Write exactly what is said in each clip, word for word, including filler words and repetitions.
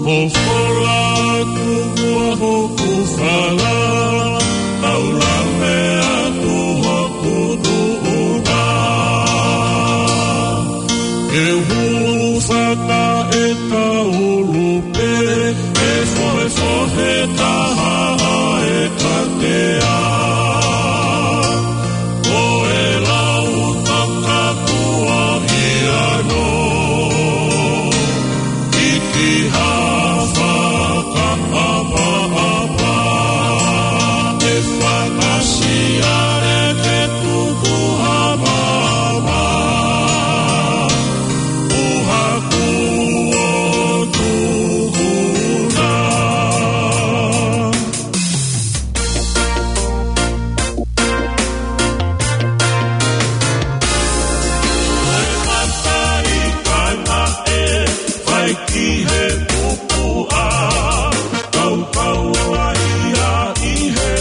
Ko fola atu ua hoku fala, tau lave atu hoku tuʻunga. Ke hūfanga e kaulu pē, ʻe fohefohe taha ʻa e katea. Ko e lau takatua ia no. Iki ha fakaʻapaʻapa, ʻe fakasiale ke tuku ha mama, ʻuha kuo tuku na. Ko e mata ʻi kaina ʻe fai ki he pupuʻa, kaukau ʻa ia ʻi he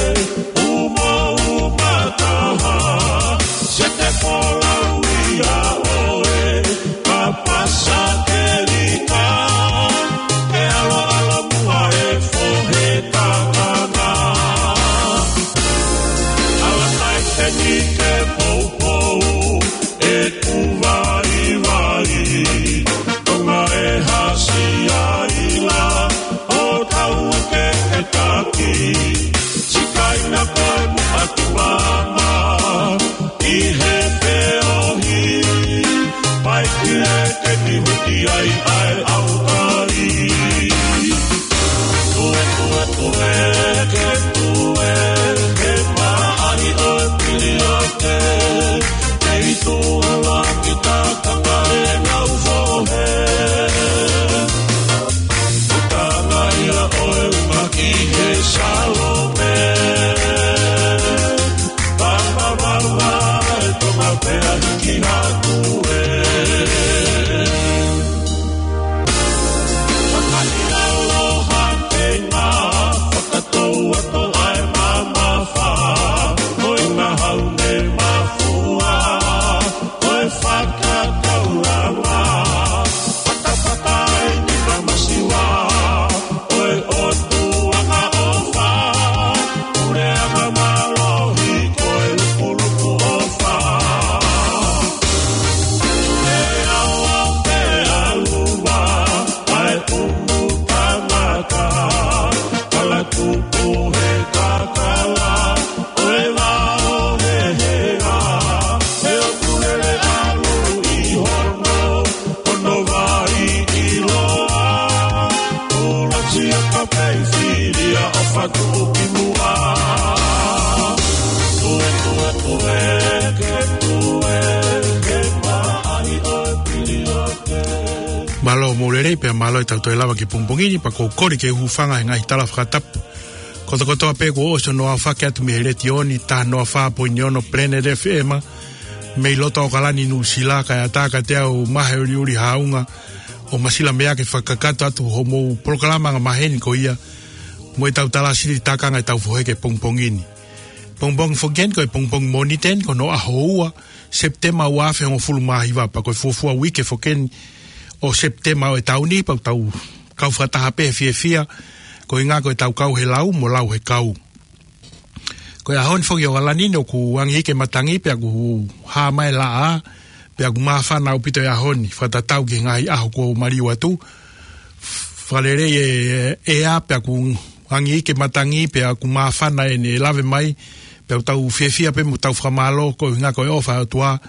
umauma taha, se te folau ia ʻoe, ka pasa ke lika, ke ʻaloʻalo muʻa e fohe tangata. Ala kai te ni ke poupou, ʻeku vaivai, Tonga e hasi ai la, ʻo tau ke ke taki, sikaina ko e muʻa ki mama, ʻi he feohi, pai ki he ke ni huti ai ʻa e ʻaukai. Tue, tue, tue, ke tue, ke maʻahi ʻo e piliote, ke itu ala ki takanga e ngau fohe. Utanga ia ʻo e uma ki he Salome. Papa, papa, e Tonga pea hiki hake ē. Fakaʻiloa ke ngā fakatou atu ai mamafa, ko e ngahau ne mafua, ko e fakakaulanga, fatafata ai ni kamasiwa, ko e ʻOtua ka ʻofa, pule anga mālohi, ko e lukuluku ʻofa. He awa, he aluva, ʻa e pumu tangata, kala tupu he kakala, ʻo e vao he hea, he ʻoku lele ʻalu ʻi hono, hono vai ʻiloa, ʻuluaki a ka pei filia ʻo fatu ki muʻa. Tue, tue, tue, ke tue, ke maʻahi ʻo e piliote. Mālō mo lelei pea mālō e tau toe lava ki he pongipongi ni, pea ʻoku ou kole ke u hūfanga he ngaahi tala fakatapu kotokotoa pē kuo ʻosi hono aofaki atu mei he letiō ni, taha noa fā poini ono Planet F M, mei loto ʻAokalani, Nuʻusila, kae ʻatā kiate au Mahe Uliuli Haunga, ʻo Masila Meake, fakakakato atu hoʻomou polokalama angamaheni ko ia, mo e tau tala sili takanga e tau fohe ki he pongipongi ni. Pongipongi foki eni ko e pongipongi Mōnite eni, ko hono ʻaho ua, Sepitema ua afe hongofulu mā hiva, pea ko e fuofua uike foki eni ʻo Sepitema ʻo e taʻu ni, pea ʻoku tau kau fakataha pē he fiefia, koeʻuhi ko e tau kau he lau mo lau he kau. Ko e ʻaho ni foki ʻAokalani ni ʻoku angi hiki e matangi pea ʻoku hā mai e laʻā, pea ʻoku māfana ʻaupito e ʻaho ni, fakatatau ki he ngaahi ʻaho kuo maliu atu. Fakalelei e ʻea pea ʻoku angi hiki e matangi pea ʻoku māfana ʻene lave mai, pea ʻoku tau fiefia pē mo tau fakamālō koeʻuhi ko e ʻofa ʻa e ʻOtua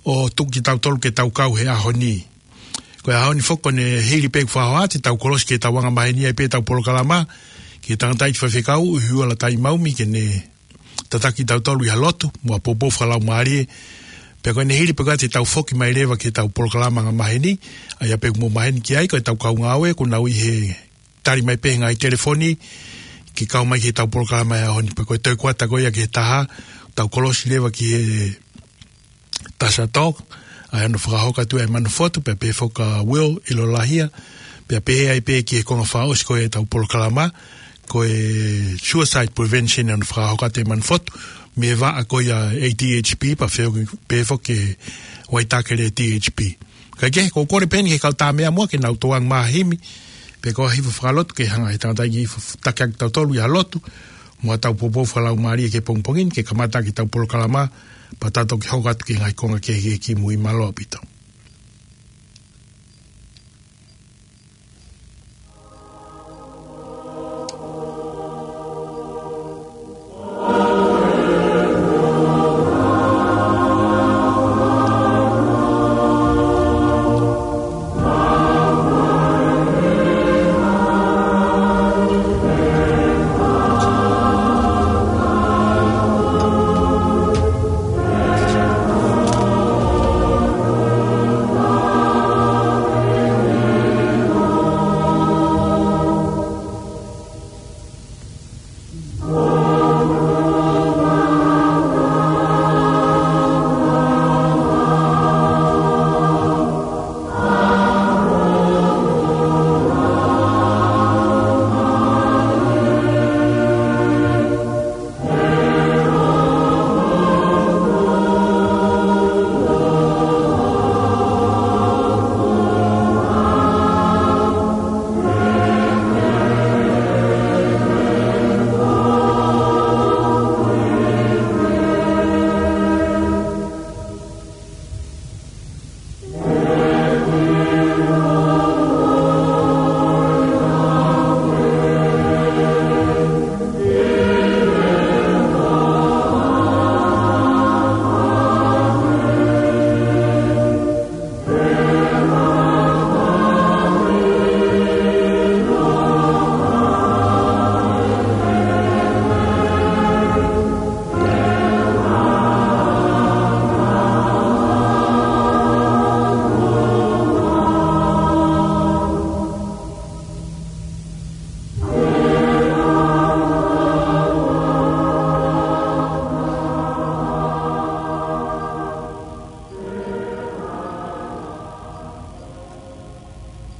ʻo tuku kitautolu ke tau kau he ʻaho ni. Ko e ʻaho ni foki ko ʻene hili pē ʻeku fakahoa te tau kolosi ke tau angamaheni ai pē tau polokalama ki he tangataʻeiki faifekau ʻUhiʻula Taimaumi ke ne tataki kitautolu ʻi ha lotu mo ha poupou fakalaumālie. Pea ko ʻene hili pē ko ia te tau foki mai leva ki he tau polokalama angamaheni, ʻa ia pē ʻoku mou maheni ki ai, ko e tau kau ngāue ʻoku nau ʻi he tali mai pē he ngaahi telefoni ke kau mai ki he tau polokalama he ʻaho ni. Pea ko e toe kuata ko ia ki he taha, tau kolosi leva ki he Tasha Talk, ʻa ia ʻoku fakahoko atu ʻa e Manu Fotu, pea pehē foki kia Will ʻIlolahia, pea pehē ai pē ki he konga fakaʻosi ko ia e tau polokalama, ko e suicide prevention ʻoku fakahoko atu ʻe he Manu Fotu, mei he vaʻa ko ia A D H P, pea feohi pē foki ki he Waitakere D H P. Kae kehe, ʻoku ou kole pē eni ki he kau tā meʻa muʻa ke nau toe angamaheni, Pea ko ha hifo fakalotu ke hanga he tangata ki hifo taki atu tautolu ia lotu, mo ʻetau poupou fakalaumālie ke pongipongi ni, ke kamata ʻaki ʻetau polokalama, pea tau toki hoko atu ki he ngaahi konga kehekehe kimui. Mālō ʻaupito.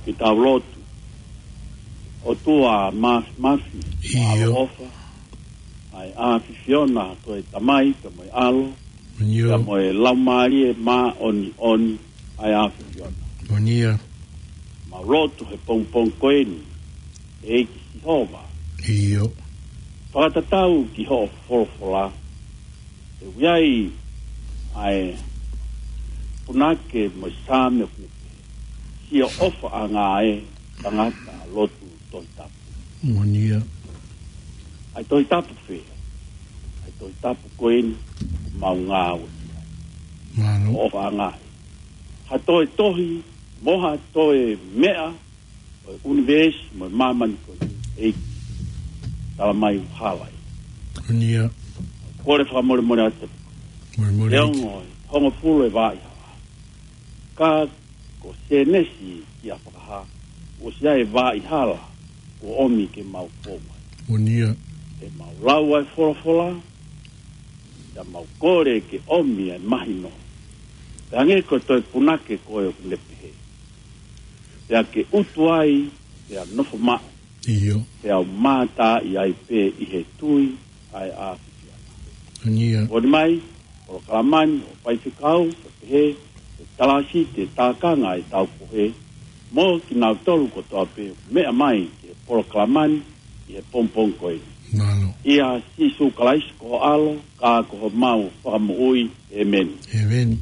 Ke tau lotu. ʻOtua Māfimafi, ʻIo. ʻAlo ʻofa, ʻa e ʻAfiona ko e Tamai, pea mo e ʻAlo, ʻIo. pea mo e Laumālie Māʻoniʻoni, ʻa e ʻAfiona. Moʻoni ia. Mau lotu he pongipongi ko eni, ʻEiki Sihova. ʻIo. Fakatatau ki hoʻo folofola, ʻe ui ai ʻa e punake mo e Saame ʻoku ne pehē, Siʻoto ʻofaʻanga ʻe tangata lotu Tohi Tapu. Moʻoni ia. ʻA e Tohi Tapu fē? ʻA e Tohi Tapu ko eni ʻoku mau ngāue ki ai. Mālō. ʻOfaʻanga ʻe. Ha toe tohi, mo ha toe meʻa, ʻo e ʻunivēsi mo e māmani ko eni, ʻEiki. Tala mai ʻoku hala ia. Moʻoni ia. Kole fakamolemole atu. Molemole. Leongo, hongofulu ʻe vaʻa ʻi hala. Ka ko Sēnesi ki ʻAfakaha, ʻosi ʻi ai e vaʻa ʻi hala, kuo ʻomi ke mau fou ai. Moʻoni ia. ʻE mau lau ʻa e folofola, pea mau kole ke ʻomi ʻa e mahino. Pea hangē ko e toe punake ko ē ʻoku ne pehē, pea ke utu ai, pea nofo maʻu. ʻIo. Pea u mātā ʻi ai pē ʻi he tui ʻa e ʻAfiona. Moʻoni ia. Moʻoni mai, polokalama ni ʻo e faifekau, ʻo pehē, ʻe talasi te tākanga ʻetau pohe, mo kinautolu kotoa pē meʻa mai ki he polokalama ni, ʻi he pongipongi ko eni. Mālō. ʻIa Sīsū Kalaisi ko ho ʻAlo, ka ko homau Fakamoʻui. ʻĒmeni. ʻĒmeni.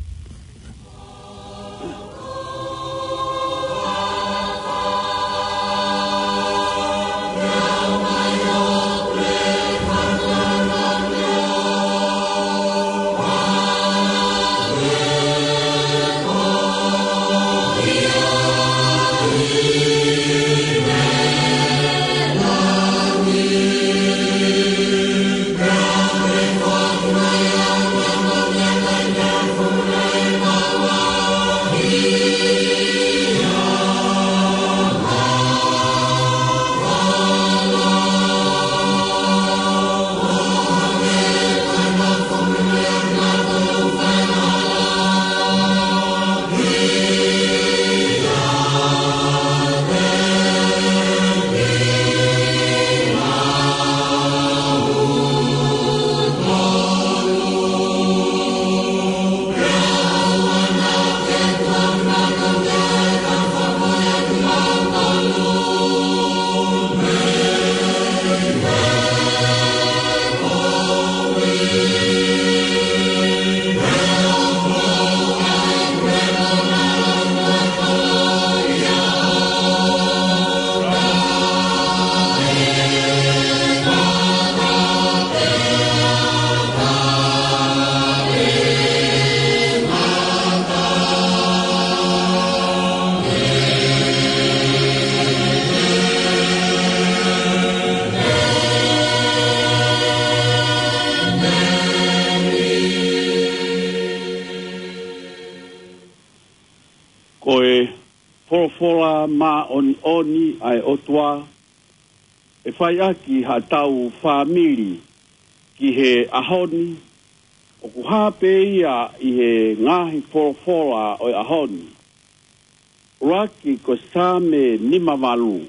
folofola māʻoniʻoni ʻa e ʻOtua ʻe fai ʻaki haʻatau fāmili ki he ʻaho ni, ʻoku hā pē ia ʻi he ngaahi folofola ʻo e ʻaho ni. ʻUluaki ko e Saame nima valu,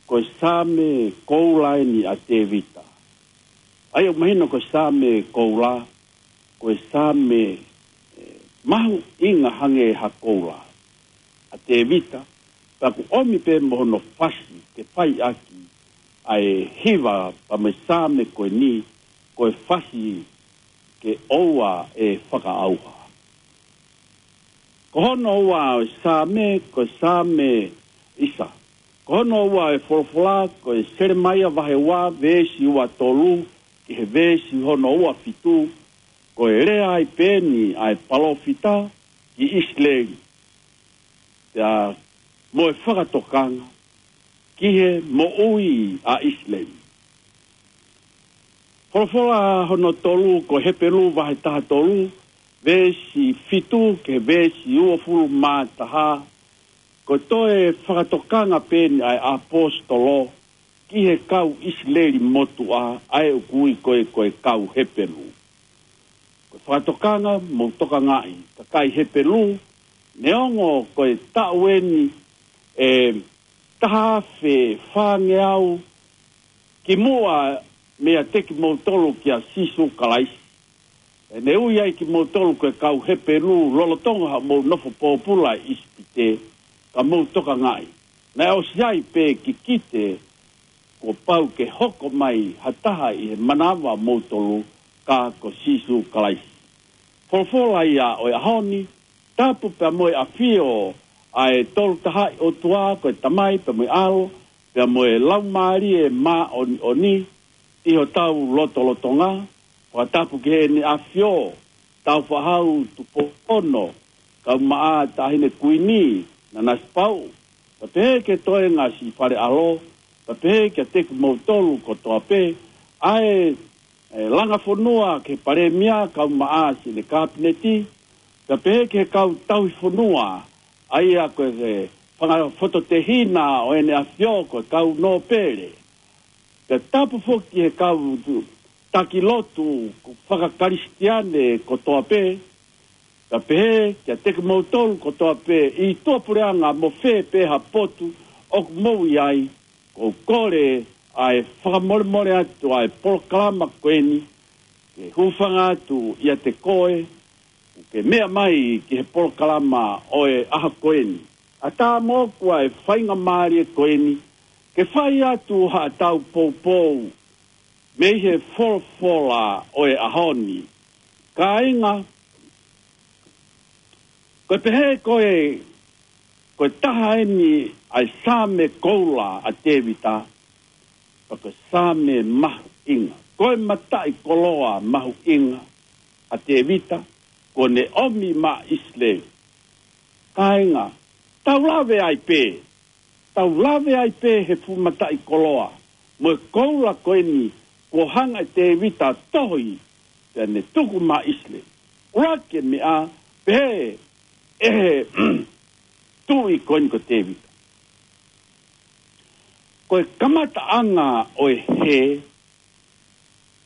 ko e Saame koula eni ʻa Tēvita. ʻA ia ʻoku mahino ko e Saame koula, ko e Saame, eh, mahuʻinga hangē ha koula ʻa Tēvita, pea ʻoku ʻomi pē mo hono fasi ke fai ʻaki ʻa e hiva pea mo e Saame ko eni, ko e fasi ke ʻoua ʻe fakaʻauha. Ko hono ua ʻo e Saame, ko e Saame ʻisa. Ko hono ua ʻo e folofola, ko e Selemaia vahe ua, veesi ua tolu ki he veesi hono ua fitu, ko e lea ai pē eni ʻa e palōfita ki ʻIsileli, pea mo e fakatokanga ki he moʻui ʻa ʻIsileli. Folofola hono tolu, ko Hepelū vahe taha tolu, veesi fitu ki he veesi uofulu mā taha, ko e toe fakatokanga pē eni ʻa e ʻaposetolo ki he kau ʻIsileli motuʻa, ʻa ē ʻoku ui ko ē ko e kau Hepelū. Ko e fakatokanga, mou tokangaʻi, kakai Hepelū, neongo ko e taʻu eni ʻe taha afe fāngeau kimuʻa meiate kimoutolu kia Sīsū Kalaisi. ʻE ne ui ai kimoutolu ko e kau Hepelū lolotonga haʻamou nofo pōpula ʻi ʻIsipite, ka mou tokangaʻi, naʻe ʻosi ai pē kikite kuo pau ke hoko mai ha taha ʻi he manava ʻo moutolu, ka ko Sīsū Kalaisi. Folofola ia ʻo e ʻaho ni, tapu pea mo e ʻafio ʻa e Tolu Tahaʻi ʻOtua, ko e Tamai pea mo e ʻAlo pea mo e Laumālie Māʻoniʻoni ʻi hotau lotolotonga. Fakatapu ki heʻene ʻAfio, Tāufaʻāhau Tupou Ono, Kaumaʻā Taʻahine Kuini Nanasipauʻu, pea pehē ki he toenga siʻi fale ʻalo, pea pehē kiate kimoutolu kotoa pē, ʻa e, e, langa fonua ki he Palēmia, Kaumaʻā siʻene Kapineti, pea pehē ki he kau tauhi fonua, ʻa ia ko e, e fanga fototehina ʻo ʻEne ʻAfio, ko e kau nōpele. Pea tapu foki ki he kau taki lotu fakakalisitiane kotoa pē, pea pehē kiate kimoutolu kotoa pē ʻi tuʻapuleʻanga mo fē pē ha potu ʻoku mou ʻi ai, ʻoku ou kole ʻa e fakamolemole atu ʻa e polokalama ko eni, ke hūfanga atu ʻiate koe, ke meʻa mai ki he polokalama ʻo e ʻaho ko eni. ʻAtā moʻoku ʻa e faingamālie ko eni, ke fai atu haʻatau poupou mei he folofola ʻo e ʻaho ni. Kāinga, ko e pehē ko e, ko e taha eni ʻa e Saame koula ʻa Tēvita, pea ko e Saame mahuʻinga. Ko e mataʻikoloa mahuʻinga ʻa Tēvita, kuo ne ʻomi maʻa ʻIsileli. Kāinga, tau lave ai pē, tau lave ai pē he fuʻu mataʻikoloa mo e koula ko eni kuo hanga ʻe Tēvita ʻo tohi, pea ne tuku maʻa ʻIsileli. ʻUluaki meʻa, pehē ʻe he tuʻi ko eni ko Tēvita, ko e kamataʻanga ʻo e hē,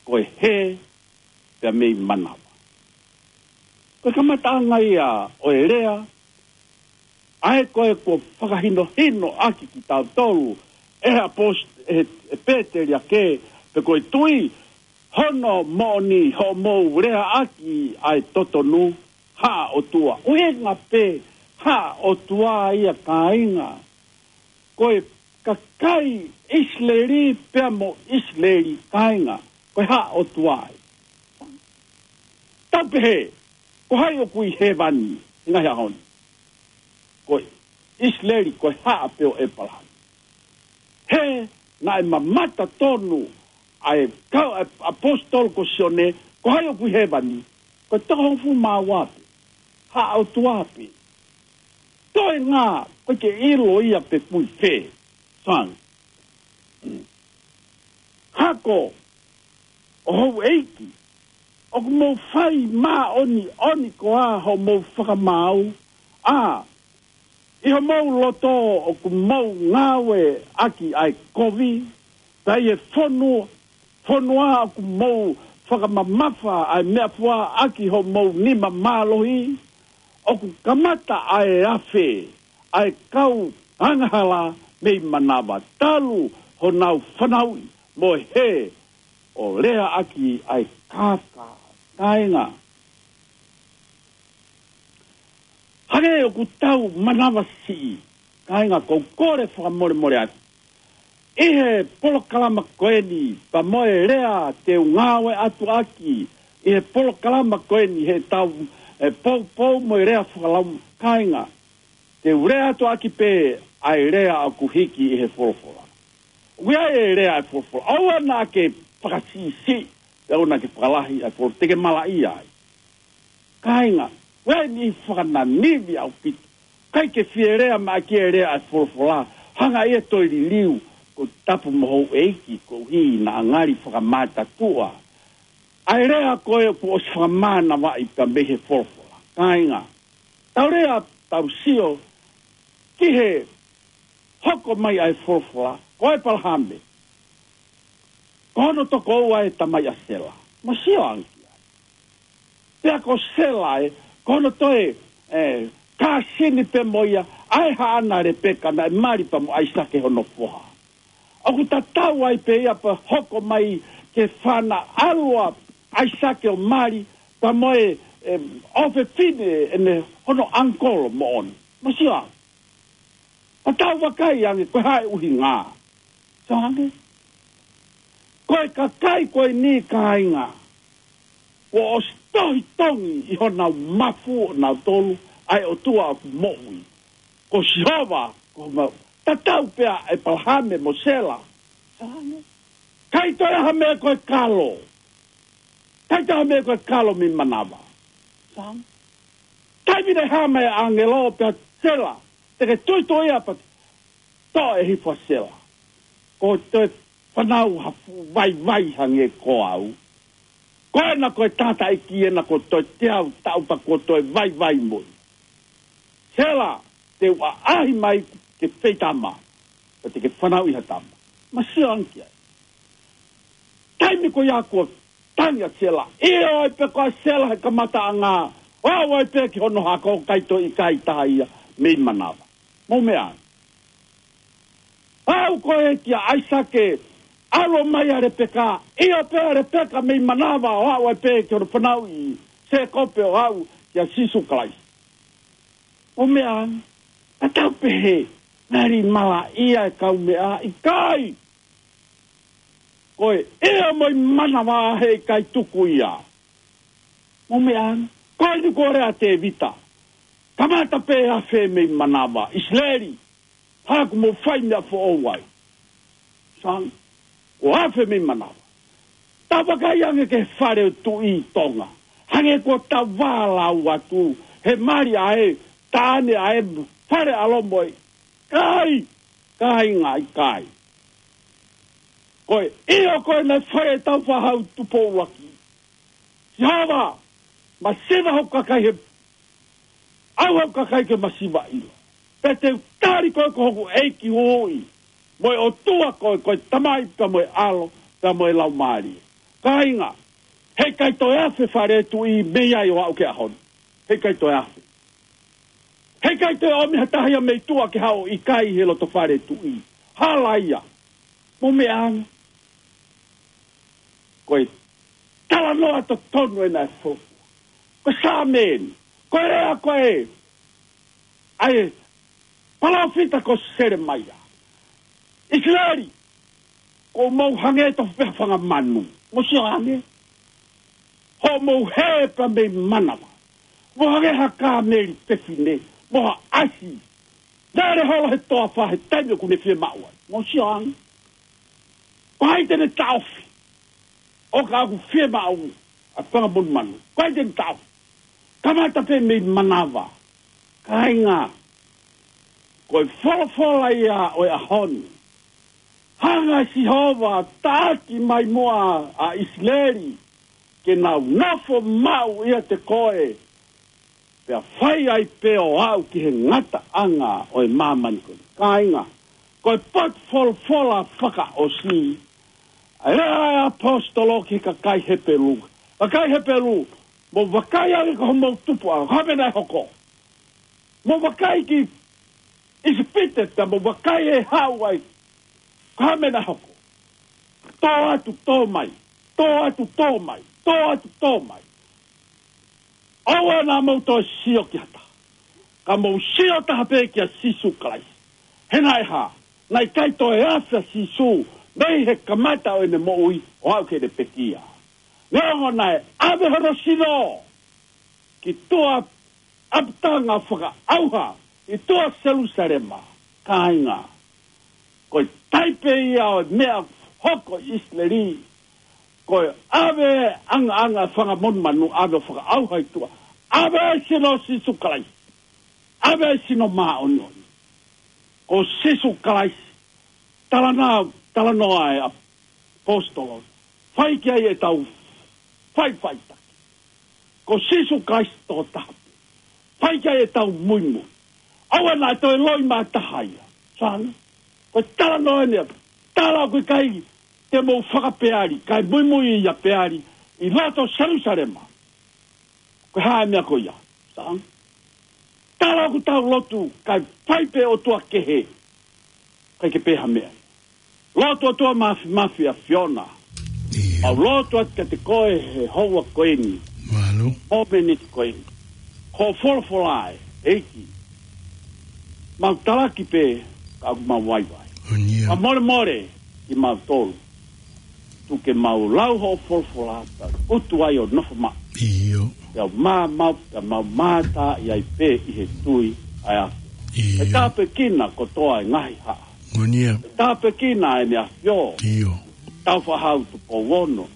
ko e hē pea mei manava. Ko e kamataʻanga ia ʻo e lea, ʻa ē ko ē kuo fakahinohino ʻaki kitautolu ʻe he ʻapost-, ʻe he, ʻe Pēteliake, pe ko e tui, hono moʻoni hoʻomou lea ʻaki ʻa e totonu, Haʻa ʻOtua. ʻUhinga pē Haʻa ʻOtua ia, kāinga. Ko e kakai ʻIsileli pea mo ʻIsileli, kāinga, ko e Haʻa ʻOtua ia. Tau pehē, ko hai ʻoku ʻi hēvani he ngaahi ʻaho ni? Ko ʻIsileli, ko e haʻa pē ʻo ʻĒpalahame. He naʻe mamata tonu ʻa e kau, ʻa e ʻaposetolo ko Sione, ko hai ʻoku ʻi hēvani? Ko e toko hongofulu mā ua pē. Haʻa ʻOtua pē. Toenga, ʻoku ʻikai ke ʻilo ia pe ʻoku ʻi fē. Sang. Hako ʻo houʻeiki, ʻoku mou fai māʻoniʻoni koā hoʻomou fakamaau? ʻA, ʻI homou loto ʻoku mou ngāueʻaki ʻa e kovi, pea ʻi he fonu, fonua ʻoku mou fakamamafa ʻa e meʻafua ʻaki homou nima mālohi, ʻoku kamata ʻa e afe ʻa e kau angahala mei manava talu honau fanauʻi mo e hē ʻo leaʻaki ʻa e kākā. Kāinga, hangē ʻoku tau manavasiʻi, kāinga, ʻoku ou kole fakamolemole atu ʻi he polokalama ko eni, pea mo e lea te u ngāue atu ʻaki ʻi he polokalama ko eni, he tau e poupou mo e lea fakalaumālie, kāinga, te u lea atu ʻaki pē ʻa e lea ʻoku hiki ʻi he folofola. ʻOku ʻi ai e lea ʻa e folofola. ʻOua naʻa ke fakasiʻisiʻi, ʻoua naʻa ke fakalahi ʻa e folofola, te ke malaʻia ai. Kāinga, ʻoku ʻi ai e niʻihi fakananivi ʻaupito. ʻIkai ke fie lea mai ki he lea ʻa e folofola, hanga ʻe ia ʻo toe liliu, ko e tapu mo houʻeiki, koeʻuhi naʻa ngali fakamātatuʻa ʻa e lea ko ē kuo ʻosi fakamānavaʻi pea mei he folofola. Kāinga, tau lea, tau sio ki he hoko mai ʻa e folofola, ko ʻĒpalahame, ko hono tokoua ʻa e tamai ʻa Sela. Mou sio ange ki ai. Pea ko Sela ē, ko hono toe, ē, kāsini pē mo ia ʻa e haʻana ʻa Lepeka naʻe mali pea mo ʻAisake hono foha. ʻOku tatau ai pē ia pea hoko mai ki he fānau ʻa ʻAisake ʻo mali pea mo e, ē, ʻofefine ʻene hono ʻangikolo moʻoni. Mou sio ange. Pea tau vakai ange ko e hā e ʻuhinga. Sio ange. Ko e kakai ko eni, kāinga, kuo ʻosi tohi tongi ʻi honau mafu ʻonautolu ʻa e ʻOtua ʻoku moʻui, ko Sihova, ko mau. Tatau pē ʻa ʻĒpalahame mo Sela. Sio ange. ʻIkai toe ʻi ai ha meʻa ko e kalo. ʻIkai toe ʻi ai ha meʻa ko e kalo mei manava. Sio ange. Taimi naʻe hā mai ʻa e ʻāngelo pea Sela, te ke tuitui ia pea toʻo e hifo ʻa Sela. Ko e toe fanauʻi ha fuʻu vaivai hangē ko au. Ko ena ko e tangataʻeiki ena kuo toe teau taʻu pea kuo toe vaivai mo ia. Sela, te u ʻaʻahi mai ke feitama, pea te ke fanauʻi ha tama. Mou sio ange ki ai. Taimi ko ia kuo tangi ʻa Sela, ʻio ai pē ko ʻa Sela he kamataʻanga, ʻo aʻu ai pē ki hono hako, ʻikai toe ʻi ai ha taha ia mei manava. Mou meʻa ange. Aʻu ko ē kia ʻAisake, ʻalu mai ʻa Lepeka, ʻio pē ʻa Lepeka mei manava ʻo aʻu ai pē ki hono fanauʻi Sēkope ʻo aʻu kia Sīsū Kalaisi. Mou meʻa ange, ʻa tau pehē, ngali malaʻia e kaumeʻa, ʻikai. Ko e ʻio mo e manava heʻikai tuku ia. Mou meʻa ange, ko eni kuo lea ʻa Tēvita. Kamata pē afe mei manava, ʻIsileli. Haku mo fai meʻa foʻou ai. Sio ange, kuo afe mei manava. Tau vakai ange ki he fale ʻo e tuʻi Tonga. Hangē kuo tau vālau atu, he mali ʻa e, taʻane ʻa e, Fale ʻAlo mo e, ʻikai, kāinga, ʻikai. Ko e ʻio ko ē naʻe fai ʻe Tāufaʻāhau Tupou ʻUluaki. Sihova, masiva hoku kakai he, ʻauha hoku kakai ke masiva ʻilo. Pea te u tali koe ko hoku ʻEiki Huhuʻi, mo e ʻOtua koe, ko e Tamai pea mo e ʻAlo, pea mo e Laumālie. Kāinga, heʻikai toe afe Fale ʻo e Tuʻi mei ai ʻo aʻu ki he ʻaho ni. Heʻikai toe afe. Heʻikai toe ʻomi ha taha ia mei tuʻa ke haʻu ʻo ʻikai he loto Fale ʻo e Tuʻi. Hala ia. Mou meʻa ange. Ko e talanoa totonu ena ʻa e folofola. Ko e Saame eni. Ko e lea ko ē ʻa e palōfita ko Selemaia. ʻIsileli, kuo mou hangē tofu pē ha fanga manu. Mou sio ange. Hoʻomou hē pē mei manava. Mou hangē ha kāmeli fefine, mo ha ʻasi. Naʻe ʻalu holo he toafa he taimi ʻoku ne fiemaʻu ai. Mou sio ange. Ko hai te ne taʻofi? ʻO ka ʻoku fiemaʻu ʻa e fanga monumanu, ko hai te ne taʻofi? Kamata pē mei manava. Kāinga, ko e folofola ia ʻo e ʻaho ni. Hanga ʻe Sihova ʻo taʻaki mai muʻa ʻa ʻIsileli, ke nau nofo maʻu ʻiate koe, Pea fai ai pē ʻo aʻu ki he ngataʻanga ʻo e māmani ko eni. Kāinga, ko e potu folofola fakaʻosi ʻa e lea ʻa e ʻaposetolo ki he kakai Hepelū. Kakai Hepelū, mou vakai ange ko homou tupuʻanga, ko e hā e meʻa naʻe hoko. Mou vakai ki ʻIsipite, pea mou vakai ʻe haʻu ai, ko e hā e meʻa naʻe hoko. Tō atu, tō mai, tō atu, tō mai, tō atu, tō mai. ʻOua naʻa mou toe sio ki ha taha, ka mou sio taha pē kia Sīsū Kalaisi. He naʻe hā, naʻe ʻikai toe afe ʻa Sīsū mei he kamata ʻo ʻene moʻui ʻo aʻu ki heʻene pekia. Neongo naʻe ʻave hono sino ki tuʻa ʻapitanga fakaʻauha ʻi tuʻa Selusalema, kāinga. Ko e taipe ia ʻo e meʻa hoko ʻi ʻIsileli. Ko e ʻave ʻangaʻanga fanga monumanu, ʻave ʻo fakaʻauha ʻi tuʻa. ʻAve e sino ʻo Sīsū Kalaisi. ʻAve e sino māʻoniʻoni. Ko Sīsū Kalaisi. Talanoa, talanoa e ʻaposetolo. Fai ki ai ʻetau faʻifaʻitaki. Ko Sīsū Kalaisi tokotaha pē. Fai ki ai ʻetau muimui. ʻOua naʻa toe loi mā taha ia. Sānge. Ko e talanoa eni. Tala ʻoku ʻikai te mou fakapeali, kae muimui ʻia Peali ʻi loto Selusalema. Ko e hā e meʻa ko ia. Sānge. Tala ʻoku tau lotu, kae fai pē ʻotua kehe. ʻIkai ke pehē ha meʻa. Lotu ʻOtua Māfimafi ʻa e ʻAfiona. ʻIo. Mau lotu atu kiate koe he houa ko eni. Mālō. Momeniti ko eni. Ko e folofola ē, ʻEiki. Mau talaki pē, ka ʻoku mau vaivai. ʻOnia. Ka molemole, kimautolu. Tuku ke mau lau hoʻo folofola, ka utu ai ʻo nofo maʻu. ʻIo. Pea mau, pea mau mātā ʻi ai pē ʻi he tui ʻa e ʻAfiona. ʻIo. ʻE tāpuekina kotoa e ngaahi haʻa. ʻOnia. ʻE tāpuekina ʻEne ʻAfio. ʻIo. Tau Fakahau Tupou Ono.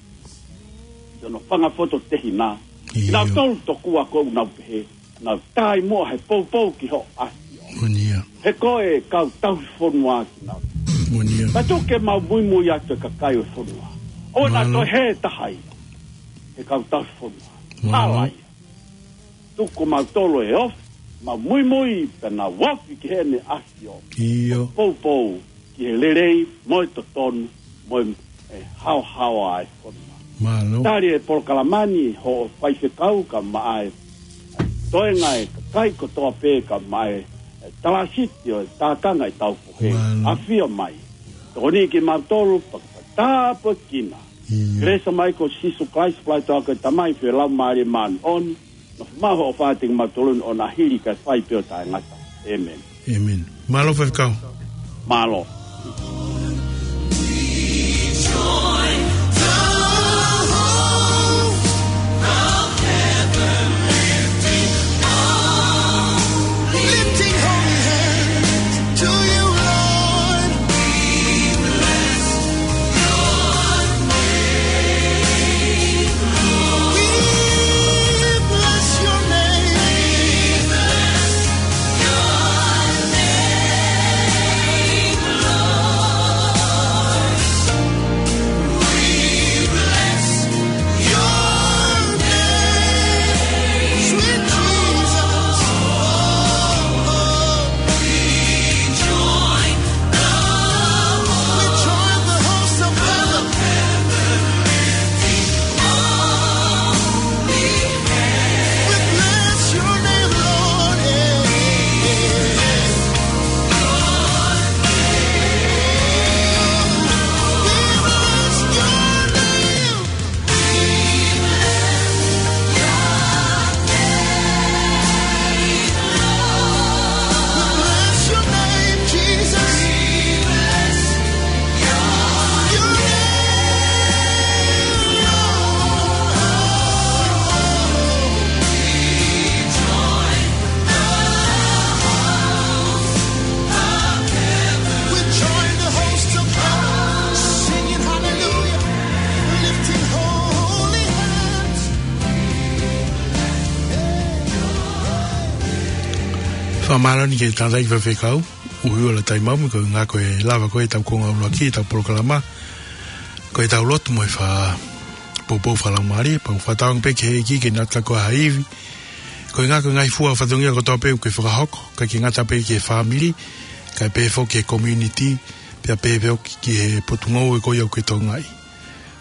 Ki hono fanga fototehina. ʻIo. Kinautolu tokua ʻoku nau pehē. Nau tai muʻa he poupou ki hoʻo ʻAfio. ʻOnia. He ko e kau tauhi fonua kinautolu. ʻOnia. Ka tuku ke mau muimui atu e kakai ʻo e fonua. ʻOua naʻa Mālō. Toe hē taha ia. He kau tauhi fonua. Mālō. Hala ia. Tuku mautolu e ofi, mau muimui, pea nau ofi ki heʻene ʻAfio. ʻIo. Poupou ki he lelei, mo e totonu, mo e, e haohaoa ʻa e fonua. Mālō. Tali e polokalama ni, hoʻo faifekau, kae ʻumaʻā e toenga e kakai kotoa pē, kae ʻumaʻā e, e talāsiti ʻo e tākanga ʻetau fohe. Mālō. ʻAfio mai. Tokoni kimautolu, pea tāpuekina. ʻIo. Kelesi mai ko Sīsū Kalaisi, falaitoa ko e Tamai, feohi Laumālie Māʻoniʻoni, nofo maʻu hoʻo fānau kimautolu ni ʻo na hili kae fai pē ʻo taʻengata. ʻĒmeni. ʻĒmeni. Mālō faifekau. Mālō. Lifting holy hands to you, Lord. We bless your name. We bless your name, Lord. We bless your name, sweet Jesus. Oh, oh. We join the, we join the host of heaven. We bless your name, Lord. We bless your name. We bless your name, Jesus. Your name, Lord. We join the host of heaven, singing hallelujah, lifting holy hands. Fakamālō eni ki he tangataʻeiki faifekau, ʻUiula Taimaomi, ko e ʻuhinga ko e lava ko ē ʻetau konga ʻuluaki ʻetau polokalama, ko ʻetau lotu mo e fakapoupou fakalaumālie, pea u fakatauange pē ki he ʻEiki ke ne ʻatu kia koe ha ivi, Ko e ngaahi, ko e ngaahi fua fatongia kotoa pē ʻoku ke fakahoko, ʻikai ke ngata pē ki he fāmili, kae pehē foki ki he community, pea pehē foki ki he potungāue ko ia ʻoku ke tokangaʻi.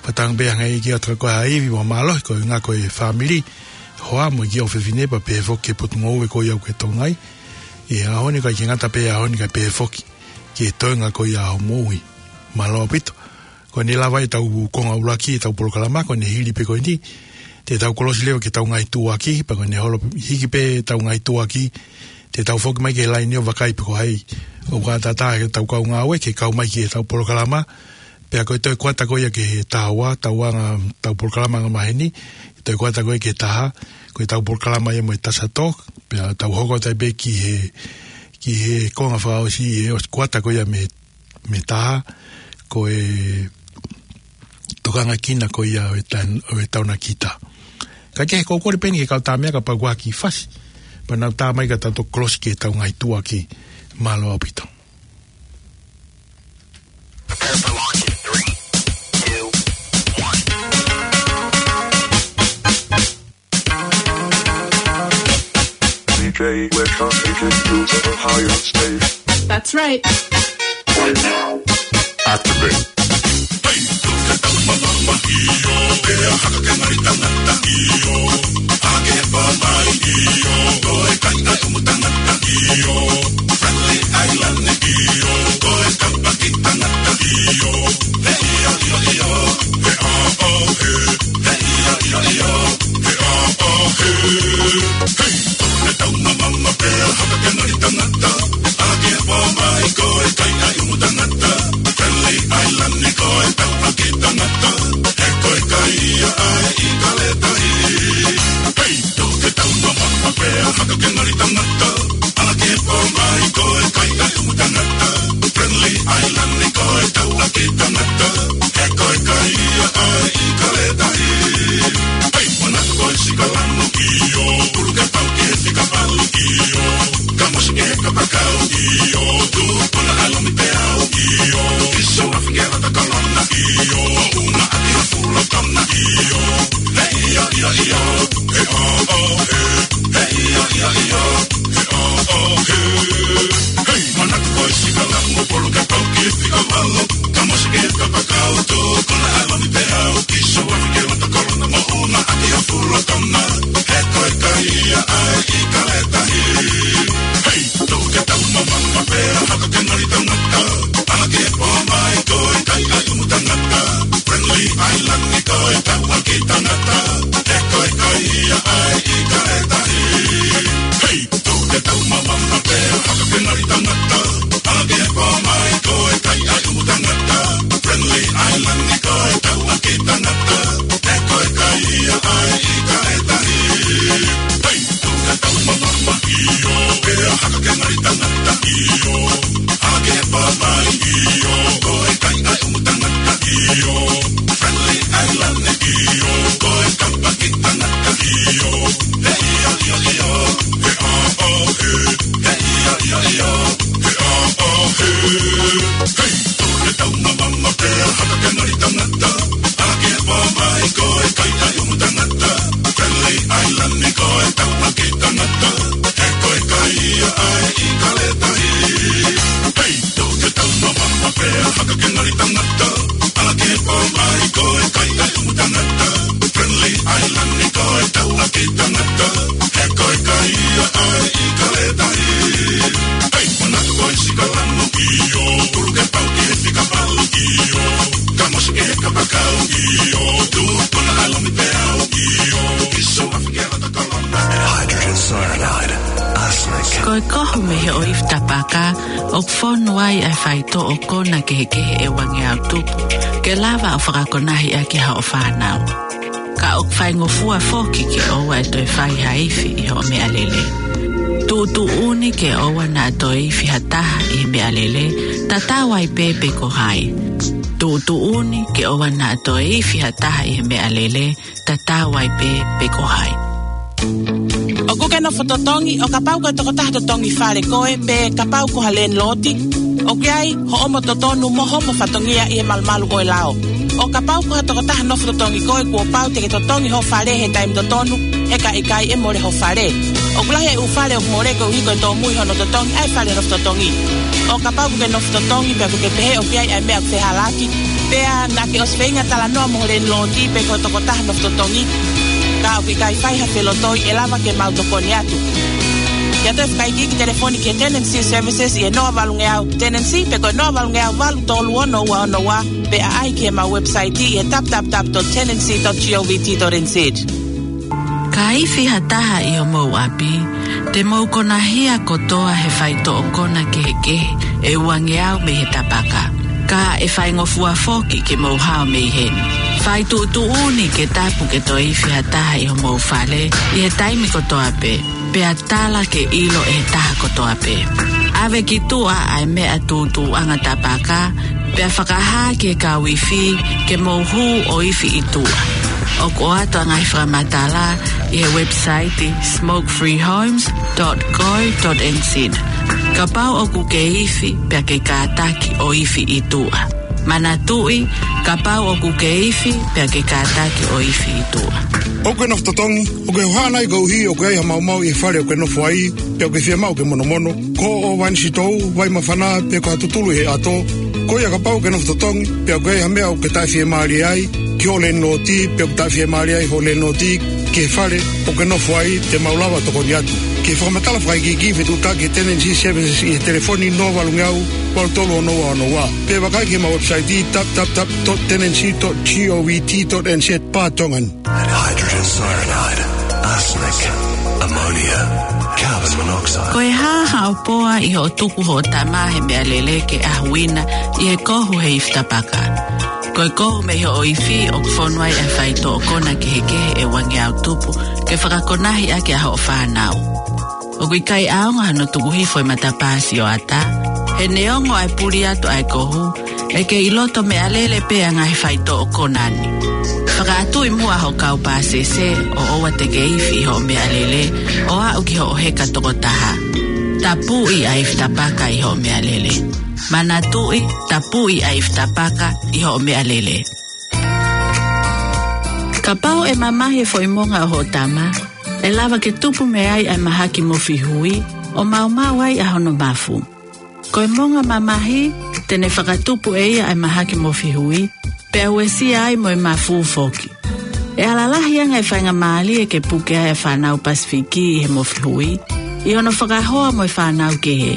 Fakatauange pē hangē ʻoku ʻikai ke ʻi ai ha ivi mo ha mālohi, ko e ngaahi, ko e fāmili, hoa mo e kiʻi ʻofefine, pea pehē foki ki he potungāue ko ia ʻoku ke tokangaʻi. ʻI he ʻaho ni ʻikai ke ngata pē he ʻaho ni kae pehē foki ki he toenga ko ia ʻo e moʻui. Mālō ʻaupito. Ko ʻene lava ʻetau konga ʻuluaki ʻetau polokalama, ko ʻene hili pē ko eni te tau kolosi leva ki heʻetau ngaahi tuʻuaki, pea ko ʻene holo hiki pē ʻetau ngaahi tuʻuaki, te tau foki mai ki he laine ʻo vakai pe ko hai ʻoku ʻatā ʻetau kau ngāue ke kau mai ki heʻetau polokalama. Pea ko e toe kuata ko ia ki he taha ua, taha ua ʻetau polokalama angamaheni, toe kuata ko ia ki he taha, ko ʻetau polokalama ia mo e Tasato, pea tau hoko atu ai pē ki he, ki he konga fakaʻosi, ʻe ʻosi kuata ko ia mei mei he taha, ko e tokangaʻi kina ko ia ʻo e tan-, ʻo e taunakita. Kae kehe, ko e kole pē eni ki he kau tamaiki kapau ʻoku ʻi ai ha kiʻi fasi, pea nau tā mai ka tau toki kolosi ki heʻetau ngaahi tuʻuaki. Mālō ʻaupito. D J, we're transmitting you to the highest stage. That's right. Right now. Activate. Hei, ʻo e tau mamama pea haka ke ngali tangata. ʻAla ke pō mai ko e kai ʻai umu tangata. Friendly Island ni ko e tau ʻaki tangata. He ko e kai ia ʻai ʻi Kaletahi. Hei, ʻo e tau mamama pea haka ke ngali tangata. ʻAla ke pō mai ko e kai ʻai umu tangata. Friendly Island ni ko e tau ʻaki tangata. He ko e kai ia ʻai ʻi Kaletahi. Hei, manatu ko e sika lanu ʻio, pulu ke pau ke sika palu ʻio. Kamosi ke kapakau ʻio, tupuna ʻalomi peau ʻio. Kiso afi ke lata kalona ʻio, ʻo una ʻaki ha fula tona ʻio. He ʻio, ʻio, ʻio, he ʻo, ʻo, he, he ʻio, ʻio, ʻio, he ʻo, ʻo, he. Hei, manatu ko e sika lanu, pulu ke pau ke sika palu. Kamosi ke kapakau, tupuna ʻalomi peau. Kiso afi ke lata kalona, ʻo una ʻaki ha fula tona. He ko e kai ia ʻai ʻi Kaletahi. Hei, ʻo e tau mamama pea haka ke ngali tangata. ʻAla ke pō mai ko e kai ʻai umu tangata. Friendly Island ni ko e tau ʻaki tangata. He ko e kai ia ʻai ʻi Kaletahi. Hei, ʻo e tau mamama pea haka ke ngali tangata. ʻAla ke pō mai ko e kai ʻai umu tangata. Friendly Island ni ko e tau ʻaki tangata. He ko e kai ia ʻai ʻi Kaletahi. Hei, ʻo e tau mamama ʻio, pea haka ke ngali tangata ʻio. ʻAla ke pō mai ʻio, ko e kai ʻai umu tangata ʻio. Friendly Island ni ʻio, ko e tau ʻaki tangata ʻio. He ʻio, ʻio, ʻio, he ʻo, ʻo, he. He ʻio, ʻio, ʻio, he ʻo, ʻo, he. Hei, ʻo e tau mamama pea haka ke ngali tangata. ʻAla ke pō mai ko e kai ʻai umu tangata. Friendly Island ni ko e tau ʻaki tangata. He ko e kai ia ʻai ʻi Kaletahi. Hei, ʻo e tau mamama pea haka ke ngali tangata. ʻAla ke pō mai ko e kai ʻai umu tangata. Friendly Island ni ko e tau ʻaki tangata. He ko e kai ia ʻai ʻi Kaletahi. Hei, manatu ko e sika lanu ʻio, pulu ke pau ke sika palu ʻio. Kamosi ke kapakau ʻio, tupuna ʻalomi peau ʻio. Kiso afi ke lata kalona. Hydrogen cyanide, arsenic. Ko e kohu mei he ʻoifi tapaka, ʻoku fonu ai ʻa e faitoʻo kona kehekehe ʻe uangeau tupu, ke lava ʻo fakakonahi ʻaki haʻo fānau. Ka ʻoku faingofua foki ke ʻoua ʻe toe fai ha ifi ʻi hoʻo meʻalele. Tuʻutuʻuni ke ʻoua naʻa toe ifi ha taha ʻi he meʻalele, tatau ai pē pe ko hai. Tuʻutuʻuni ke ʻoua naʻa toe ifi ha taha ʻi he meʻalele, tatau ai pē pe ko hai. ʻOku ke nofo totongi, ʻo kapau ko e tokotaha totongi fale koe, pe kapau ko ha landlord, ʻoku ʻi ai hoʻomo totonu mo hoʻomo fatongia ʻi he malumalu ʻo e lao. ʻO kapau ko ha tokotaha nofo totongi koe, kuo pau te ke totongi ho fale he taimi totonu, he ka ʻikai ʻe mole ho fale. ʻOku lahi e ʻū fale ʻoku mole koeʻuhi ko e tōmui hono totongi ʻa e fale nofo totongi. ʻO kapau ʻoku ke nofo totongi pea ʻoku ke pehē ʻoku ʻi ai ʻa e meʻa ʻoku fehālaaki, pea naʻa ke ʻosi feinga talanoa mo ho landlord pe ko e tokotaha nofo totongi, ka ʻoku ʻikai fai ha felotoi, ʻe lava ke mau tokoni atu. Ke ʻoatu e fakaikiiki, telefoni ki he Tenancy Services ʻi he noa valungeau Tenancy pe ko e noa valungeau valu tolu ono ua ono ua, pe ʻaʻahi ki heʻemau website ʻi he w w w dot tenancy dot govt dot n z. Ka ifi ha taha ʻi homou ʻapi, te mou konahia kotoa he faitoʻo kona kehekehe ʻe uangeau mei he tapaka. Ka ʻe faingofua foki ke mou hao mei heni. Fai tuʻutuʻuni ke tapu ke toe ifi ha taha ʻi homou fale ʻi he taimi kotoa pē, pea tala ke ʻilo ʻe he taha kotoa pē. ʻAve ki tuʻa ʻa e meʻa tūtuuʻanga tapaka, pea fakahā ki he kau ifi ke mou hū ʻo ifi ʻi tuʻa. ʻOku ʻoatu ʻa e ngaahi fakamatala ʻi he website smoke free homes dot co dot n z. Kapau ʻoku ke ifi, pea ke kātaki ʻo ifi ʻi tuʻa. Manatuʻi, kapau ʻoku ke ifi, pea ke kātaki ʻo ifi ʻi tuʻa. ʻOku ke nofo totongi? ʻOku ke hohaʻa nai koeʻuhi ʻoku ʻi ai ha maumau ʻi he fale ʻoku ke nofo ai, pea ʻoku ke fiemaʻu ke monomono? Ko hoʻo vānisitou, vai māfana, pe ko ha tutulu ʻi he ʻato? Ko ia, kapau ʻoku ke nofo totongi pea ʻoku ʻi ai ha meʻa ʻoku ke taʻefiemālie ai ki hoʻo landlord pe ʻoku taʻefiemālie ai hoʻo landlord ki he fale ʻoku ke nofo ai, te mau lava tokoni atu. Ke fakamatala fakaikiiki, fetuʻutaki ki he Tenancy Services ʻi he telefoni noa valungeau valu tolu ono ua ono ua, pe vakai ki heʻemau website w w w dot tenancy dot govt dot n z barra tongan. Hydrogen cyanide, arsenic, ammonia, carbon monoxide. Ko e hā haʻo poa ʻi hoʻo tuku hoʻo tama he meʻalele ke ʻahuina ʻi he kohu he ifi tapaka? Ko e kohu mei hoʻo ifi ʻoku fonu ai ʻa e faitoʻo kona kehekehe ʻe uangeau tupu ke fakakonahi ʻaki ʻa hoʻo fānau. ʻOku ʻikai ʻaonga hano tuku hifo e matapā sioʻata. He neongo ʻa e puli atu ʻa e kohu, ʻe kei ʻi loto meʻalele pē ʻa e ngaahi faitoʻo kona ni. Fakaʻatuʻi muʻa hoʻo kau pāsese ʻo ʻoua te ke ifi ʻi hoʻo meʻalele ʻo aʻu ki hoʻo heka toko taha. Tapuʻi ʻa e ifi tapaka ʻi hoʻo meʻalele. Manatuʻi, tapuʻi ʻa e ifi tapaka ʻi hoʻo meʻalele. Kapau ʻe mamahi e foʻi monga ʻo hoʻo tama, ʻe lava ke tupu mei ai ʻa e mahaki mofi hui, ʻo maumau ai ʻa hono mafu. Ko e monga mamahi, te ne fakatupu ʻe ia ʻa e mahaki mofi hui, pea uesia ai mo e mafu foki. ʻE ala lahi ange e faingamālie ke puke ai ʻa e fānau Pasifiki ʻi he mofi hui, ʻi hono fakahoa mo e fānau kehe.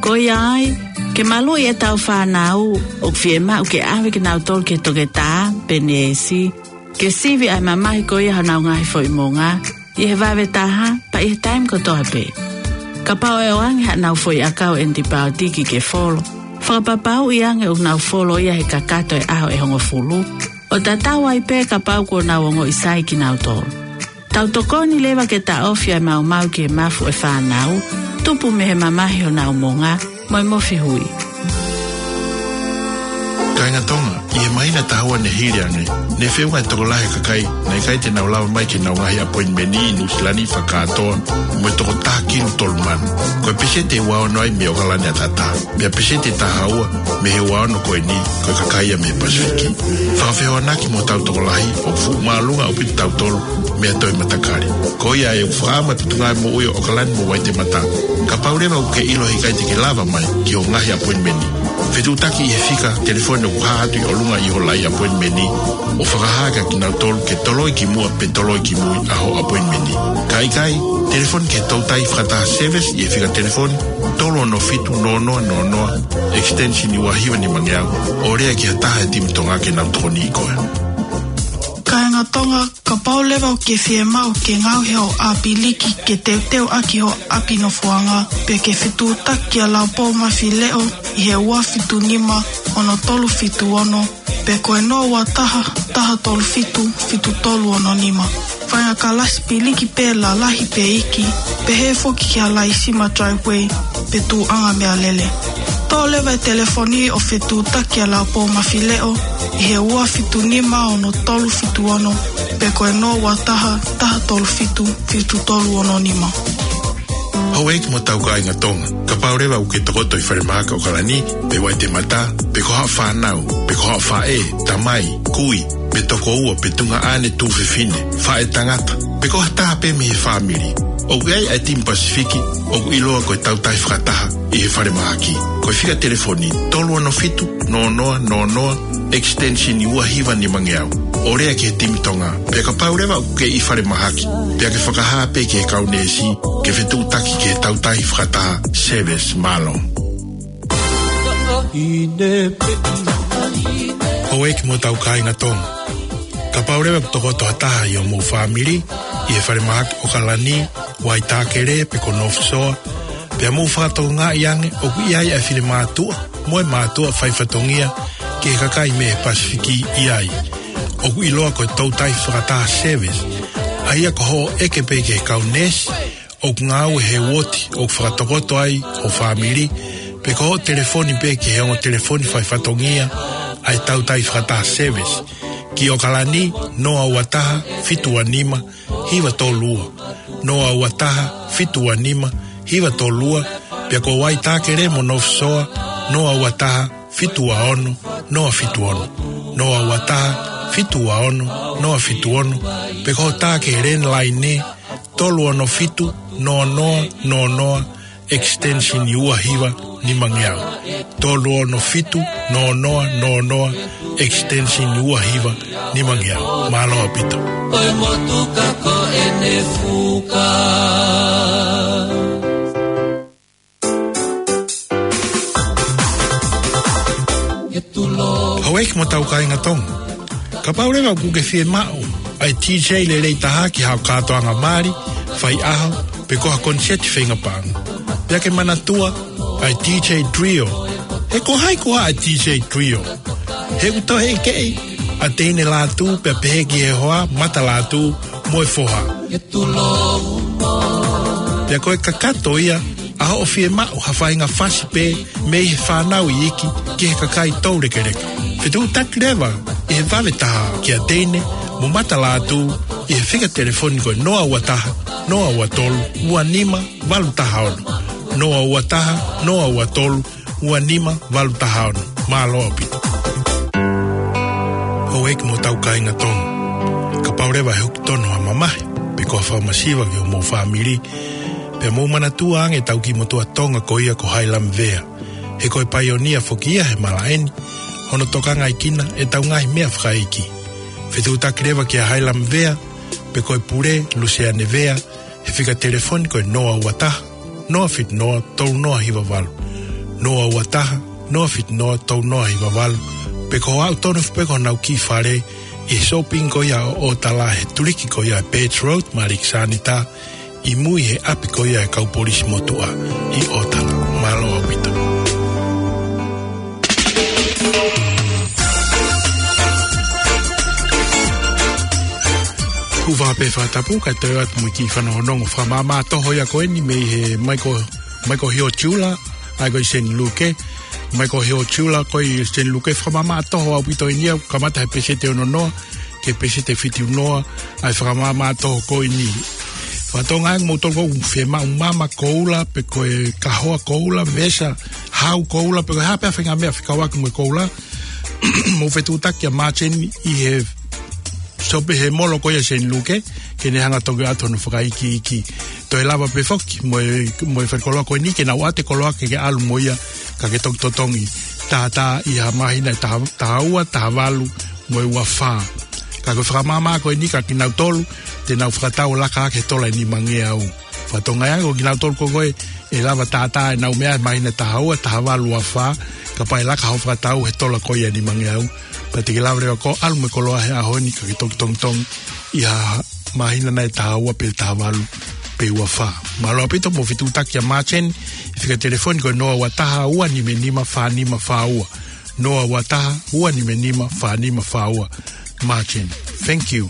Ko ia ai, ke maluʻi ʻetau fānau, ʻoku fiemaʻu ke ʻave kinautolu ki he toketā pe neesi, ke sivi ʻa e mamahi ko ia honau ngaahi foʻi monga, ʻi he vave taha, pea ʻi he taimi kotoa pē. Kapau ʻe ʻoange haʻanau foʻi ʻakau ʻenipaotiki ke folo, fakapapauʻi ange ʻoku nau folo ia he kakato e ʻaho ʻe hongofulu, ʻo tatau ai pē kapau kuo nau ongoʻi sai kinautolu. Tau tokoni leva ke taʻofi ʻa e maumau ki he mafu ʻo e fānau, tupu mei he mamahi honau monga, mo e mofi hui. Kāinga Tonga, ʻi he māhina ʻe taha ua ne hili ange, ne feʻunga e tokolahi e kakai naʻe ʻikai te nau lava mai ki heʻenau ngaahi appointment ʻi Nuʻusila ni fakakātoa mo e toko taha kilu tolu mano. Ko e peseti ʻe ua ono ai mei ʻOkalani ʻAtatā. Pea peseti ʻe taha ua mei he ua ono ko eni, ko e kakai ia mei he Pasifiki. Fakafehoanaki mo hotau tokolahi, ʻoku fuʻu māʻolunga ʻaupito kitautolu mei ha toe matakali. Ko ia ai ʻoku fakaʻamu e Potungāue Moʻui ʻo ʻOkalani mo Waitemata, kapau leva ʻoku ke ʻilo he ʻikai te ke lava mai ki hoʻo ngaahi appointment, fetuʻutaki ʻi he fika telefoni ʻoku hā atu ʻi ʻolunga ʻi hoʻo laʻi appointment, ʻo fakahā kia kinautolu ke toloi ki muʻa pe toloi ki mui ʻa hoʻo appointment. Ka ʻikai, telefoni ki he toutai fakataha service ʻi he fika telefoni tolu ono fitu noa noa noa noa, extension ua hiva nima ngeau, ʻo lea ki ha taha he timi Tonga ke nau tokoniʻi koe. Kāinga Tonga, kapau leva ʻoku ke fiemaʻu ke ngaohi hoʻo ʻāpiliki ke teuteu ʻaki hoʻo ʻapi nofoʻanga, pe ke fetuʻutaki kia Laupōmafileʻo ʻi he ua fitu nima ono tolu fitu ono, pe ko e noa ua taha, taha tolu fitu, fitu tolu ono nima. Faʻahinga kalasi piliki pē, lalahi pe iiki, pehē foki ki ha laisima driveway pe tuʻuʻanga meʻalele. Toʻo leva e telefoni ʻo fetuʻutaki kia Laupōmafileʻo ʻi he ua fitu nima ono tolu fitu ono, pe ko e noa ua taha, taha tolu fitu, fitu tolu ono nima. Houʻeiki mo hotau kāinga Tonga, kapau leva ʻoku ke tokoto ʻi falemahaki ʻAokalani, pe Waitemata, pe ko haʻo fānau, pe ko haʻo faʻē, tamai, kui, pe tokoua, pe tuongaʻane tuofefine, faʻētangata, pe ko ha taha pē mei he fāmili, ʻoku ʻi ai ʻa e timi Pasifiki ʻoku ʻiloa ko e Tautahi Fakataha ʻi he falemahaki. Ko e fika telefoni tolu ono fitu, noa noa noa noa, extension ua hiva nimangeau. ʻO lea ki he timi Tonga. Pea kapau leva ʻoku ke ʻi falemahaki, pea ke fakahā pē ki he kau neesi ke fetuʻutaki ki he Tautahi Fakataha Service. Mālō. Houʻeiki mo hotau kāinga Tonga, kapau leva ʻoku tokoto ha taha ʻi hoʻomou fāmili ʻi he falemahaki ʻAokalani, Waitākele pe ko North Shore, pea mou fakatokangaʻi ange ʻoku ʻi ai ʻa e finemātuʻa mo e mātuʻa faifatongia ki he kakai mei he Pasifiki ʻi ai, ʻoku ʻiloa ko e Tautahi Fakataha Service, ʻa ia ko hoʻo ʻeke pē ki he kau neesi ʻoku ngāue he uooti ʻoku fakatokoto ai ho fāmili, pe ko hoʻo telefoni pē ki he ongo telefoni faifatongia ʻa e Tautahi Fakataha Service, ki ʻAokalani, noa ua taha, fitu ua nima, hiva tolu ua, noa ua taha, fitu ua nima, hiva tolu ua, pea ko Waitākele mo North Shore, noa ua taha, fitu ua ono, noa fitu ono, noa ua taha, fitu ua ono, noa fitu ono, pe ko hoʻo tā ki he landline, tolu ono fitu, noa noa noa noa, extension ua hiva nimangeau. Tolu ono fitu, noa noa noa noa, extension ua hiva nimangeau. Mālō ʻaupito. Ko e motuka ko ʻene fuka. Houʻeiki mo hotau kāinga Tonga, kapau leva ʻoku ke fiemaʻu ʻa e DJ lelei taha ki haʻo kātoanga mali, faiʻaho, pe ko ha koniseti feinga paʻanga, pea ke manatua ʻa e DJ Trio. He ko hai koā ʻa e DJ Trio? He ʻoku toe ʻekeʻi ʻa Teine Lātū pea pehē ki he hoa, Mata Lātū mo e foha. Pea ko e kakato ia ʻa hoʻo fiemaʻu ha faʻahinga fasi pē mei he fānau iiki ki he kakai toulekeleka. Fetuʻutaki leva ʻi he vave taha kia Teine mo Mata Lātū ʻi he fika telefoni ko e noa ua taha, noa ua tolu, ua nima valu taha ono. Noa ua taha, noa ua tolu, ua nima valu taha ono. Mālō ʻaupito. Houʻeiki mo hotau kāinga Tonga, kapau leva ʻe hoko tonu ha mamahi pe ko ha fakamasiva ki hoʻomou fāmili, pea mou manatua ange ʻetau kiʻi motuʻa Tonga ko ia ko Hailami Vea. He ko e paionia foki ia he malaʻe ni, hono tokangaʻi kinautolu ʻe heʻetau ngaahi meʻa fakaʻeiki. Fetuʻutaki leva kia Hailami Vea pe ko e pule, Luseane Vea, he fika telefoni ko e noa ua taha, noa fitu noa, tolu noa hiva valu. Noa ua taha, noa fitu noa, tolu noa hiva valu. Pe ko hoʻo aʻu tonu foki pē ki honau kiʻi fale ʻi he sōpingi ko ia ʻo ʻOtala, he tuliki ko ia ʻa e Birch Road, Maliki Sānita, ʻi mui he ʻapi ko ia ʻa e kau polisi motuʻa ʻi ʻOtala. Mālō ʻaupito. Kuo pau pē fakatapu kae toe atu mo e kiʻi fanongonongo fakamāmā toho ia ko eni mei he Michael, Michael Hill Jeweler, ʻa ia ko ē ʻi Saint Luke. Michael Hill Jeweler ko ē ʻi Saint Luke, fakamāmā toho ʻaupito eni ia, kamata he peseti ono noa ki he peseti fitu noa, ʻa e fakamāmā toho ko eni. Fakatokangaʻi ange kimoutolu ʻoku mou fiemaʻu mama koula, pe ko e kahoa koula, vesa, hau koula, pe ko e hā pē ha faʻahinga meʻa fekauʻaki mo e koula, mou fetuʻutaki kia Martin ʻi he sōpingi he molo ko ia ʻi Saint Luke, ke ne hanga toki ʻoatu hono fakaikiiki. Toe lava pē foki mo e, mo e faikoloa ko eni ke nau ʻoatu e koloa ke ke ʻalu mo ia, ka ke toki totongi. Tātā ʻi ha māhina ʻe taha, taha ua, taha valu, mo e ua fā. Ka ko e fakamāmā ko eni kia kinautolu te nau fakatau ʻo laka hake he tola ʻe nimangeau. Fakatokangaʻi ange ko kinautolu ko ē ʻe lava tātā ʻenau meʻa he māhina taha ua, taha valu, ua fā, kapau ʻe laka hoʻo fakatau he tola ko ia ʻe nimangeau. Pea te ke lava leva koe ʻo ʻalu mo e koloa he ʻaho ni ka ke toki tongitongi ʻi ha māhina nai ʻe taha ua pe taha valu pe ua fā. Mālō ʻaupito, mou fetuʻutaki kia Martin, fika telefoni ko e noa ua taha, ua nima nima, fā nima fā ua. Noa ua taha, ua nima nima, fā nima fā ua. Martin. Thank you.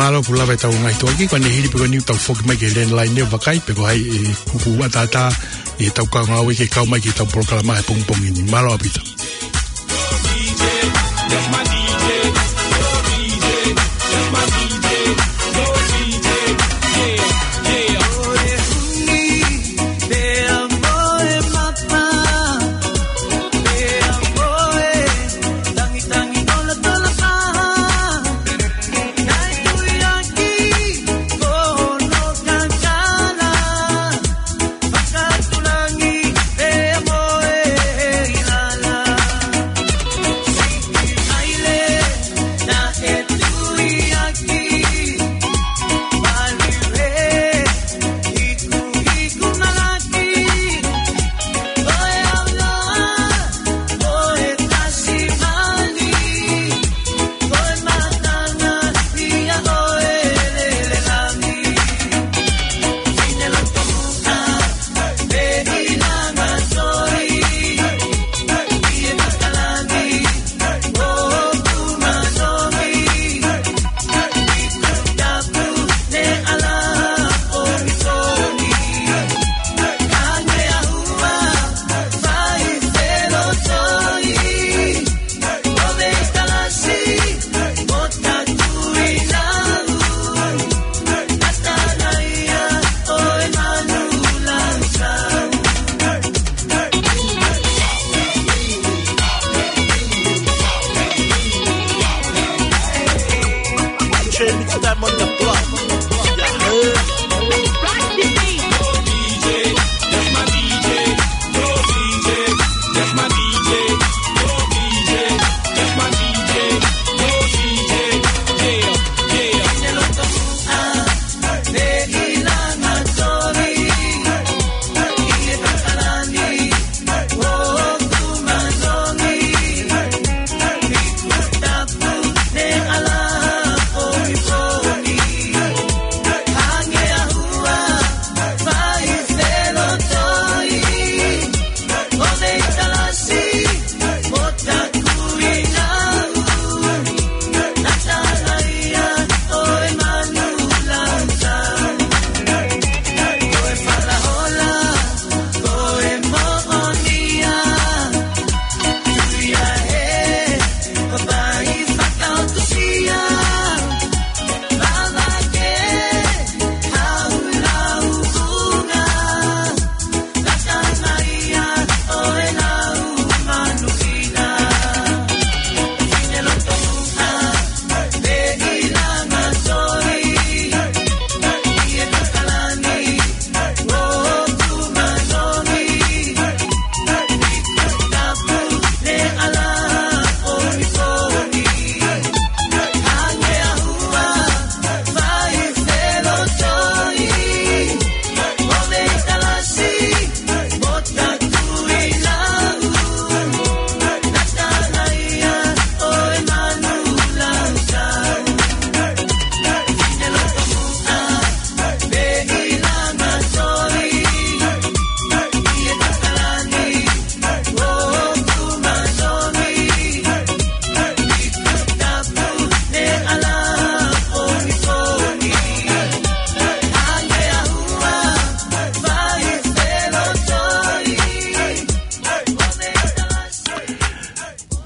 Mālō, kuo lava ʻetau ngaahi tuʻuaki, ko ʻene hili pē ko eni ʻoku tau foki mai ki he landline ʻo vakai pe ko hai ʻe kuku ʻataʻatā ʻi heʻetau kau ngāue ke kau mai ki heʻetau polokalama he pongipongi ni. Mālō ʻaupito.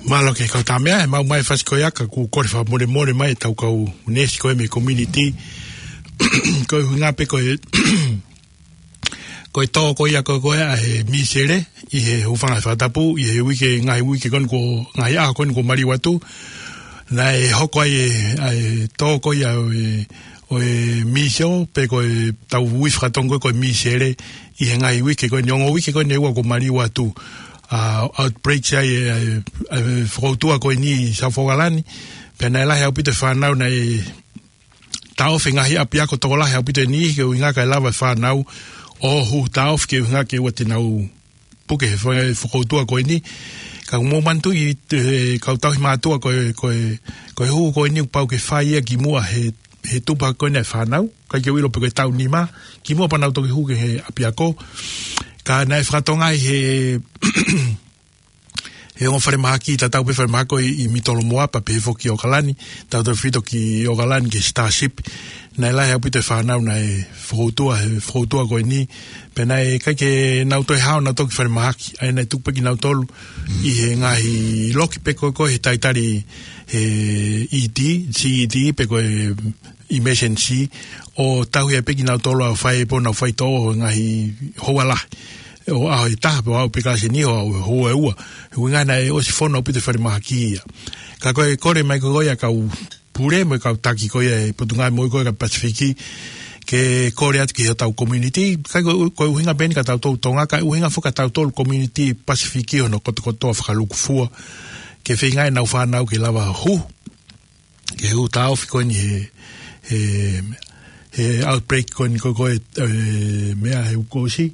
Mālō ki he kau tama, ʻe maʻu mai e fasi ko ia ka ʻoku kole fakamolemole mai ʻetau kau neesi ko ē mei he community. Ko e ʻuhinga pē ko e, ko e tō ko ia ko ē ʻa e mīsele ʻi he hūfanga he fakatapu, ʻi he uike, ngaahi uike ko eni ko, ngaahi ʻaho ko eni kuo maliu atu. Naʻe hoko ai e, ʻa e tō ko ia ʻo e, ʻo e mīsele, pe ko e tau ui fakatonga ko e mīsele, ʻi he ngaahi uike ko eni, ongo uike ko eni ʻe ua kuo maliu atu, ʻa, outbreak ai e, e, e fokoutua ko eni ʻi South Auckland. Pea naʻe lahi ʻaupito e fānau naʻe taʻofi he ngaahi ʻapiako tokolahi ʻaupito ʻe niʻihi, ke ʻuhinga kae lava e fānau ʻo hū taʻofi ke ʻuhinga ke ʻoua te nau puke he fo-, fokoutua ko eni. Ka mou manatuʻi, e, kau tauhi mātuʻa ko e, ko e, ko e hū ko eni kuo pau ke fai ia kimuʻa he, he tupu hake ko eni e fānau. ʻIkai ke u ʻilo pe ko e taʻu nima, kimuʻa pea nau toki hū ki he ʻapiako. Ka naʻe fakatonga ai he he ongo falemahaki, tatau pē falemahaki ko ē ʻi, ʻi Mitolomoa pea pehē foki ʻOkalani, tautautefito ki ʻOkalani ki he Starship. Naʻe lahi ʻaupito e fānau naʻe fakautua, he fakautua ko eni. Pea naʻe ʻikai ke nau toe hao nautolu ki falemahaki. ʻA ia naʻe tuku pē kinautolu ʻi he ngaahi loki pē ko ē ko ē he talitali he E D, C E D, pe ko e emergency, ʻo tauhi ai pē kinautolu ʻo fai pē honau faitoʻo he ngaahi houa lahi. ʻO aʻu he taha pē ʻo aʻu pē ka seni ʻo aʻu he houa ʻe ua. He ʻuhinga naʻe ʻosi fono ʻaupito e falemahaki ia. Ka ko e kole mai ko ē ʻa e kau pule mo e kau taki ko ē ʻa e Potungāue Moʻui ko ē ʻa e Pasifiki, ke kole atu ki hotau community, ʻikai ko, ko e ʻuhinga pē eni kia tautolu Tonga, ka ʻuhinga foki kia tautolu community Pasifiki hono kotokotoa fakalūkufua, ke feinga ʻenau fānau ke lava huhu ki he hū taʻofi ko eni he, he, he outbreak ko eni ko ē ko ē, e, meʻa he uike kuo ʻosi.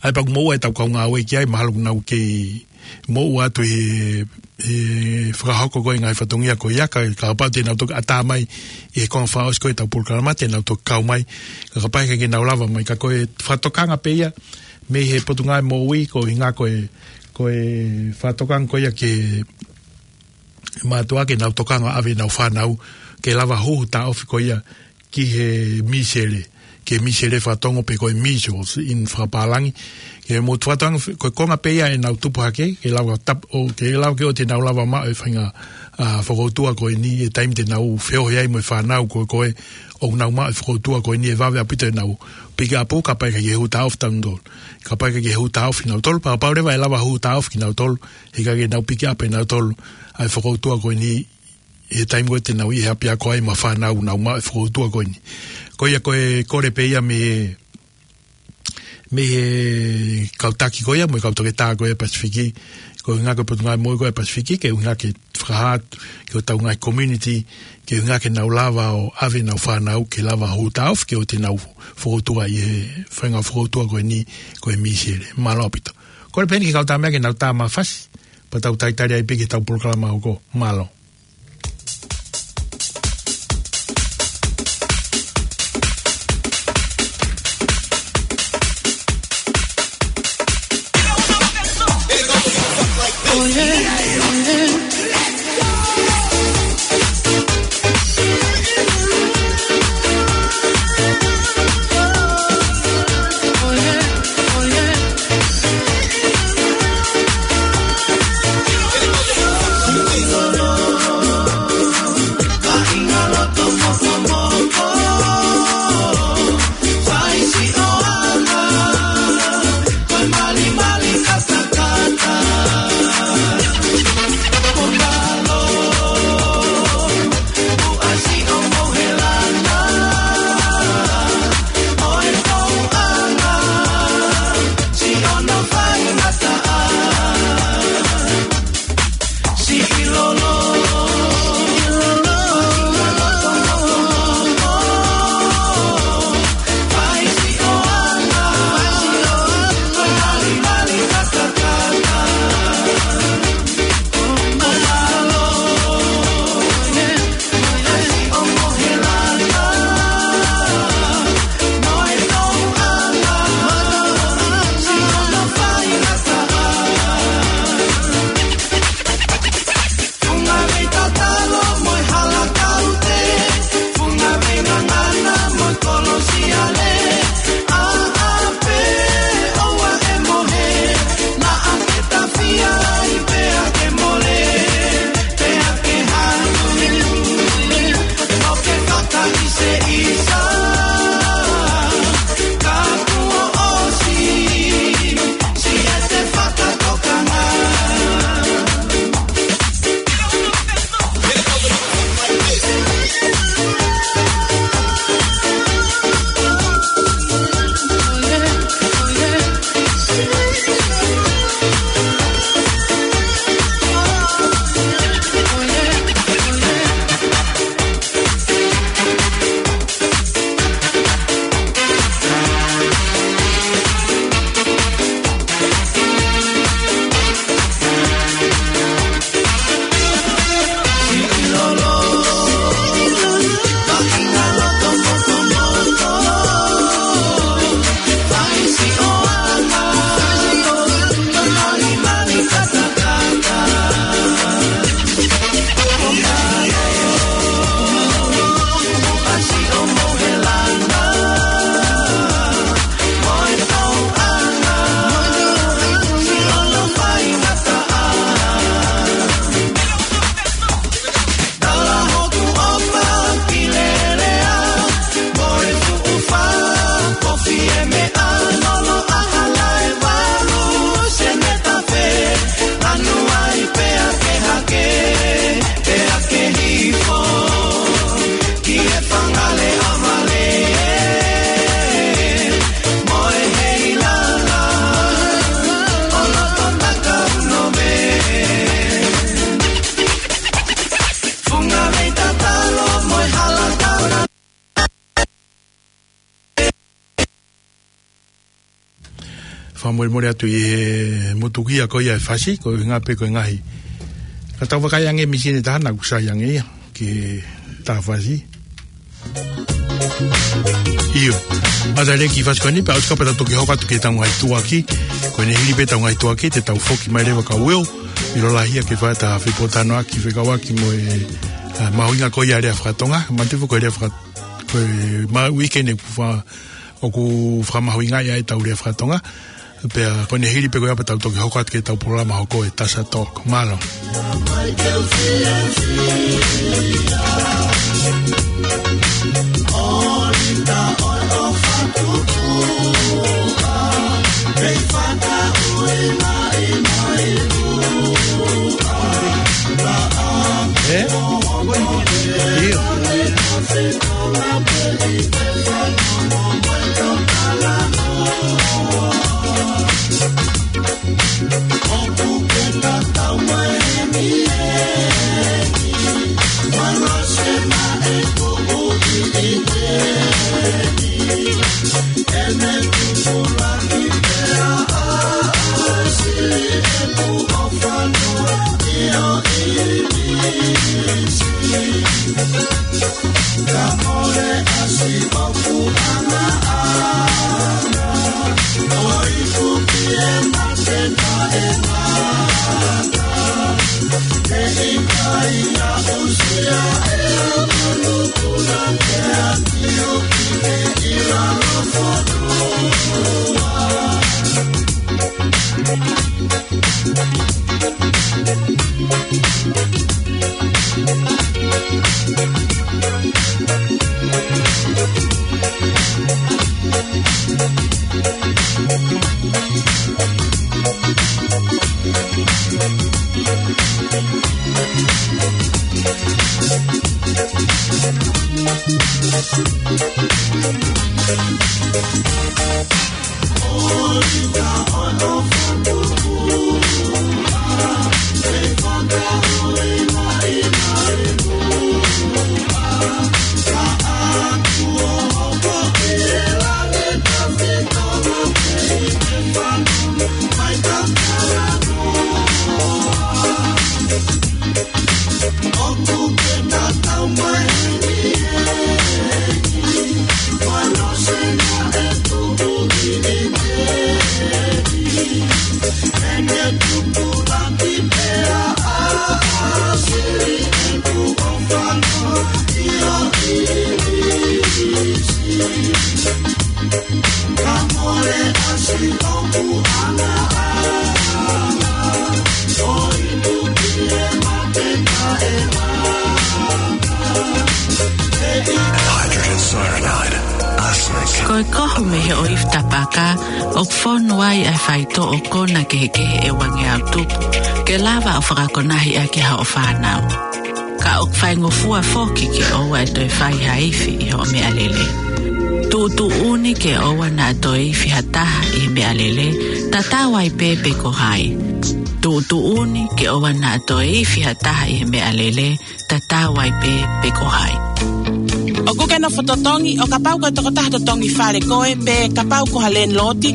ʻA ia pea ʻoku moʻua ʻetau kau ngāue ki ai, mahalo ʻoku nau kei moʻua atu he, he fakahoko ko ē ngaahi fatongia ko ia, ka, kapau te nau toki ʻatā mai ʻi he konga fakaʻosi ko ē ʻetau polokalama, te nau toki kau mai, ka kapau ʻe ʻikai ke nau lava mai, ka ko e fakatokanga pē ia mei he Potungāue Moʻui, ko e ʻuhinga ko e, ko e fakatokanga ko ia ke mātuʻa ke nau tokanga ʻave ʻenau fānau ke lava huhu taʻofi ko ia ki he misele, ki he misele fakatonga pe ko e measles ʻi he fakapālangi. Ke mo fakatokanga ko e konga pē ia ʻenau tupu hake, ke lava tap-, ʻo ke lava ke ʻoua te nau lava maʻu e faʻahinga, a, fakautua ko eni he taimi te nau feohi ai mo e fānau ko ē ko ē ʻoku nau maʻu e fakautua ko eni ʻe vave ʻaupito ʻenau pikiʻapu kapau ʻe ʻikai ke hū taʻofi kinautolu. Kapau ʻe ʻikai ke hū taʻofi kinautolu, pea kapau leva ʻe lava hū taʻofi kinautolu, he ʻikai ke nau pikiʻapu ʻe nautolu ʻa e fakautua ko eni he taimi ko ē te nau ʻi he ʻapiako ai mo e fānau ʻoku nau maʻu e fakautua ko eni. Ko ia ko e kole pē ia mei he, mei he kau taki ko ia mo e kau toketā ko ia Pasifiki, ko e ʻuhinga ko e Potungāue Moʻui ko ia Pasifiki, ke ʻuhinga ke fakahā atu ki hotau ngaahi community, ke ʻuhinga ke nau lava ʻo ʻave ʻenau fānau ke lava hū taʻofi ke ʻoua te nau fakautua ʻi he faʻahinga fakautua ko eni ko e misele. Mālō ʻaupito. Kole pē eni ki he kau tama ke nau tā mafasi, pea tau talitali ai pē ki heʻetau polokalama hoko. Mālō. Fakamolemole atu ʻi he motukia ko ia e fasi, ko e ngaahi pē ko e ngaahi. Ka tau vakai ange mīsini ʻe taha naʻa ku sai ange ia, ki he tā fasi. ʻIo, mata leki fasi ko eni, pea ʻosi kapau te tau toki hoko atu ki he tau ngaahi tuʻuaki, ko eni hili pē tau ngaahi tuʻuaki, te tau foki mai leva ka ueo, ʻilo lahi ia ke fai ʻeta fepōtalanoaʻaki, fekauʻaki mo e, ʻa, mahuʻinga ko ia lea fakatonga, manatu foki ko e lea faka-, ko e ma-, weekend ʻoku fa-, ʻoku fakamahuʻingaʻi ai ʻetau lea fakatonga. Pea ko eni hili pē ko ia pea tau toki hoko atu ki he tau polokalama hoko e Tasa Talk. Mālō. Eh? ʻIo. Hydrogen cyanide, arsenic. Ko e kohu mei he ʻoifi tapaka, ʻoku fonu ai ʻa e faitoʻo kona kehekehe ʻe uangeau tupu, ke lava ʻo fakakonahi ʻaki ha hoʻo fānau. Ka ʻoku faingofua foki ke ʻoua ʻe toe fai ha ifi ʻi hoʻo meʻalele. Tuʻutuʻuni ke ʻoua naʻa toe ifi ha taha ʻi he meʻalele, tatau ai pē pe ko hai. Tuʻutuʻuni ke ʻoua naʻa toe ifi ha taha ʻi he meʻalele, tatau ai pē pe ko hai. ʻOkú ke nofo totongi, ʻo kapau ko e tokotaha totongi fale koe, pe kapau ko ha lēnilōti,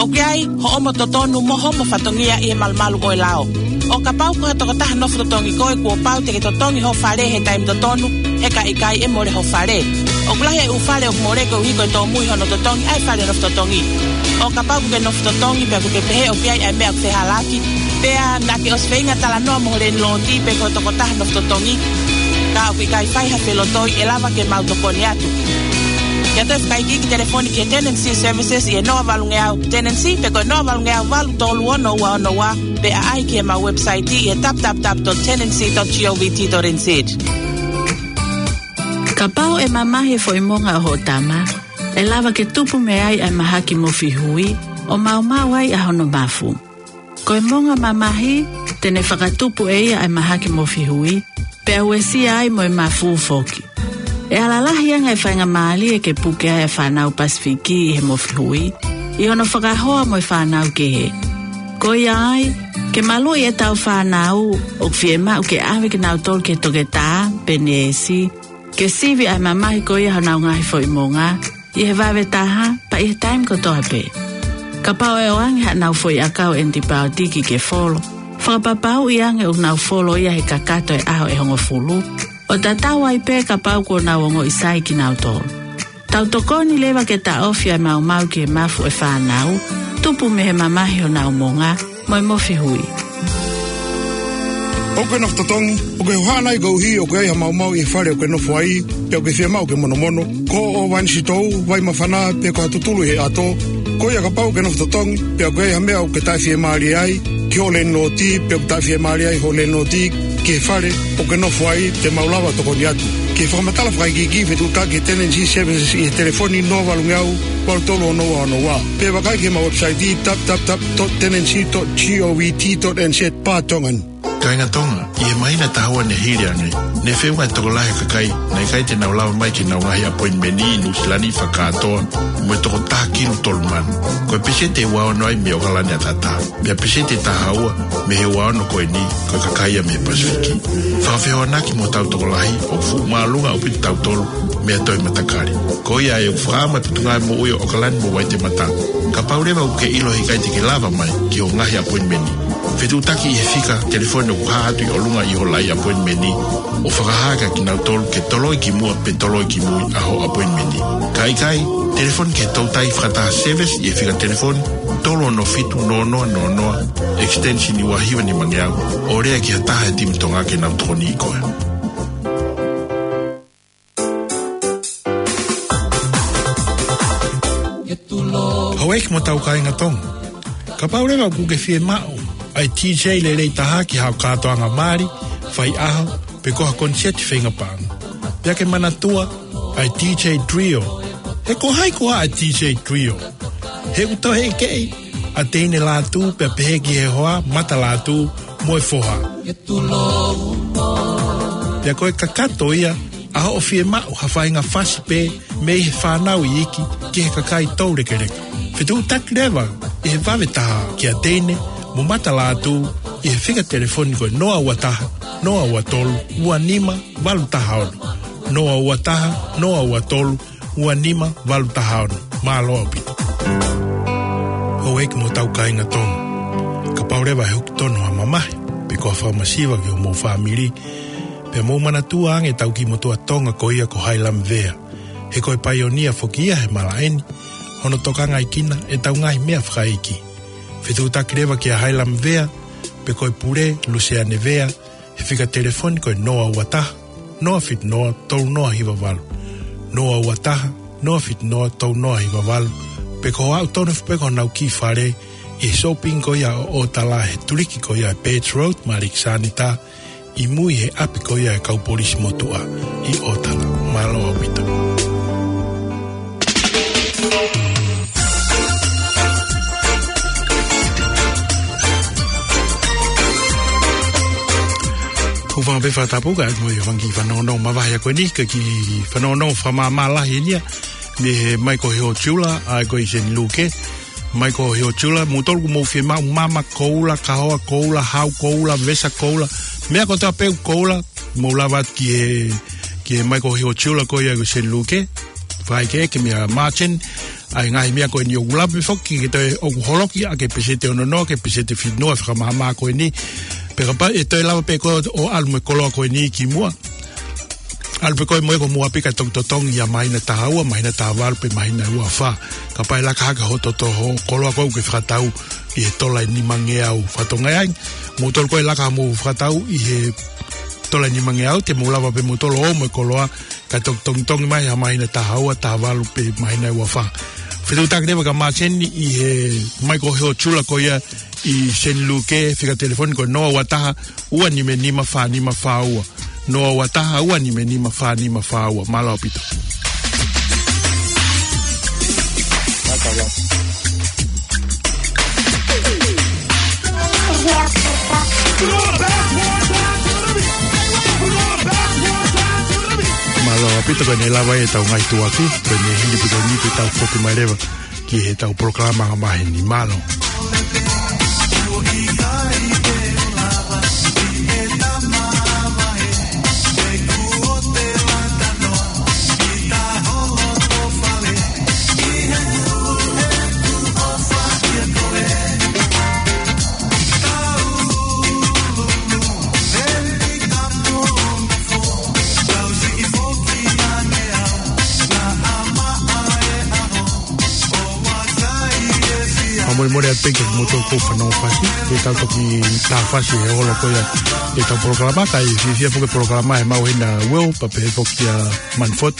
ʻoku ʻi ai hoʻomo totonu mo hoʻomo fatongia ʻi he malumalu ʻo e lao. ʻO kapau ko ha tokotaha nofo totongi koe, kuo pau te ke totongi hoʻo fale he taimi totonu, he ka ʻikai ʻe mole hoʻo fale. ʻOku lahi e ʻū fale ʻoku mole koeʻuhi ko e tōmui hono totongi ʻa e fale nofo totongi. ʻO kapau ʻokú ke nofo totongi pea ʻokú ke pehē ʻoku ʻi ai ʻa e meʻa ʻoku fehālaaki, pea naʻá ke ʻosi feinga talanoa mo ho lēnilōti pe ko e tokotaha nofo totongi, ka ʻoku ʻikai fai ha felotoi, ʻe lava ke mau tokoni atu. Ke ʻoatu e fakaikiiki, telefoni ki he Tenancy Services ʻi he noa valungeau tenancy, pe ko e noa valungeau valu tolu ono ua ono ua, pe ʻaʻahi ki heʻemau website ʻi he w w w dot tenancy dot govt dot n z. Kapau ʻe mamahi e foʻi monga ʻo hoʻo tama, ʻe lava ke tupu mei ai ʻa e mahaki mofi hui, ʻo maumau ai ʻa hono mafu. Ko e monga mamahi, te ne fakatupu ʻe ia ʻa e mahaki mofi hui, pea uesia ai mo e mafu foki. ʻE ala lahi ange e faingamālie ke puke ai ʻa e fānau Pasifiki ʻi he mofi hui, ʻi hono fakahoa mo e fānau kehe. Ko ia ai, ke maluʻi ʻetau fānau, ʻoku fiemaʻu ke ʻave kinautolu ki he toketā pe neesi, ke sivi ʻa e mamahi ko ia honau ngaahi foʻi monga, ʻi he vave taha, pea ʻi he taimi kotoa pē. Kapau ʻe ʻoange haʻanau foʻi ʻakau ʻenitipaotiki ke folo, fakapapauʻi ange ʻoku nau folo ia he kakato e ʻaho ʻe hongofulu, ʻo tatau ai pē kapau kuo nau ongoʻi sai kinautolu. Tau tokoni leva ke taʻofi ʻa e maumau ki he mafu ʻo e fānau, tupu mei he mamahi honau monga, mo e mofihui. ʻOkú ke nofo totongi? ʻOkú ke hohaʻa nai koeʻuhi ʻoku ʻi ai ha maumau ʻi he fale ʻokú ke nofo aí, pe ʻokú ke fiemaʻu ke monomono? Ko hoʻo vainisitou, vai māfana, pe ko ha tutulu ʻi he ʻato? Ko ia, kapau ʻokú ke nofo totongi, pe ʻokú ʻi ai ha meʻa ʻokú ke taʻefiemālie ai ki hoʻo lēniloti, pe ʻoku taʻefiemālie ai hoʻo lēniloti ki he fale ʻokú ke nofo aí, te mau lava ʻo tokoni atu. Ke fakamatala fakaikiiki, fetuʻutaki ki he Tenancy Services ʻi he telefoni noa valu ngeau, valu tolu ono ua ono ua. Pe vakai ki heʻemau website, www dot tenancy dot govt dot nz barra Tongan. Kāinga Tonga, ʻi he māhina ʻe taha ua ne hili ange, ne feʻunga e tokolahi e kakai naʻe ʻikai te nau lava mai ki heʻenau ngaahi appointment ʻi Nuʻusila ni fakakātoa mo e toko taha kilu tolu mano. Ko e peseti ʻe ua ono ai mei ʻOkalani ʻAtatā, pea peseti ʻe taha ua mei he ua ono ko eni ko e kakai ia mei he Pasifiki. Fakafehoanaki mo hotau tokolahi, ʻoku fuʻu māʻolunga ʻaupito kitautolu mei ha toe matakali. Ko ia ai ʻoku fakaʻamu e Potungāue Moʻui ʻo ʻOkalani mo Vaitematā. Kapau leva ʻokú ke ʻilo he ʻikai te ke lava mai ki hoʻo ngaahi appointment, fetuʻutaki ʻi he fika telefoni ʻoku hā atu ʻi ʻolunga ʻi hoʻo laʻi appointment, ʻo fakahā kia kinautolu ke toloi ki muʻa pe toloi ki mui ʻa hoʻo appointment. Ka ʻikai, telefoni ki he toutai fakataha service ʻi he fika telefoni tolu ono fitu noa noa noa noa, extension ua hiva nima ngeau, ʻo lea ki ha taha he timi Tonga ke nau tokoniʻi koe. Houʻeiki mo hotau kāinga Tonga, kapau leva ʻokú ke fiemaʻu ʻa e DJ lelei taha ki haʻo kātoanga mali, faiʻaho, pe ko ha koniseti feinga paʻanga, pea ke manatua ʻa e DJ Trio. He ko hai koā ʻa e DJ Trio? He ʻoku toe ʻekeʻi ʻa Teine Lātū, pea pehē ki he hoa, Mata Lātū, mo e foha. Pea ko e kakato ia ʻa hoʻo fiemaʻu ha faʻahinga fasi pē mei he fānau iiki ki he kakai toulekeleka. Fetuʻutaki leva ʻi he vave taha kia Teine mo Mata Lātū ʻi he fika telefoni ko e noa ua taha, noa ua tolu, ua nima valu taha ono. Noa ua taha, noa ua tolu, ua nima valu taha ono. Mālō ʻaupito. Houʻeiki mo hotau kāinga Tonga, kapau leva ʻe huki tonu ha mamahi pe ko ha fakamasiva ki homou fāmili, pea mou manatua ange ʻetau kiʻi motuʻa Tonga ko ia ko Hailam Vea. He ko e paionia foki ia he malaʻe ni, hono tokangaʻi kinautolu ʻe heʻetau ngaahi meʻa fakaʻeiki. Fetuʻutaki leva kia Hailam Vea, pe ko e pule, Luseane Vea, he fika telefoni ko e noa ua taha, noa fitu noa, tolu noa hiva valu. Noa ua taha, noa fitu noa, tolu noa hiva valu. Pe ko hoʻo aʻu tonu foki pē ki honau kiʻi fale ʻi he shopping ko ia ʻo ʻOtala, he tuliki ko ia ʻa e Birch Road mo ʻAlekisanita, ʻi mui he ʻapi ko ia ʻa e kau polisi motuʻa ʻi ʻOtala. Mālō ʻaupito. Hūfanga pē fakatapu kae ʻoua ʻe fanga kiʻi fanongonongo mavahe ko eni, ka ko e kiʻi fanongonongo fakamāmā lahi eni ia mei he Michael Hill Jeweller, ʻa ia ko e ʻi Saint Luke. Michael Hill Jeweller, moutolu ʻoku mou fiemaʻu mama koula, kahoa koula, hau koula, vesa koula, meʻa kotoa pē ʻoku koula, mou lava atu ki he, ki he Michael Hill Jeweller ko ia ʻi Saint Luke. Fai ke ke meʻa Martin, ʻa e ngaahi meʻa ko eni ʻoku lava pē foki ke toe ʻoku holoki ʻa e peseti ʻe ono noa ki he peseti ʻe fitu noa fakamāmā ko eni. Pea kapau ʻe toe lava pē koe ʻo ʻalu mo e koloa ko eni ki muʻa, ʻalu pē koe mo e ko muʻa pē kae toki totongi ʻi he māhina ʻe taha ua, māhina ʻe taha valu pe māhina ʻe ua fā. Kapau ʻe laka hake hoʻo toto, hoʻo koloa ko ē ʻokú ke fakatau ʻi he tola ʻe nima ngeau, fatongia ai moutolu ko ē ʻe laka mo fakatau ʻi he tola ʻe nima ngeau, te mou lava pē moutolu ʻo ō mo e koloa kae toki tongitongi mai ʻi he māhina ʻe taha ua, taha valu pe māhina ʻe ua fā. Fetuʻutaki leva kia Martin ʻi he Michael Hill Jeweller ko ia ʻi Saint Luke, fika telefoni ko e noa ua taha, ua nima nima fā nima fā ua. Noa ua taha, ua nima nima fā nima fā ua. Mālō ʻaupito. Mālō ʻaupito, ko eni lava ʻetau ngaahi tuʻuaki, ko eni hili pē ko eni pea tau foki mai leva ki heʻetau polokalama angamaheni. Mālō. Molemole atu pē ki he moutolu ʻoku fanongo fasi, ke tau toki tā fasi he ola ko ia ʻetau polokalama, kae fiefia pē ki he polokalama ʻa e mau hena Will, pea pehē foki kia Manford,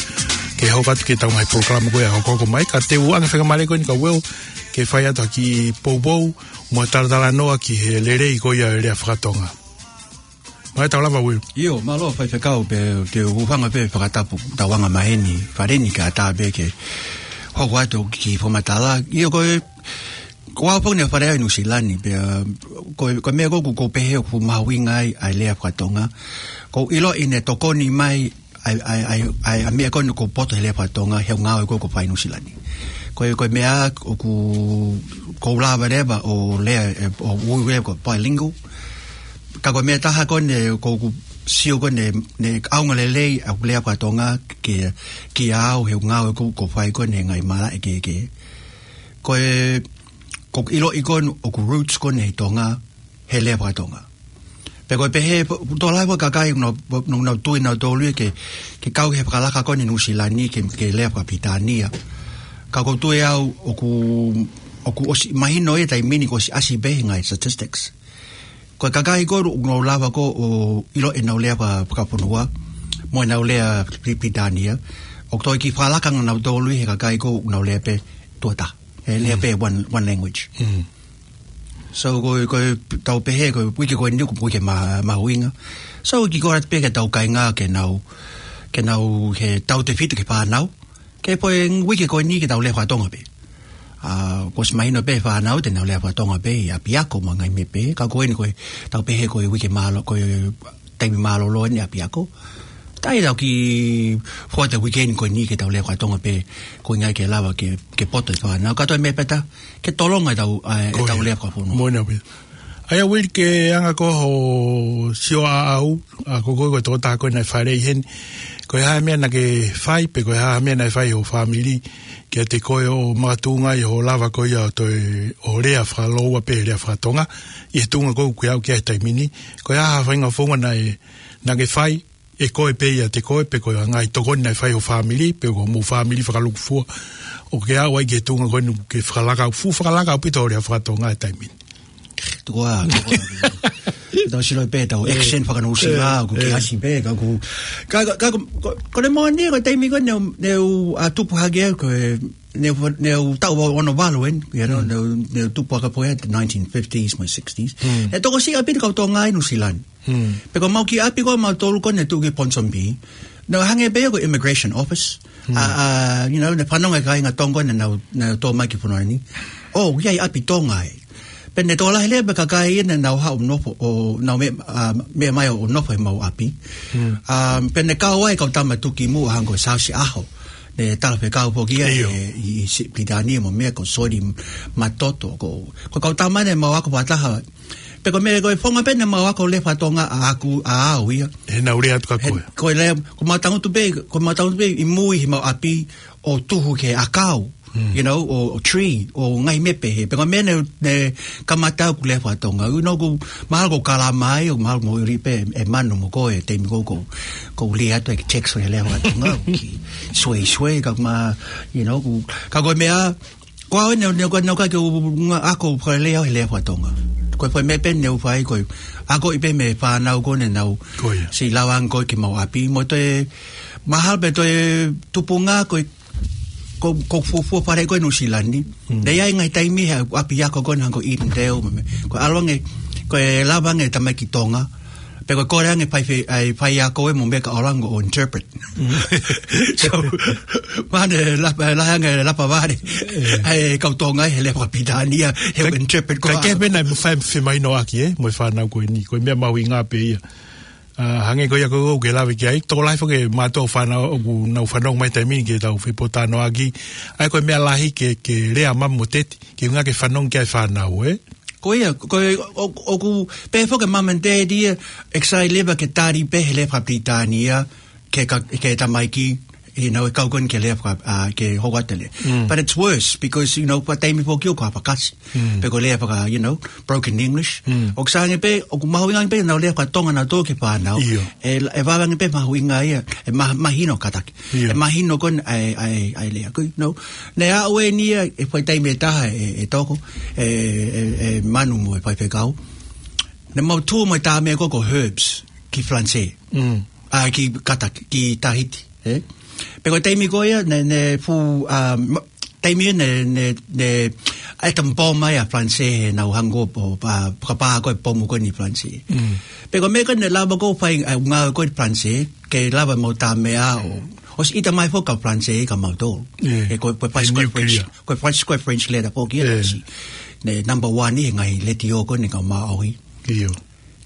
ke hoko atu ki heʻetau ngaahi polokalama ko ia hokohoko mai, ka te u ʻoange faingamālie ko eni kia Will, ke fai atu ha kiʻi poupou, mo e talatalanoa ki he lelei ko ia ʻo e lea faka-Tonga. Mai tau lava, Will. ʻIo, mālō faifekau pea te u hūfanga pē fakatapu tauanga maheni, fale ni ka tā pē ke hoko atu ki he fakamatala. ʻIo, ko e, ko au foki ne fale au ʻi Nuʻusila ni, pea ko e, ko e meʻa ko ē ʻoku ou pehē ʻoku mahuʻinga ai ʻa e lea faka-Tonga. ʻOku ou ʻiloʻi ne tokoni mai ʻa e, ʻa e, ʻa e, ʻa e, ʻa e meʻa ko eni ʻoku poto he lea faka-Tonga, he ngāue ko ē ʻoku fai ʻi Nuʻusila ni. Ko e, ko e meʻa ʻoku, ʻoku ou lava leva ʻo lea, ʻe, ʻo ui leva ko e bilingual. Ka ko e meʻa taha ko eni ʻoku ou sio ko eni, ne ʻaonga lelei ʻa e lea faka-Tonga ke, kiate au he ngāue ko ē ʻoku ou fai ko eni he ngaahi malaʻe kehekehe. Ko e, ʻoku ou ʻiloʻi ko eni ʻoku roots ko eni ʻi Tonga, he lea faka-Tonga. Pea ko e pehē, tokolahi ʻa e kakai, nau, nau, nau tui nautolu ia ke, ke kau he fakalaka ko eni Nuʻusila ni ke, ke lea faka-Pilitānia. Ka ʻoku ou tui au ʻoku, ʻoku ʻosi mahino ia he taimi ni kuo ʻosi ʻasi pē he ngaahi statistics. Ko e kakai ko ē ʻoku nau lava ko ē ʻo ʻilo ʻenau lea faka-, fakafonua, mo ʻenau lea Pi-, Pilitānia. ʻOku toe kiʻi fakalaka nautolu ia he kakai ko ē ʻoku nau lea pē tuʻo taha. He lea pē one, one language. So, ko, ko ʻetau pehē, ko e uike ko eni ʻoku uike ma-, mahuʻinga. So, kiʻi kole atu pē ki heʻetau kāinga ke nau, ke nau, ke tautefito ki he fānau. Ke pō e uike ko eni ke tau lea faka-Tonga pē. ʻA, kuo ʻosi mahino pē fānau te nau lea faka-Tonga pē, ʻi ʻapiako mo e ngaahi meʻa pē. Ka ko eni ko ʻetau pehē ko e uike mālō, ko e taimi mālōlō eni ʻapiako. Tau kiʻi fua atu e uike ko eni ke tau lea faka-Tonga pē, ko e ʻuhinga ke lava ke, ke poto e fānau. Ka toe meʻa pē taha, ke tolonga ʻetau, ʻa, ʻetau lea fakafonua. Moʻoni pē. ʻA ia Will, ke anga ko hoʻo sio ʻaʻau, ʻa ko koe ko e tokotaha ko ē naʻe fāʻeleʻi heni. Ko e hā e meʻa naʻa ke fai, pe ko e hā e meʻa naʻe fai ho fāmili, kiate koe ʻo makatuʻunga ʻi hoʻo lava ko ia ʻo toe, ʻo lea fakalōua pē lea faka-Tonga, ʻi he tuʻunga ko ē ʻoku ke aʻu ki ai he taimi ni. Ko e hā ha faʻahinga founga naʻe, naʻa ke fai, ʻe koe pē ʻiate koe, pe ko e ngaahi tokoni naʻe fai ho fāmili, pe ko hoʻomou fāmili fakalūkufua, ʻo ke aʻu ai ki he tuʻunga ko eni ke fakalaka, fuʻu fakalaka ʻaupito hoʻo lea faka-Tonga he taimi ni. Tuku ā, tuku ā. Tau sio pē ʻetau accent faka-Nuʻusila, ʻoku ke ʻasi pē, ka ʻoku, ka, ka, ka, ko, ko e moʻoni, ko e taimi ko ē ne u, ne u, ʻa, tupu hake au, ko e, ne u, ne u taʻu ono valu eni, you know, ne u, ne u tupu hake au he nineteen fifties mo e sixties. ʻE tokosiʻi ʻaupito kau Tonga ʻi Nuʻusila ni. Pea ko ʻemau kiʻi ʻapi ko ē ʻamautolu ko ē ne tuʻu ki Ponsonby. Naʻe hangē pē ia ko e immigration office. ʻA, ʻa, you know, ne fanongo e kāinga Tonga ko ē ne nau, ne nau tō mai ki he fonua ni. ʻŌ, ʻoku ʻi ai ʻapi Tonga ē. Pea ne tokolahi leva e kakai ia ne nau haʻu ʻo nofo, ʻo nau meʻa, ʻa, meʻa mai ʻo nofo heʻemau ʻapi. ʻA, pea ne kau ai e kau tama tuʻukimuʻa hangē ko Siaosi ʻAho. Ne talafekau foki ia ʻi, ʻi, ʻi Pilitānia mo e meʻa ko Soli Matoto, ko, ko e kau tama ne mau ako fakataha. Pea ko e meʻa ko e founga pē ne mau ako lea faka-Tonga ʻaʻaku, ʻaʻau ia. He nau lea atu kia koe. Ko e lea, ko ʻemau tangutu pē, ko ʻemau tangutu pē ʻi mui heʻemau ʻapi ʻo tuhu ki he ʻakau, you know, ʻo, ʻo tree, ʻo ngaahi meʻa pehē. Pea ko e meʻa ne, ne kamata ʻeku lea faka-Tonga. You know, ʻoku mahalo ʻoku ou kalama ai, ʻoku mahalo ʻoku ou ʻilo pē ʻe Manu mo koe, taimi ko ē ʻoku ou, ʻoku ou lea atu e text he lea faka-Tonga, ʻoku sueisue, ka ma, you know, ʻoku, ka ko e meʻa, ko au ne, ne, ne, ne, ka ke u, nga, ako fakalea he lea faka-Tonga. Ko e foʻi meʻa pē ne u fai, ko e, akoʻi pē mei he fānau ko ē ne nau, siʻi lava ange ko ē ki heʻemau ʻapi, mo toe, mahalo pē toe tupunga ko e, ko, ko e fuofua fale ko ē ʻi Nuʻusila ni. Ne ʻi ai e ngaahi taimi he ʻapiako ko ē hangē ko Edendale, mo e meʻa. Ko e ʻalu ange, ko e lava ange tamaiki Tonga. Pea ko e kole ange fai fe-, ʻa e faiako ē mo e meʻa kae ʻalu ange ʻo interpret. So, mahalo ne lapa, lahi ange lapa vale. ʻA e kau Tonga he lea faka-Pilitānia, he interpret ko ē. Ka ke pehē naʻe fai femahinoʻaki ē, mo e fānau ko eni, ko e meʻa mahuʻinga pē ia. ʻA, hangē ko ia ko ē ʻoku ke lave ki ai, tokolahi foki e mātuʻa ʻo e fānau ʻoku nau fanongo mai he taimi ni ke tau fepōtalanoaʻaki. ʻA ia ko e meʻa lahi ke, ke lea mami mo teti, ke ʻuhinga ke fanongo ki ai e fānau, ē? Ko ia, ko e, ʻo, ʻoku, pehē foki e mami mo teti ia, excited leva ke tali pē he lea faka-Pilitānia, ki he ka-, ki he tamaiki, You know, e kau ko eni ke lea faka, uh, ke hoko atu e lea. But it's worse because, you know, ko e taimi foki ʻoku ʻi ai e fakasi. Pe ko e lea faka, you know, broken English. ʻOku sai ange pē, ʻoku mahuʻinga ange pē ʻenau lea faka-Tonga naʻa nau tō ki he fānau. ʻIo. ʻE, ʻe vave ange pē mahuʻinga ia, ʻe ma-, mahino kātaki. ʻIo. ʻE mahino ko eni ʻa e, ʻa e, ʻa e lea. Ko, you know, naʻe aʻu eni ia, ʻi he foʻi taimi ʻe taha ʻe, ʻe Toko, ʻe, ʻe, ʻe Manu mo e faifekau. Naʻa mau tuʻu mo e tā meʻa ko ē ko e herbs ki Falanisē. ʻA, ki kātaki, ki Tahiti, ē? Pea ko e taimi ko ia, naʻe, naʻe fuʻu, ʻa, ma-, taimi ia naʻe, naʻe, naʻe, ʻai e tama pomu mai ʻa Falanisē heʻenau hangē ko e, ʻa, fakapā ko ē pomu ko eni ʻi Falanisē. Pea ko e meʻa ko ē naʻe lava ko ē fai, ʻa, ngāue ko ē ʻi Falanisē, ke lava mau tā meʻa ʻo, ʻosi ʻita mai foki ʻa Falanisē kia mautolu. Ē, ko e, ko e French, ko e French, ko e French letter foki ia, ʻosi. Naʻe number one ʻi he ngaahi letiō ko eni ʻa e kau Māʻohi. ʻIo.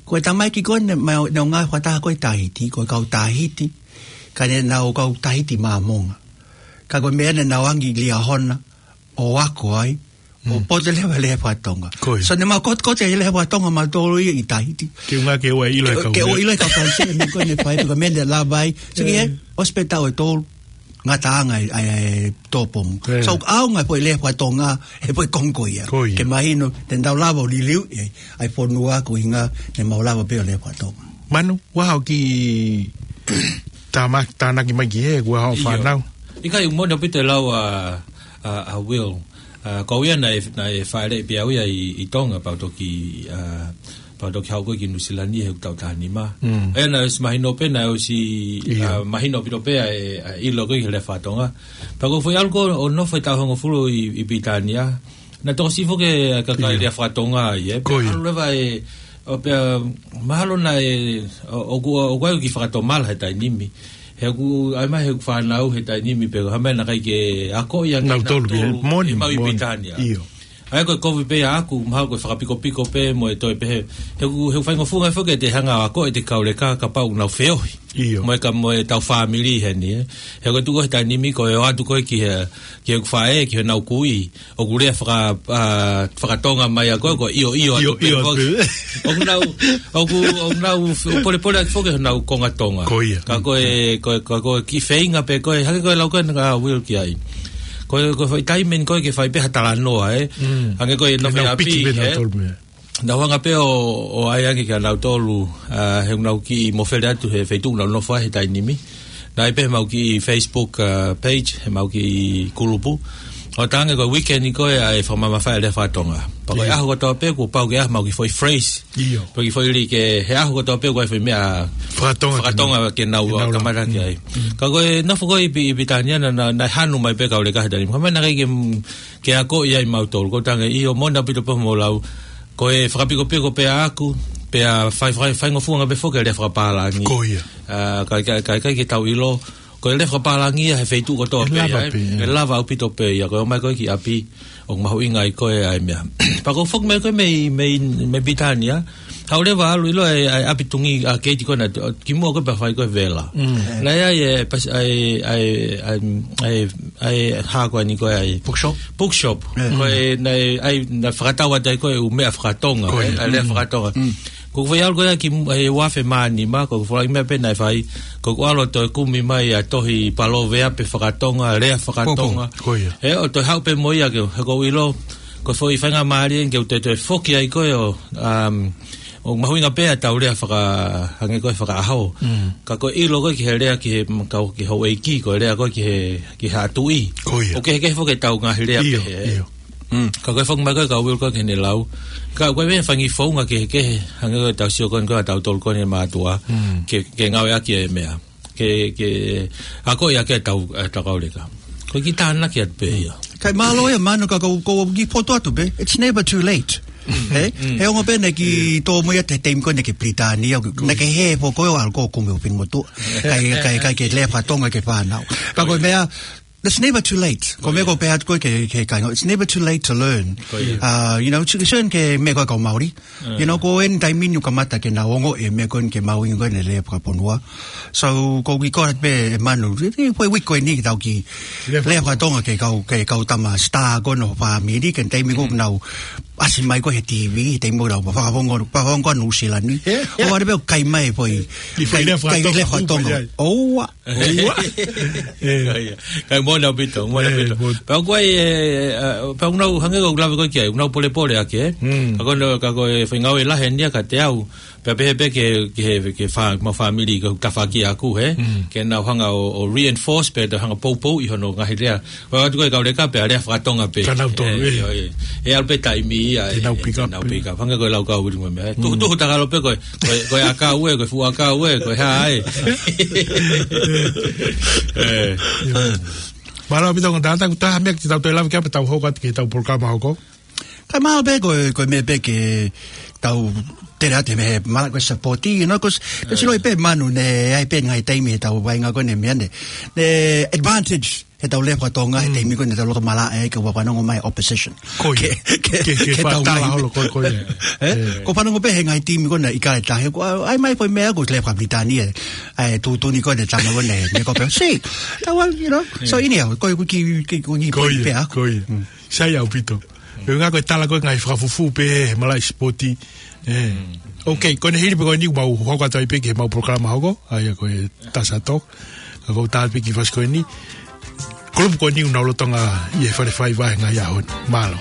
Ko e tamaiki ko eni, ma-, naʻa nau ngāue fakataha ko ē ʻi Tahiti, ko e kau Tahiti, ka naʻa nau kau Tahiti Māmonga. Ka ko e meʻa naʻa nau angi Liahona, ʻo ako ai, ʻo poto leva e lea faka-Tonga. Ko ia. So naʻa mau kotokoto e lea faka-Tonga mautolu ia ʻi Tahiti. Ke ʻuhinga ke ʻoua ʻe ʻilo e kau, ke ʻoua ʻe ʻilo e kau Falanisē, meʻa ko eni ʻe fai, pea ko e meʻa naʻe lava ai. Sio ki he, ʻosi pē taʻu ʻe tolu, ngataʻanga ʻa e, ʻa e, ʻa e tō pomu. So, ʻaonga e foʻi lea faka-Tonga, he foʻi konga ko ia. Ko ia. Ke mahino, te nau lava ʻo liliu, ʻe, ʻa e fonua ko e ʻuhinga, naʻa mau lava pē ʻo lea faka-Tonga. Manu, ʻoku ʻi ai haʻo kiʻi tāma-, tānaki mai ki he, ʻoku ʻi ai haʻo fānau. ʻIkai, ʻoku moʻoni ʻaupito e lau ʻa, ʻa, ʻa Will. ʻA, ko au ia naʻe, naʻe fāʻeleʻi pē au ia ʻi, ʻi Tonga, pea u toki, ʻa, pea u toki haʻu ko ē ki Nuʻu Sila ni he ʻoku tau taha nima. ʻE, naʻe ʻosi mahino pē, naʻe ʻosi, ʻa, mahino ʻaupito pē ʻa e, ʻa e ʻilo ko ē ki he lea faka-Tonga. Pea ko e foʻi ʻalu ko ē ʻo nofo e taʻu hongofulu ʻi, ʻi Pilitānia, naʻe tokosiʻi foki e kakai lea faka-Tonga ai, ē. Ko ia. ʻAlu leva e, ʻo pea, mahalo naʻe, ʻo, ʻoku, ʻoku ʻi ai e kiʻi fakatomala he taimi ni. He ʻoku, ʻai mai he ʻoku fānau he taimi ni pē, ko e hā e meʻa naʻe ʻikai ke akoʻi ange nautolu, ē, moʻoni, ʻemau ʻi Pilitānia. ʻIo. ʻA ia ko e kovi pē ʻaʻaku, mahalo ko e fakapikopiko pē mo e toe pehē. He ʻoku, he ʻoku faingofua foki ke te hanga ʻo akoʻi ʻete kau leka kapau ʻoku nau feohi. ʻIo. Mo e ka, mo ʻetau fāmili heni, ē. He ko e tuʻu ko ē he taimi ni ko e ō atu ko ē ki he, ki heʻeku faʻē, ki heʻenau kui. ʻOku lea faka-, ʻa, faka-Tonga mai ʻa ko ē, ko e ʻio, ʻio atu pē foki. ʻIo, ʻio atu pē. ʻOku nau, ʻoku, ʻoku nau f-, polepole atu foki honau konga Tonga. Ko ia. Ka ko e, ko e, ka ko e kiʻi feinga pē ko ē, hangē ko e lau ko ē ʻa Will ki ai. Ko e, ko e foʻi taimi eni ko ē ke fai pē ha talanoa, ē. Hangē ko e nofo ʻi ʻapi, ē. Nau hanga pē ʻo, ʻo ʻai ange kia nautolu, ʻa, he ʻoku nau kiʻi mofele atu he feituʻu ʻoku nau nofo ai he taimi ni. Naʻe ʻi ai pē heʻemau kiʻi Facebook, ʻa, page, heʻemau kiʻi kulupu. ʻO talaange ko e weekend ko ē ʻa e fakamamafaʻi e lea faka-Tonga. Pea ko e ʻaho kotoa pē kuo pau ke ʻai haʻamau kiʻi foʻi phrase. ʻIo. Pe kiʻi foʻi lī ke he ʻaho kotoa pē ʻoku ʻi ai e foʻi meʻa fakatonga ke nau, ke nau kamata ki ai. Ka ko e nofo ko ē ʻi Pi-, ʻi Pilitānia naʻa, naʻa, naʻe hanu mai pē kau leka he taimi ni. Ko e meʻa naʻe ʻikai ke, ke akoʻi ai mautolu. Ko e talaange, ʻio, moʻoni ʻaupito pē hoʻomou lau. Ko e fakapikopiko pē ʻaʻaku, pea fai, fai, faingofua ange pē foki e lea fakapālangi. Ko ia. ʻA, ka, ka, ka, ka ke tau ʻilo, ko e lea fakapālangi ia he feituʻu kotoa pē, ʻe lava pē, ʻe lava ʻaupito pē ia, ko e ō mai ko ē ki ʻapi, ʻoku mahuʻinga ai ko ē ʻa e meʻa. Pea ko e foki mai ko ē mei, mei, mei Pilitānia, haʻu leva ʻo ʻalu ʻo ʻilo e, ʻa e ʻapi tungi ʻa Keiti ko ena, ki muʻa ko ē pea fai ko ē vela. Naʻe ʻi ai e, pas-, ʻa e, ʻa e, ʻa e, ʻa e, ʻa e hā ko eni ko ē ʻa e bookshop. Bookshop. Ko e, naʻe, ʻa e, naʻe fakatau atu ai ko ē ʻū meʻa faka-Tonga, ē, ʻa e lea faka-Tonga. Ko ʻeku foʻi ʻalu ko ia ki, he ua afe mā nima, ko e foʻi meʻa pē naʻe fai, ko ʻeku ʻalu ʻo toe kumi mai ʻa e tohi Paloveape faka-Tonga, lea faka-Tonga. Ko ia. Ē, ʻo toe haʻu pē mo ia ke, he ʻoku ou ʻilo, ko e foʻi faingamālie ke u toe toe foki ai ko ē ʻo, um, ʻoku mahuʻinga pē ʻetau lea faka-, hangē ko e fakaʻaho. Ka ko e ʻilo ko ē ki he lea ki he, ka ki he houʻeiki, ko e lea ko ē ki he, ki he haʻa tuʻi. Ko ia. ʻOku kehekehe foki ʻetau ngaahi lea pehē, ē. ʻIo. Ka ko e foki mai ko ē kia Will ko ē ki heʻene lau. Ka ko e meʻa fanga founga kehekehe, hangē ko ʻetau sio ko eni ko ē ʻa tautolu ko eni mātuʻa. Ke, ke ngāueʻaki e meʻa. Ke, ke, akoʻi ʻaki ʻetau, ʻetau kau leka. Ko e kiʻi tānaki atu pē ia. Kae mālō ia Manu ka ko, ko e kiʻi fotu atu pē. It's never too late. He, he ongo pē naʻe kiʻi tō mai ʻa e taimi ko ē naʻe ki Pilitānia, naʻe ki he foʻi ko ē ʻalu ko ē ʻo kumi ʻo pini motu. Kae, kae, kae ke lea faka-Tonga ki he fānau. Pea ko e meʻa, it's never too late. Ko e meʻa ʻoku ou pehē atu ko ē ki he, ki he kāinga. It's never too late to learn. Uh, you know, to learn ki he meʻa ko ē kau Māori. You know, ko eni taimi ni ʻoku kamata ke nau ongoʻi e meʻa ko eni ke mahuʻinga ko eni e lea fakafonua. So, ko e kiʻi kole pē Manu, ʻi he foʻi uike ko eni ke tau kiʻi lea faka-Tonga ki he kau, ki he kau tama star ko ena ʻo e fāmili, ki he taimi ko ē ʻoku nau ʻasi mai ko ē he T V, he taimi ʻoku lau, fakaongo, fakaongo Nuʻusila ni. ʻOua ʻe pehē ʻoku kai mai foʻi, ʻi he foʻi kai, lea kai fakatonga, lea fakatonga. ʻOua. ʻOua. ʻE. Ka ia. Kai mo na pito, mo na pito. Pea ko e, ʻe, ʻa, pea ʻoku nau hangē ko ʻeku lave ko ē ki ai, ʻoku nau polepole ake, ē? Ka ko e, ka ko e faʻahinga ʻoku lahi eni ia kiate au. Pea pehē pē ki he, ki he, ki he fā-, mau fāmili ko e tafaʻaki ʻaʻaku, ē? Ke nau hanga ʻo, ʻo reinforce pē, te hanga poupou ʻi hono ngaahi lea. Ko e ʻatu ko ē kau leka pē, ʻa e lea fakatonga pē. Ka nau tonu, ē, ē. ʻIo, ē. ʻE ʻalu pē taimi ia, ē, nau pick up, nau pick up. Hangē ko e lau kau uri mo e meʻa, ē. Tuhu, tuhu takalo pē ko e, ko e, ko e ʻakau ē, ko e fuʻu ʻakau ē, ko e hā ē. Ē. Mālō ʻaupito kau tangata, ko e taha meʻa ke tau toe lave ki ai pea tau hoko atu ki heʻetau polokalama hoko. Ka mālō pē ko e, ko e meʻa pē ke tau tele atu mei he mālō ko e support, you know, 'cause, 'cause ʻoku ʻi ai pē manu ne, ʻi ai pē ngaahi taimi heʻetau vaʻinga ko eni meʻa ne. Ne advantage heʻetau lea fakatonga he taimi ko eni heʻetau loto malaʻe ai ka ʻoku fanongo mai opposition. Ko ia. Ke, ke, ke, ke tau fakatala ngaahi holo ko, ko ia. Ē? Ē. Ko e fanongo pē he ngaahi taimi ko ena ʻi he kale tahi, ko, ʻai mai ko e meʻa ko e lea faka-Pilitānia, ʻa e tuʻutuʻuni ko ena tama ko ena, ne ko pē. See, that one, you know. So anyhow, ko e, ko e kiʻi, kiʻi, ko e kiʻi point pē ia, ko ia. Sai ʻaupito. Ko e ʻuhinga ko e tala ko e ngaahi fakafufū pē he malaʻe sipoti. Ē. Okay, ko ʻene hili pē ko eni ʻoku mau hoko atu ai pē ki heʻemau polokalama hoko, ʻa ia ko e Tasa Talk. Ka ʻoku ou tala pē ki he fasi ko eni. Kulupu ko eni ʻoku nau lolotonga ʻi he Fale Faiva he ngaahi ʻaho ni. Mālō.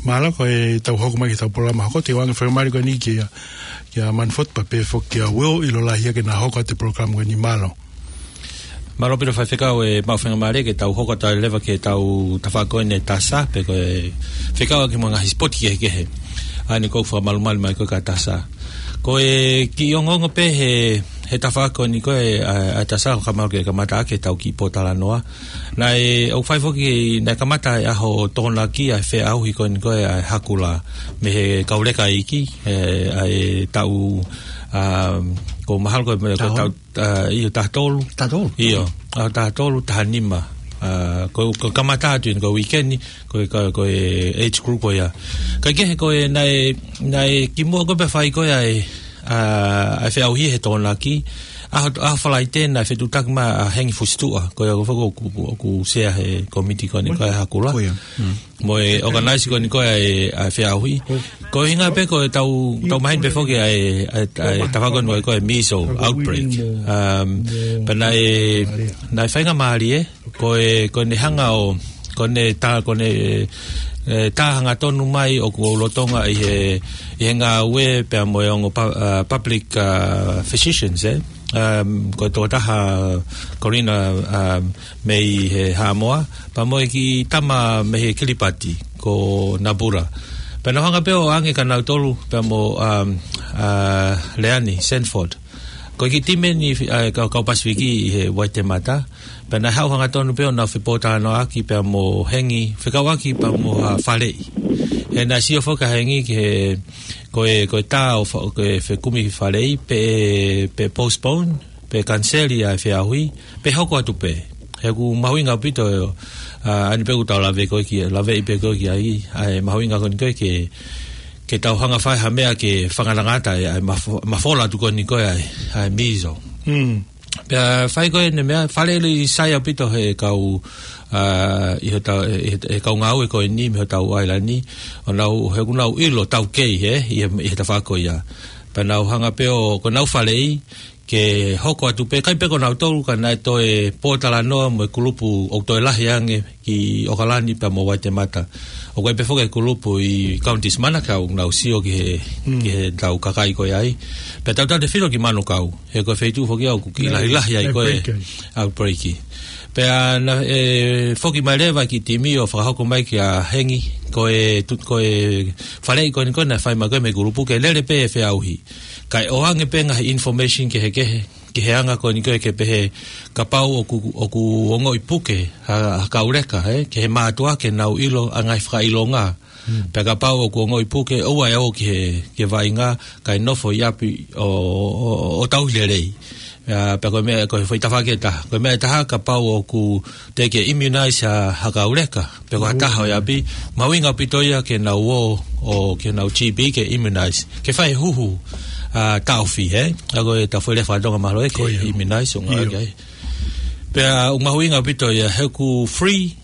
Mālō, ko ʻetau hoko mai ki heʻetau polokalama hoko, te u hanga ʻo fakamālō ko eni kia, kia Manford pea pehē foki kia Will ʻiloa lahi ia ke na hoko atu e polokalama ko eni, mālō. Mālō ʻaupito faifekau, ʻoku mau fakamālō ke tau hoko atu leva ki heʻetau tafaʻaki ko eni Tasa, pe ko e fekauʻaki mo e ngaahi sipoti kehekehe. ʻA eni ʻoku ou fakamalumalu mai ko ē kia Tasa. Ko e kiʻi ongoongo pē he, he tafaʻaki ko eni ko ē, ʻa, ʻa Tasa, ʻoku mau ke kamata ʻaki ʻetau kiʻi pōtalanoa. Naʻe, ʻoku fai foki, naʻe kamata e ʻaho Tokonaki ʻa e feʻauhi ko eni ko ē ʻa e Hakula mei he kau leka iiki, ē, ʻa e taʻu, ʻa, ʻoku mahalo ko e, ko e taʻu, taʻu, ʻa, ʻio, taha tolu. Taha tolu. ʻIo, ʻaho taha tolu, taha nima. ʻA, ko, ko e kamata atu eni ko e weekend ni, ko e, ko e, ko e age group ko ia. Kae kehe ko e naʻe, naʻe kimuʻa ko ē pea fai ko ē ʻa e, ʻa, ʻa e feʻauhi he Tokonaki, ʻaho, ʻaho Falaite naʻe fetuʻutaki mai ʻa Hengi Fusituʻa, ko ia ko e foki ʻoku, ʻoku sea he kōmiti ko eni ko ē ʻa e Hakula. Ko ia. Mm. Mo e organize ko eni ko ē ʻa e, ʻa e feʻauhi. Ko e ʻuhinga pē ko ʻetau, tau maheni pē foki ʻa e, ʻa e, ʻa e tafaʻaki ko eni ko ē measles outbreak. Um, pea naʻe, naʻe faingamālie, ko e, ko ʻene hanga ʻo, Ko ʻene tā, ko ʻene, e, tā hangatonu mai ʻoku ou lolotonga ʻi he, ʻi he ngāue pea mo e ongo pa-, a, public, a, physicians, ē. Um, ko e tokotaha Corina, um, mei he Haʻamoa, pea mo e kiʻi tama mei he Kilipati, ko Nabura. Pea nau hanga pē ʻo ʻange kia nautolu, pea mo, um, a, Leani Sanford. Ko e kiʻi timi eni, a, kau, kau Pasifiki ʻi he Waitemata. Pea naʻe haʻu hangatonu pē ʻo nau fepōtalanoaʻaki pea mo Hengi, fekauʻaki pea mo ha faleʻi. He naʻe sio foki ʻa Hengi ki he, ko e, ko e tā ʻo fa-, ko e fekumi faleʻi, pe, pe postpone, pe kaniseli ʻa e feʻauhi, pe hoko atu pē. He ʻoku mahuʻinga ʻaupito, a, ʻa eni pē ʻoku tau lave ko ē ki, laveʻi pē ko ē ki ai, ʻa e mahuʻinga ko eni ko ē ke, ke tau hanga fai ha meʻa ke fakangatangata ʻa e, ʻa e mafo-, mafola atu ko eni ko ē ʻa e, ʻa e measles. Mm. Pea fai ko ē ʻene meʻa, faleʻi sai ʻaupito he kau, a, ʻi hotau, ʻi he, he kau ngāue ko eni mei hotau ʻailani, ʻo nau, he ʻoku nau ʻilo taukei, ē, ʻi he, ʻi he tafaʻaki ko ia. Pea nau hanga pē ʻo, ko ʻenau faleʻi, ke hoko atu pē, ʻikai pē ko nautolu ka naʻe toe pōtalanoa mo e kulupu ʻoku toe lahi ange ki ʻOkalani pea mo Waitemata. ʻOku ʻi ai pē foki e kulupu ʻi Counties Manukau ʻoku nau sio ki he, Mm. ki heʻetau kakai ko ē ai. Pea tautautefito ki Manukau, he ko e feituʻu foki ia ʻoku kiʻi Nā, lahilahi ai nā ko e break ai. Au break. Pea naʻe foki mai leva e kiʻi timi ʻo fakahoko mai kia Hengi, ko e tu-, ko e faleʻi ko eni ko ē naʻe fai mai ko ē mei he kulupu ke lele pē e feʻauhi. Kae ʻoange pē ngaahi information kehekehe, ki he anga ko eni ko ē ke pehē kapau ʻoku, ʻoku ongoʻi puke ha, ha kau leka, ē, ki he mātuʻa ke nau ʻilo ʻa e ngaahi fakaʻilonga. Mm. Pea kapau ʻoku ongoʻi puke, ʻoua ʻe ō ki he, ki he vaʻinga, kae nofo ʻi ʻapi ʻo, ʻo, ʻo, ʻo tauhi lelei. Ā, pea ko e meʻa, ko e foʻi tafaʻaki ʻe taha. Ko e meʻa ʻe taha kapau ʻoku teʻeki ke immunize ha, ha kau leka, pe ko ha taha ʻi ʻapi, mahuʻinga ʻaupito ia ke nau ō, ʻo ke nau G P ke immunize. Ke fai e huhu, a, taʻofi, ē? ʻA ko e taʻofi lea faka-Tonga mahalo ē ke Ko ia. Immunize, ʻo ngā ʻIo. Ke ai. Pea ʻoku mahuʻinga ʻaupito ia, he ʻoku free,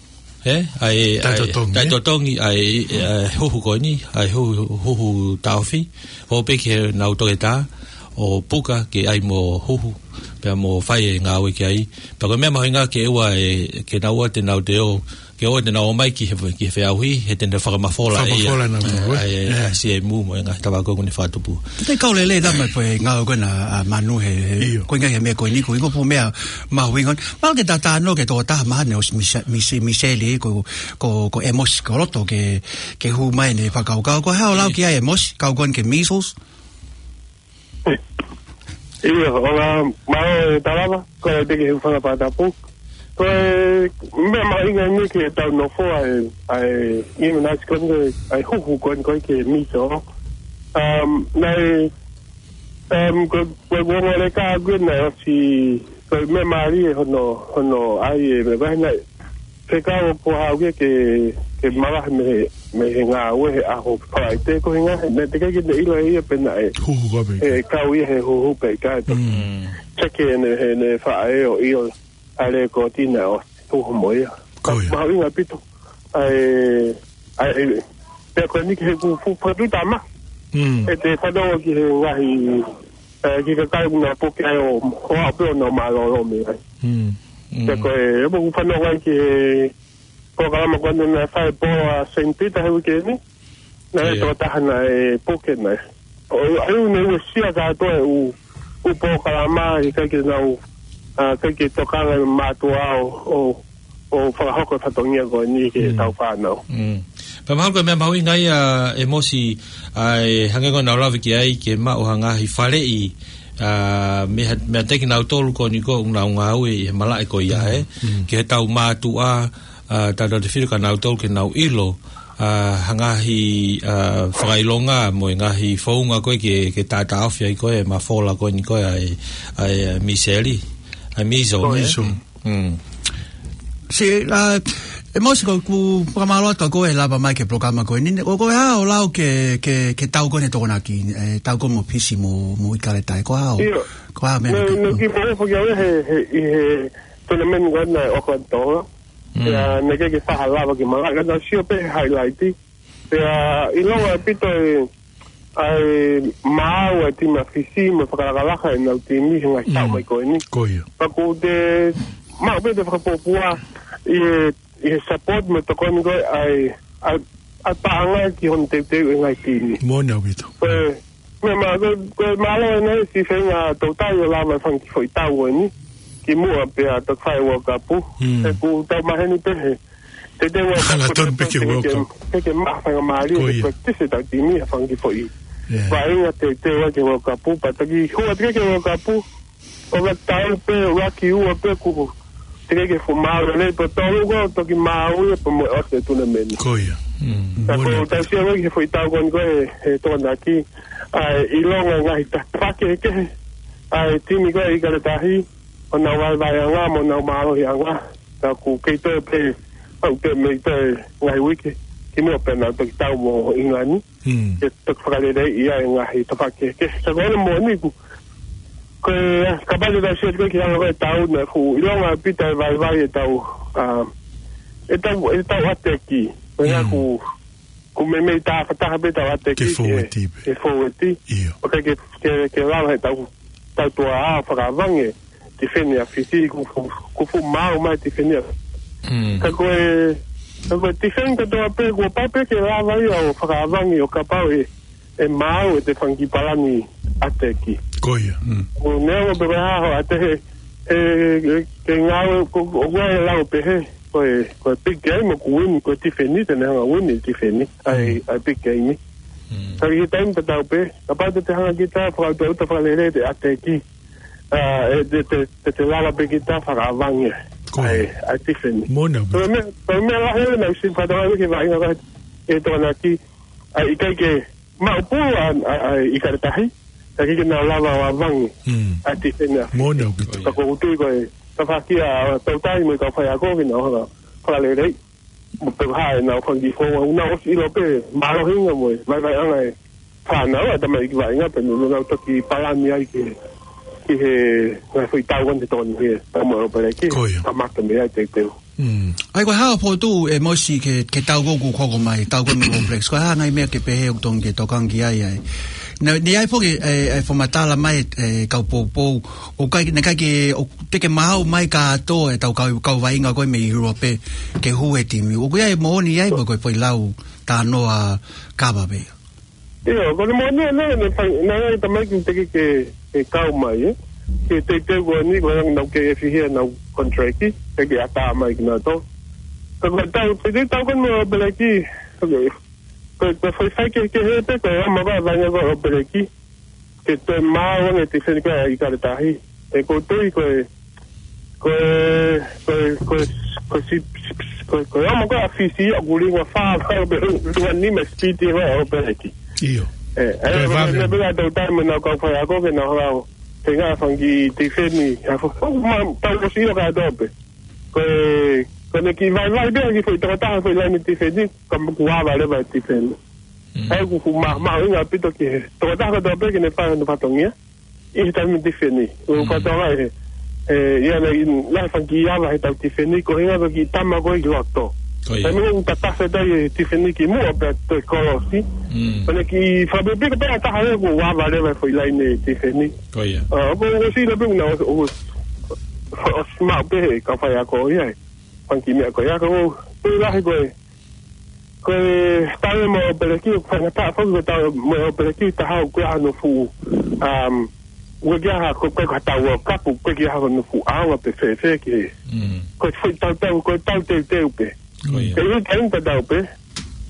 ē? ʻA e, ʻa e, Taʻetotongi, ē? Taʻetotongi, ʻa e, ʻa e huhu ko eni, ʻa e huhu, huhu taʻofi, ʻo pehē ki heʻenau toketā, ʻo puka ke ʻai mo huhu, pea mo fai e ngāue ki ai. Pea ko e meʻa mahuʻinga ke ʻoua ʻe, ke nau ō te nau te ō, ke ʻoua te nau ō mai ki he, ki he feʻauhi, he te ne fakamafola ia. Fakamafola nautolu, ē? ʻA e, ʻa e, ʻA e. C M U mo e ngaahi tafaʻaki ko ē ʻoku ne fakatupu. Te kau lelei tama ko e ngāue ko ena ʻa Manu he, he, ʻIo. Ko e ngaahi meʻa ko eni, ko e ngaahi meʻa mahuʻinga. Mahalo ke tau talanoa ki he tokotaha mahalo ʻosi Misa-, Misi-, Miseli, ko, ko, ko ʻEmosi Koloto ke, ke hū mai ʻene fakakaukau. Ko e hā hoʻo lau ki ai ʻEmosi, kau ko eni ki he measles? ʻIo, ʻola, mālō e talava, ko e te ke hūfanga fakatapu. Ko e meʻa mahuʻinga eni ke tau nofo ai, ʻa e immunize ko eni, ʻa e huhu ko eni ko ē ki he measles. Um, naʻe, um, ko, ko e kuonga leka ko ē naʻe ʻosi, ko e meʻa mālie hono, hono ʻai e meʻa vahe naʻe, fekau ʻoku haʻu ke, ke, ke mavahe mei he, mei he ngāue he ʻaho Falaite ko e ngaahi, naʻe teʻeki ke ne ʻilo ʻe ia pe naʻe, Huhu ko ē pē. ʻE kau ia he huhu pe ʻikai. Mm. Check ʻene, heʻene faʻē ʻo ʻilo ʻa e lēkooti naʻe ʻosi huhu mo ia. Ko ia. Mahuʻinga ʻaupito. ʻA e, ʻa e, pea ko eni ki he ku fu-, fakatuʻu tama. Mm. ʻE te fanongo ki he ngaahi, ē, ki he kakai ʻoku nau puke ai ʻo, ʻo aʻu pē ʻo nau mālōlō mei ai. Mm. Mm. Pea ko e, ʻe moku fanongo ai ki he polokalama ko eni naʻe fai pō ʻa Saint Peter he uike ni. Naʻe ʻIo. Tokotaha naʻe puke naʻe. ʻO, ʻa ia naʻe uesia kātoa e ʻū, ʻū polokalama ʻikai ke nau, a, ʻikai ke tokanga e mātuʻa ʻo, ʻo, ʻo fakahoko e fatongia ko eni ki Mm. heʻetau fānau. Mm. Pea mahalo ko e meʻa mahuʻinga ia ʻEmosi, ʻa e hangē ko ʻenau lave ki ai ke maʻu ha ngaahi faleʻi, a, mei ha, mei ha teki nautolu ko eni ko ē ʻoku nau ngāue ʻi he malaʻe ko ia, Mm. ē? Mm. Ki heʻetau mātuʻa, a, tautautefito kia nautolu ke nau ʻilo, a, ha ngaahi, a, fakaʻilonga mo e ngaahi founga ko ē ke, ke taʻataʻofi ai ko ē, mafola ko eni ko ē ʻa e, ʻa e, ʻa e miseli, ʻa e measles, Ko ē? Measles. Mm. Mm. Sī, a, ʻEmosi ko ʻeku fakamālō atu ko e lava mai ki he polokalama ko eni. ʻOku, ko e hā hoʻo lau ki he, ki he, ki he tau ko eni Tokonaki, e, tau ko ē mo Fisi mo, mo ʻIkale Tahi, ko e hā hoʻo, ʻIo. ko e hā e meʻa Nē, ke nē, ki pō foki au he, he, ʻi he tournament ko ena ʻo Auckland Tonga. Mm. Pea naʻe ʻikai ke faʻa lava ke malaʻe, ka naʻa ku sio pē he highlight. Pea ʻilonga ʻaupito e, ʻa e maau ʻa e timi ʻa Fisi mo e fakalakalaka ʻenau timi he ngaahi taʻu Mm. mai ko eni. Ko ia. Pea ʻoku te maʻu pē ʻete fakapōpula, ʻi he, ʻi he support mo e tokoni ko ē ʻa e, ʻa, ʻa e paʻanga ki hono teuteu e ngaahi timi. Moʻoni ʻaupito. Ko e, meʻa ma-, ko e, ko e mālō ʻena e si feinga toutai ʻo lava e fanga kiʻi foʻi tau ko eni. Kimuʻa pea toki fai e World Cup. Mm. He ʻoku tau maheni pē he. Teuteu World Cup. Hangatonu pē ki he World Cup. Ke, ke maʻu faingamālie, ko ia, ke practice ʻetau timi ʻa e fanga kiʻi foʻi. Yeah. Vaʻinga teuteu ai ki he World Cup, pea toki hū atu ki he World Cup. ʻO ka tau pē, ʻuluaki ua pē kuo teʻeki ke fuʻu mālōlō, pea tolu ko ē toki maʻu ia pea mo e ʻosi e tournament. Ko ia. Mm. Ka ko e, moʻoni ʻaupito, tau sio ki he foʻi tau ko eni ko ē, he Tokonaki, ʻa e ʻilonga e ngaahi tafaʻaki kehekehe ʻa e timi ko ē ʻIkale Tahi, ʻo nau vaivaiʻanga mo nau mālohiʻanga. Ka ʻoku kei toe pē, ʻoku kei toe mei toe ngaahi uike kimuʻa pea nau toki tau mo ʻIngilani. Mm. Ke toki fakaleleiʻi ʻa e ngaahi tafaʻaki kehekehe. Ka ko hono moʻoni ʻoku, ko e, kapau te tau sio ki he anga ko ē ʻetau, naʻe fuʻu ʻilonga ʻaupito e vaivai ʻetau, ʻa, ʻetau, ʻetau ʻateki. Ko e, mm, ʻoku, ʻoku meimei tafataha pē ʻetau ʻateki ke, ke fōueti pē, ke fōueti. ʻIo. ʻOku ʻikai ke, ke, ke lava heʻetau, tau tuʻa ʻo fakavangi e tifeni ʻa Fisi, ʻoku fuʻu, ʻoku fuʻu maau mai e tifeni ʻa. Mm. Ka ko e, ka ko e tifeni kātoa pē, kuo pau pē ke lava ia ʻo fakavangi ʻo kapau ʻe, ʻe maau ʻete fanga kiʻi palani ʻateki. Ko ia. Mm. ʻO neongo pē ko e hā hoʻo ʻatehe, he, he, he ngāue, ko, ʻoku ʻi ai e lau pehē, ko e, ko e big game ʻoku win, ko e tifeni, te ne hanga win e tifeni, ʻa e, mm, ʻa e big game. Mm. Ka ʻi he taimi tatau pē, kapau te te hanga kita, fakaʻuta, ʻuta fakalele ʻete ʻateki. ʻA, ʻe, te, te, te, te lava pē kita fakavangi. Ko ia. ʻAi, ʻai tifeni. Moʻoni ʻaupito. Ko e meʻa, ko e meʻa lahi ʻe naʻe ʻosi fakatokangaʻi ki he vaʻinga ko ē ʻe Tokonaki, ʻa e ʻikai ke maʻu pulu ʻa, ʻa, ʻa ʻIkale Tahi, ka ʻikai ke nau lava ʻo ʻavangi. Mm. ʻAi tifeni ʻa. Moʻoni ʻaupito. Ka ʻoku ou tui ko e, tafaʻaki ʻa, toutai mo e kau faiako ke nau hanga, fakaleleiʻi. Mo pehē ʻenau fanga kiʻi founga, ʻoku nau ʻosi ʻilo pē, mālohinga mo e, vaivaiʻanga e fānau, ʻa e tamaiki vaʻinga pē, nau, nau toki palani ai ki he, ki he, ngaahi foʻi tau ko eni te tokoni ki he, tau mo e All Blacks, ko ia, kamata mei ai teuteu. Mm. ʻAi, ko e hā hoʻo fokotuʻu ʻe Mosi ke, ke tau ko ē ʻoku hoko mai, tau ko ē mo e All Blacks, ko e hā e ngaahi meʻa ke pehē ʻoku totonu ke tokanga ki ai ai. Naʻe, naʻe ʻi ai foki e, e fakamatala mai e, e kau poupou, ʻoku ʻikai, naʻe ʻikai ke, ʻoku teʻeki maʻu mai kātoa ʻetau kau, kau vaʻinga ko ē mei ʻIulope ke hū he timi. ʻOku ʻi ai e moʻoni ai mo e ko e foʻi lau talanoa kava pē ia? ʻIo, ko e moʻoni ʻena, naʻe fai, naʻe ʻi ai e tamaiki teʻeki ke, ke kau mai, ē. Ki he teuteu ko eni, ko e anga ʻenau kei fihia ʻenau contract, teʻeki ʻatā mai kinautolu. Ka ko e tau, teuteu tau ko eni mo e All Blacks, ko e, ko e, ko e foʻi faikehekehe pē, ko e ʻomai ko ē e vaʻinga ko ē ʻo e All Blacks ke toe maau ange e tifeni ko ē ʻa ʻIkale Tahi. ʻE ʻoku ou tui ko e, ko e, ko e, ko e, ko e si-, si-, si-, ko e, ko e ʻomai ko ē ʻa Fisi ʻoku liunga fā, fā, liunga nima speed ʻi he All Blacks. ʻIo. ʻE, ʻe, ko e ʻe, vave. Meʻa pē ʻa e toutai mo ʻenau kau faiako ke nau hanga ʻo feinga fanga kiʻi tifeni, ʻa fo-, fo-, ma-, tau ʻosi ʻilo kātoa pē. Ko e, ko ʻene kiʻi vaivai pē ʻa e kiʻi foʻi tokotaha foʻi laine tifeni, ka ʻoku ava leva e tifeni. Mm. ʻA ia ʻoku fuʻu ma-, mahuʻinga ʻaupito ki he tokotaha kotoa pē ke ne fai hono fatongia ʻi he taimi tifeni. ʻO, mm, fatongia ʻe, ʻe, ʻi ai e ngaahi fanga kiʻi ava heʻetau tifeni, ko e ʻuhinga ko e kiʻi tama ko ē ʻi loto. Ko ia. Taimi ʻoku tatafetaʻi e tifeni kimuʻa pea toe kolosi. Mm. Ko ʻene kiʻi fakapikopiko pē ʻa e taha ʻoku ava leva e foʻi laine tifeni. Ko ia. ʻA, ʻoku ou ʻosi ʻilo pē ʻoku nau ʻosi, ʻosi, ʻosi maʻu pē he kau faiako ia e fanga kiʻi meʻa ko ia, ka ʻoku ou tui lahi ko e, ko e tau mo e All Blacks, ʻoku faingataʻa foki ko e tau mo e All Blacks, taha ʻoku ʻikai ke ʻi ai hano fuʻu, um, ʻoku ʻikai ke ʻi ai ha, ko, ko, ko e tau World Cup, ʻoku ʻikai ke ʻi ai hano fuʻu ʻaonga pe fēfē ki he. Mm. Ko e foʻi tau tau, ko e tau teuteu pē. Ko ia. Ka ʻi he taimi tatau pē,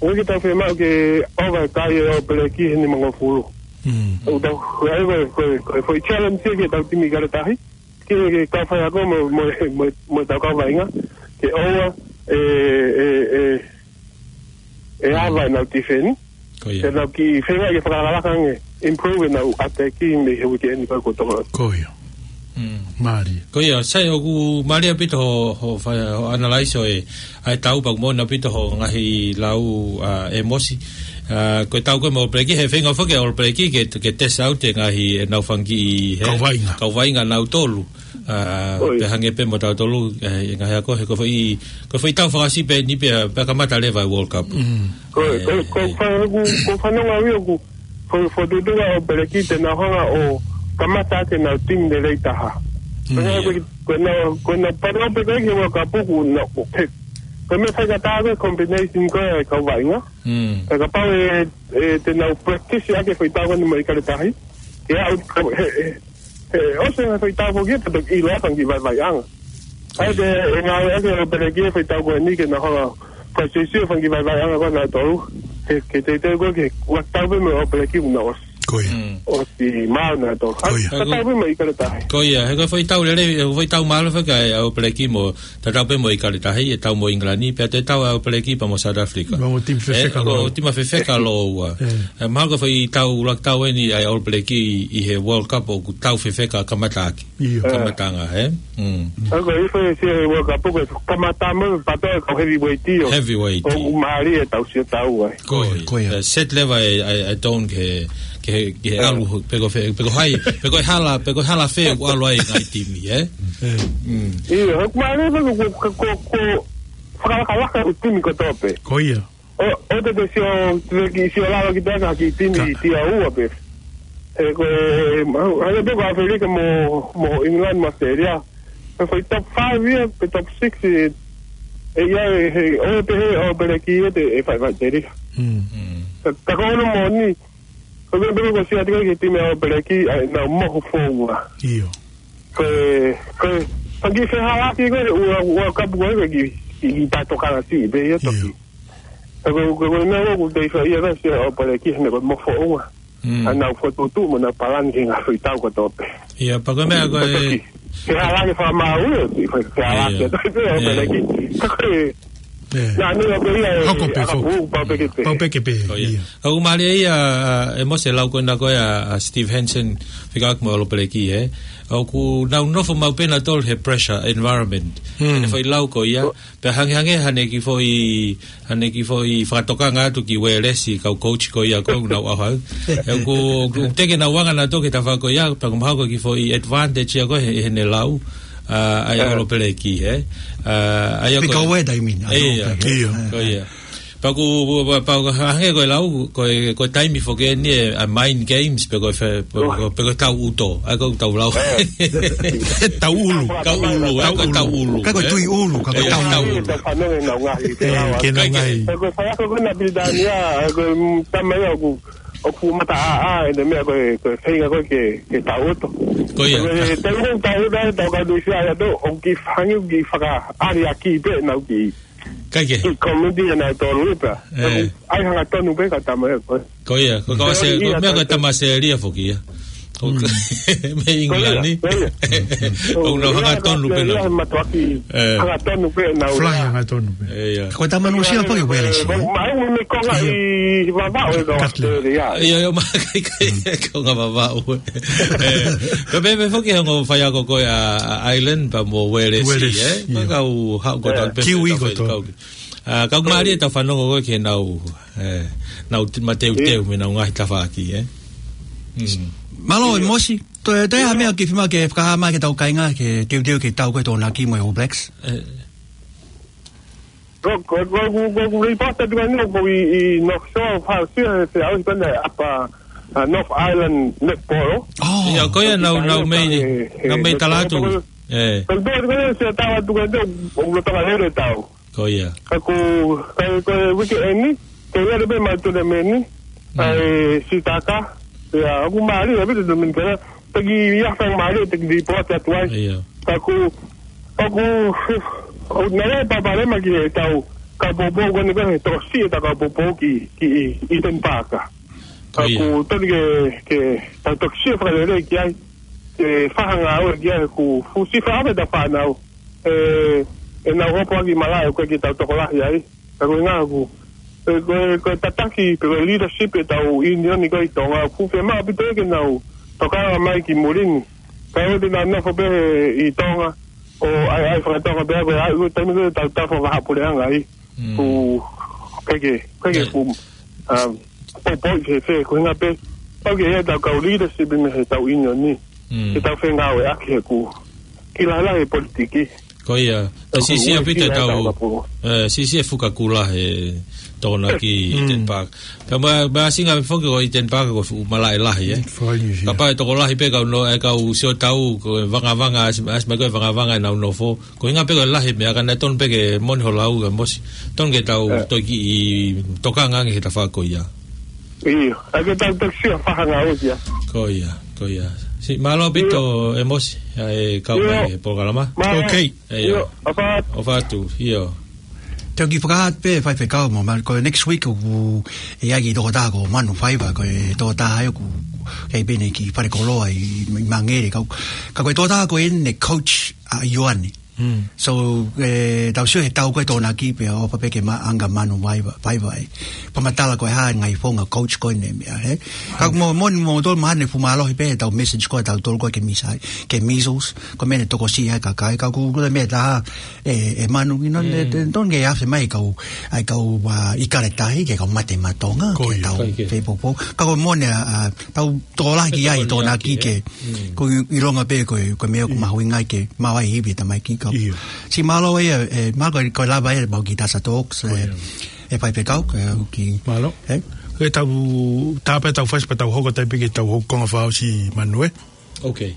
ʻoku ʻikai ke tau fiemaʻu ke ʻova e kai e All Blacks he nimangofulu. Mm. ʻOku tau, ko e, ko e, ko e, ko e foʻi challenge ia ki heʻetau timi ʻIkale Tahi. Ki he, ki he kau faiako mo, mo, mo, mo ʻetau kau vaʻinga, ke ʻoua ʻe, ʻe, ʻe, ʻe ava ʻenau tifeni. Ko ia. Ke nau kiʻi feinga ke fakalakalaka ange, improve ʻenau ʻateki mei he uike eni pea kuo toko. Ko ia. Mm. Mālie. Ko ia, sai, ʻoku mālie ʻaupito hoʻo, hoʻo fai, hoʻo analyze ʻo e, ʻa e tau pea ʻoku moʻoni ʻaupito hoʻo ngaahi lau, ʻa, ʻe Mosi. ʻA, ko e tau ko ē mo e All Blacks, he feinga foki e All Blacks ke, ke test out e ngaahi ʻenau fanga kiʻi, he, kau vaʻinga. Kau vaʻinga nautolu. ʻA, ʻoi. Pea hangē pē mo tautolu, ʻe, ʻi he ngaahi ako, he ko e foʻi, ko e foʻi tau fakasiʻi pē eni pea, pea kamata leva e World Cup. Mm. Ko, ʻe, ko, ko, ʻe. Fa-, Ko, ko e fanongo au ia ʻoku, fo-, fokotuʻutuʻu ʻa e All Blacks te nau hanga ʻo kamata ʻaki ʻenau timi lelei taha. Mm. Pea hangē ko e Ko ʻenau, ko ʻenau panau pē ko ē ki he World Cup ʻoku nau, ko e, ko e meʻa faingataʻa ko e combination ko ē ʻa e kau vaʻinga. Mm. Pea kapau ʻe, ʻe te nau practice ʻaki e foʻi tau ko eni mo ʻIkale Tahi. He ʻoku, he, he, he ʻosi e foʻi tau foki pea toki ʻilo ai e fanga kiʻi vaivaiʻanga. ʻA ia ʻe ngāueʻaki ʻe ʻAupeleki e foʻi tau ko eni ke nau hanga ʻo practice e fanga kiʻi vaivaiʻanga ko ē ʻa nautolu. Ke, ke teuteu ko ē ke ua tau pē mo ʻAupeleki ʻoku nau ʻosi. Ko ia. Mm. ʻOsi maʻu nautolu. Ko ia. Ka tau pē mo ʻIkale Tahi. Ko ia, he ko e foʻi tau lelei, he ko e foʻi tau mālohi faka ʻa ʻAupeleki mo, tatau pē mo ʻIkale Tahi, ʻe tau mo ʻIngilani, pea toe tau ʻa ʻAupeleki pea mo South Africa. Mo e timi fefeka ʻe, ko lōua. Timi fefeka lōua. ʻE. ʻE, mahalo ko e foʻi tau ʻuluaki tau eni ʻa ʻAupeleki ʻi, ʻi he World Cup ʻoku tau fefeka kamataʻaki. ʻIo. Kamataʻanga, ē? Mm. ʻA ia ko e foʻi ʻi he World Cup ko e kamata mo e pato e kau heavyweight ʻio. Heavyweight. ʻOku mālie e tau sio tau ai. Ko ia, ko ia. ʻE, set level e, e, e tone ke, ke, ke ʻalu, pe ko fē, pe ko hai, pe ko e hala, pe ko e hala fē ʻoku ʻalu ai e ngaahi timi, ē? ʻE. Mm. ʻIo, ʻoku mālie pē ko, ko, ko, ko, fakalakalaka e timi kotoa pē. Ko ia. ʻO, ʻo te te sio, te te kiʻi sio lalo ki te aka ki timi ʻi tia ua pē. ʻE ko e, ma-, hanga pē ko ʻAfilika mo, mo England mo Australia. Pea foʻi top five ia, pe top six ē, ʻe ia ē, he, ʻo te he, ʻAupeleki ʻe te, ʻe fai, fai te rika. Mm. Mm. Ka, ka ko hono moʻoni, ko e meʻa pē ko e sio atu ki he timi ʻa ʻAupeleki, ʻa ʻenau mohu founga. ʻIo. Ko e, ko e, fanga kiʻi fehālaaki ko ē, ua, ua kapu ko ē, ki, ki, ki tato kala si, pē ia toki. ʻIo. Ka ko, ko, ko e meʻa ʻoku te fai ia ka sio ʻAupeleki, he ko e mohu founga. Mm. ʻA ʻenau fokotuʻutuʻu mo ʻenau palani ki he ngaahi foʻi tau kotoa pē. ʻIa, pea ko e meʻa ko ē. Fehālaaki fakamāuʻi, fehālaaki ʻa ʻAupeleki. Ka ko e, ʻE. Naʻa ne ʻo pē ia ʻe, Hoko pē ʻa foki. Pau pē ke pē. Pau pē ke pē, Ko ia. ʻIa. ʻOku mālie ia, ʻa, ʻe Mose lau ko ena ko ē ʻa, ʻa Steve Hansen, fika mo ʻAupeleki, ē. ʻOku nau nofo maʻu pē nautolu he pressure environment. Hmm. ʻEne foʻi lau ko ia, pea hangehangē haʻane kiʻi foʻi, haʻane kiʻi foʻi fakatokanga atu ki Uēlesi, kau coach ko ia ko ē ʻoku nau ʻauha. ʻE ʻoku, ʻoku teke nautolu anga nautolu ki he tafaʻaki ko ia, pea ʻoku mahalo ko e kiʻi foʻi advantage ia ko ē he, heʻene lau, ʻa, ʻa ia ʻAupeleki, ē. ʻA, ʻa ia Fika ko ē. ʻOku ʻi ai e taimi ni, ʻa, ʻIa. ʻIo. Ko ia. Pea ʻoku, pea, pea ʻoku hangē ko e lau, ko e, ko e taimi foki eni ē, ʻa e mind games, pe ko e fe-, pe ko, pe ko e tau ʻuto. ʻA ia ko e tau lau. Tau ʻulu. Tau ʻulu, ʻa ia ko e tau ʻulu, ka ko e ē? Tui ʻulu, ka ko e ʻIa, tau tau ʻulu. ʻulu. Tau fanongo ʻenau ngaahi, ʻE, lau. Ke nau Ka ke ngaahi. Ko e faiako ko ē ʻa Pilitānia, ko e, mm, tama ia ʻoku, ʻoku fuʻu mata ʻāʻā, ʻene meʻa ko e, ko e feinga ko ē ke, ke tau ʻuto. Ko ia. Ko e, tau ʻuto, tau ʻuto, tau kau tui fia ia tō, ʻoku kiʻi hangē, ʻoku kiʻi fakaʻaliʻaki pē ʻenau kiʻi Ka ke. Kiʻi komiti ʻa nautolu pē. ʻE. ʻAi hangatonu pē ka tama ia ko ē. Ko ia, ko e kau Sē-, Sēlia ko e meʻa ko e tama Sēlia foki ia. Ko Mm. mei ʻIngilani. Ko ia, ko ia. ʻOku nau hangatonu pē Sēlia nau. He matuʻaki ʻE. hangatonu pē nau Fly ia. hangatonu pē. ʻE, ia. Ko e tama Nuʻusila foki Uēlesi, Ko ē? ma-, ma-, me konga ʻIo. ʻi Vavaʻu ʻe kau Katlin. Sēlia. Ia, ia, ma-, kai, kai, konga Vavaʻu. ʻE, ko e pehē foki he ongo faiako ko ē ʻa, ʻa Ireland pea mo Uēlesi, Uēlesi, ʻe? ʻIo. Ka kau haʻu ko ʻE. tau pehē Kiwi tau ko fai tō. kau ki-, ʻA, ka ʻoku mālie ʻetau fanongo ko ē ki heʻenau, ʻe, nau t-, mateuteu mei heʻenau ngaahi tafaʻaki, ʻe. Mm. Mālō, ʻe Mosi, toe, toe ha meʻa ke fima ke fakahā mai ki heʻetau kāinga ke teuteu ki he tau ko ē Tokonaki mo e All Blacks? ʻE. Ko, ko, ko, ko, ko, ko, report atu ka ni ko ʻi, ʻi North Shore, fau sia, he, he au i pana apa, ʻa, North Island netball. ʻIo, ko ia nau, nau mei, nau mei tala atu. ʻE. Ko, ko, ko, ko, sia tau atu ka ni, ʻoku lotanga lele tau. Ko ia. Ka ko, ka ko e uike eni, ke ia le pē mai tournament, Mm. ʻa e sitaka, ia, ʻoku mālie, ʻa e tournament ka, taki ia fanga mālie, taki report atu ai. Ia. Ka ko, ʻoku, ʻoku nau ʻai pāpale mai ki he tau, kau poupou ko eni ko e tokosiʻi ʻetau kau poupou ki, ki ʻi, ʻi Eden Park. Ka Ko ia. ʻoku tonu ke, ke tau toki sio fakalelei ki ai, ke fakahā ngāue ki ai, ʻoku fusi fakaʻamu ʻetau fānau. ʻE, ʻenau hopo ʻaki malaʻe ʻoku ʻikai ke tau tokolahi ai. Ka ko e ngaahi ʻoku, ʻe, ko e, ko e tataki, pe ko e leadership ʻetau ʻiunioni ko ē ʻi Tonga, ʻoku fiemaʻu ʻaupito ke nau tokanga mai ki muli ni. Ka ʻoku te nau nofo pē ʻi Tonga, ʻo ʻai, ʻai fakatonga pē, ko e ʻai, ko e taimi ko ē tau tafo vaha puleʻanga ai. Mm. ʻOku, ʻikai ke, ʻikai ke ʻIo. ʻoku, um, poupou ke fē, ko e ʻuhinga pē, ʻoku ʻi ai ʻetau kau leadership mei heʻetau ʻiunioni. Mm. Ke tau fengāueʻaki he ʻoku, kiʻi lahilahi e politiki. Ko ia, ʻe siʻisiʻi ʻaupito ʻetau, ʻe, siʻisiʻi e fuka kula he Tokonaki ʻi Eden Park. Pea mo, mo e ʻuhinga foki ko ʻi Eden Park ko e fuʻu malaʻe lahi, ē. Kapau ʻe tokolahi pē kau no, ʻe kau sio tau, ko e vangavanga, ʻasi, ʻasi mai ko e vangavanga ʻenau nofo. Ko e ʻuhinga pē ko e lahi meʻa, ka naʻe tonu pē ke moʻoni hoʻo lau ʻe Mosi. Tonu ke tau toki tokanga ange he tafaʻaki ko ia. ʻIo, ʻa ke tau toki sio fakangāueʻaki ia. Ko ia, ko ia. Siʻi mālō ʻaupito ʻe Mosi, ʻa e kau mai he polokalama. Ok. ʻIo, ʻofa atu. ʻIo. Te u kiʻi fakahā pē faifekau mo, ma, ko e next week ʻoku ʻi ai e kiʻi tokotaha ko Manu Faiva, ko e tokotaha ia ʻoku ʻi ai pē ʻene kiʻi fale koloa ʻi, ʻi Mangere kau. Ka ko e tokotaha ko eni coach ʻa ʻIoane. So, ʻe, tau sio he tau ko e Tokonaki pea ʻofa pē ke maʻu ange ʻa Manu Faiva, Faiva ē. Fakamatala ko e hā e ngaahi founga coach ko eni meʻa, ē. Ka mo, mo, mo tolu mahalo ʻe fuʻu mālohi pē ʻetau message ko ē ʻa tautolu ko ē ki he measles, ki he measles, ko e meʻa naʻe tokosiʻi ai e kakai, ka ʻoku kula meʻa taha, ʻe, ʻe Manu, you know, ʻe, ʻe, tonu ke ʻave mai e kau, ʻa e kau, ʻa, ʻIkale Tahi, ki he kau mate maʻa Tonga, ki heʻetau fepoupou. Ka ko e moʻoni, ʻa, ʻa, tau tokolahi ki ai e Tokonaki ke, ko e ʻilonga pē ko e, ko e meʻa ʻoku mahuʻinga ai ke maʻu ai e ivi e tamaiki kau. Siʻi mālō ē, ʻe, mālō ko e, ko e lava ē, mau ki Tasa Talks, ʻe, ʻe faifekau, ke u ki. Mālō. ʻE? Ke tau, tā pē ʻetau fasi pea tau hoko atu pē ki heʻetau hoko konga fakaʻosi Manu ē. Ok.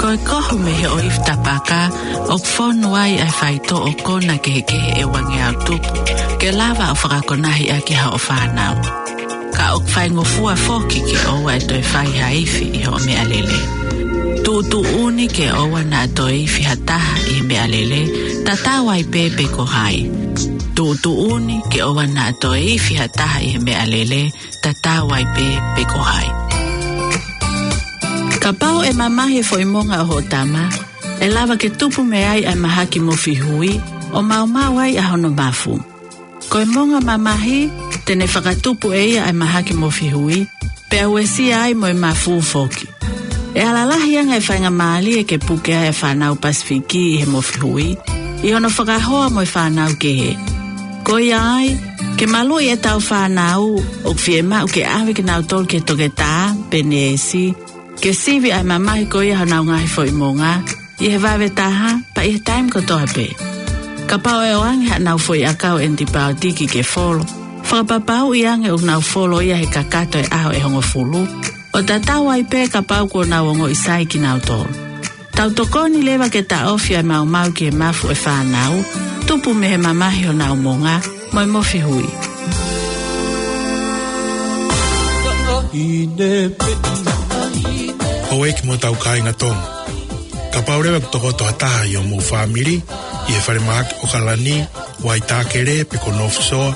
ʻOku kohu mei he ʻoifi tapaka, ʻoku fonu ai ʻa e faitoʻo kona kehekehe ʻe uangeau tupu, ke lava ʻo fakakonahi ʻaki haʻo fānau. Ka ʻoku faingofua foki ke ʻoua ʻe toe fai ha ifi ʻi hoʻo meʻalele. Tuʻutuʻuni ke ʻoua naʻa toe ifi ha taha ʻi he meʻalele, tatau ai pē pe ko hai. Tuʻutuʻuni ke ʻoua naʻa toe ifi ha taha ʻi he meʻalele, tatau ai pē pe ko hai. Kapau ʻe mamahi e foʻi monga ʻo hoʻo tama, ʻe lava ke tupu mei ai ʻa e mahaki mofihui, ʻo maumau ai ʻa hono mafu. Ko e monga mamahi, te ne fakatupu ʻe ia ʻa e mahaki mofihui, pea uesia ai mo e mafu foki. ʻE ala lahi ange e faingamālie ke puke ai e fānau Pasifiki ʻi he mofihui, ʻi hono fakahoa mo e fānau kehe. Ko ia ai, ke maluʻi ʻetau fānau, ʻoku fiemaʻu ke ʻave kinautolu ki he toketā, pe neesi, ke sivi ʻa e mamahi ko ia honau ngaahi foʻi monga, ʻi he vave taha, pea ʻi he taimi kotoa pē. Kapau ʻe ʻoange haʻanau foʻi ʻakau ʻenipaotiki ke folo, fakapapauʻi ange ʻoku nau folo ia he kakato e ʻaho ʻe hongofulu, ʻo tatau ai pē kapau kuo nau ongoʻi sai kinautolu. Tau tokoni leva ke taʻofi ʻa e maumau ki he mafu ʻo e fānau, tupu mei he mamahi honau monga, mo e mofihui. Houʻeiki mo hotau kāinga Tonga. Kapau leva ʻoku tokoto ha taha ʻi homou fāmili, ʻi he falemahaki ʻOkalani, Waitākele pe ko North Shore,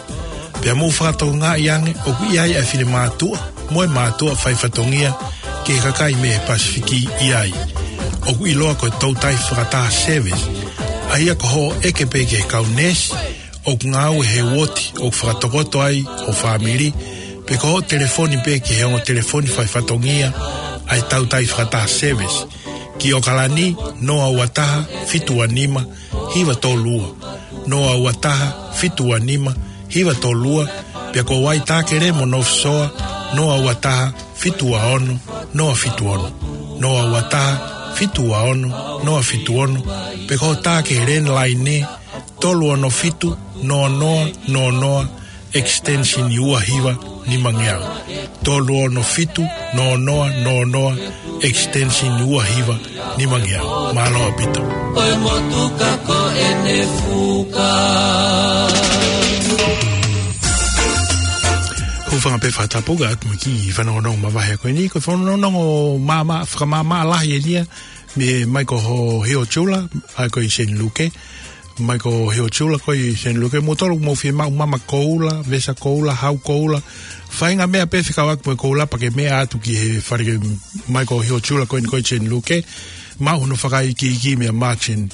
pea mou fakatokangaʻi ange ʻoku ʻi ai ʻa e finemātuʻa mo e mātuʻa faifatongia ki he kakai mei he Pasifiki ʻi ai. ʻOku ʻiloa ko e toutai fakataha service, ʻa ia ko hoʻo ʻeke pē ki he kau neesi ʻoku ngāue he uooti ʻoku fakatokoto ai ho fāmili, pe ko hoʻo telefoni pē ki he ongo telefoni faifatongia ʻa e toutai fakataha service, ki ʻOkalani, noa ua taha, fitu ua nima, hiva tolu ua, noa ua taha, fitu ua nima, hiva tolu ua, pea ko Waitākele mo North Shore, noa ua taha, fitu ua ono, noa fitu ono, noa ua taha, fitu ua ono, noa fitu ono, pe ko hoʻo tā ki he landline, tolu ono fitu, noa noa, noa noa, extension ua hiva nimangeau. Tolu ono fitu, noa noa, noa noa, extension ua hiva nimangeau. Mālō ʻaupito. ʻOi motuka ko ʻene fuka. Hūfanga pē fakatapu atu mo e kiʻi fanongonongo mavahe ko eni, ko e fanongonongo māmā, fakamāmā lahi eni ia, mei Michael Ho-, Hiochula, ʻa ia ko e Saint Luke. Michael Hiochula ko e Saint Luke, mou tolu mou fiemaʻu mama koula, vesa koula, hau koula. Faʻahinga meʻa pē fekauʻaki mo e koula pea ke meʻa atu ki he fale Michael Hiochula ko e, ko e Saint Luke. Maʻu hono fakaikiiki meia Martin.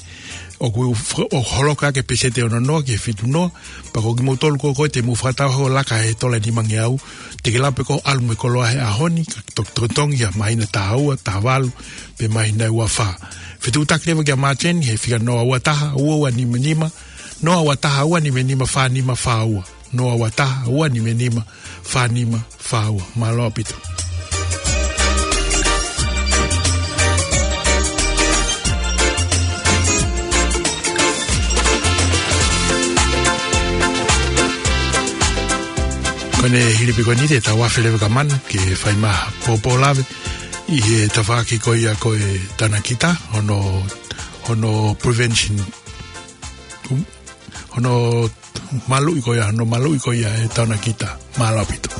ʻOku f-, ʻoku holoka ʻaki e peseti ʻe ono noa ki he fitu noa. Pea ko kimoutolu ko ē te mou fakatau hoʻo laka he tola nimangeau, te ke lava pē koe ʻo ʻalu mo e koloa he ʻaho ni, ka to-, totongi ʻa e māhina taha ua, taha valu, pe māhina ua fā. Fetuʻutaki leva kia Martin he fika noa ua taha, ua ua nima nima, noa ua taha, ua nima nima, fā nima fā ua. Noa ua taha, ua nima nima, fā nima fā ua. Mālō ʻaupito. Ko ʻene hili pē ko eni te tau afe leva ka manu, ke fai mai ha pōpōlave ʻi he tafaʻaki ko ia ko e tanakita, hono, hono prevention, hono maluʻi ko ia, hono maluʻi ko ia e tanakita. Mālō ʻaupito.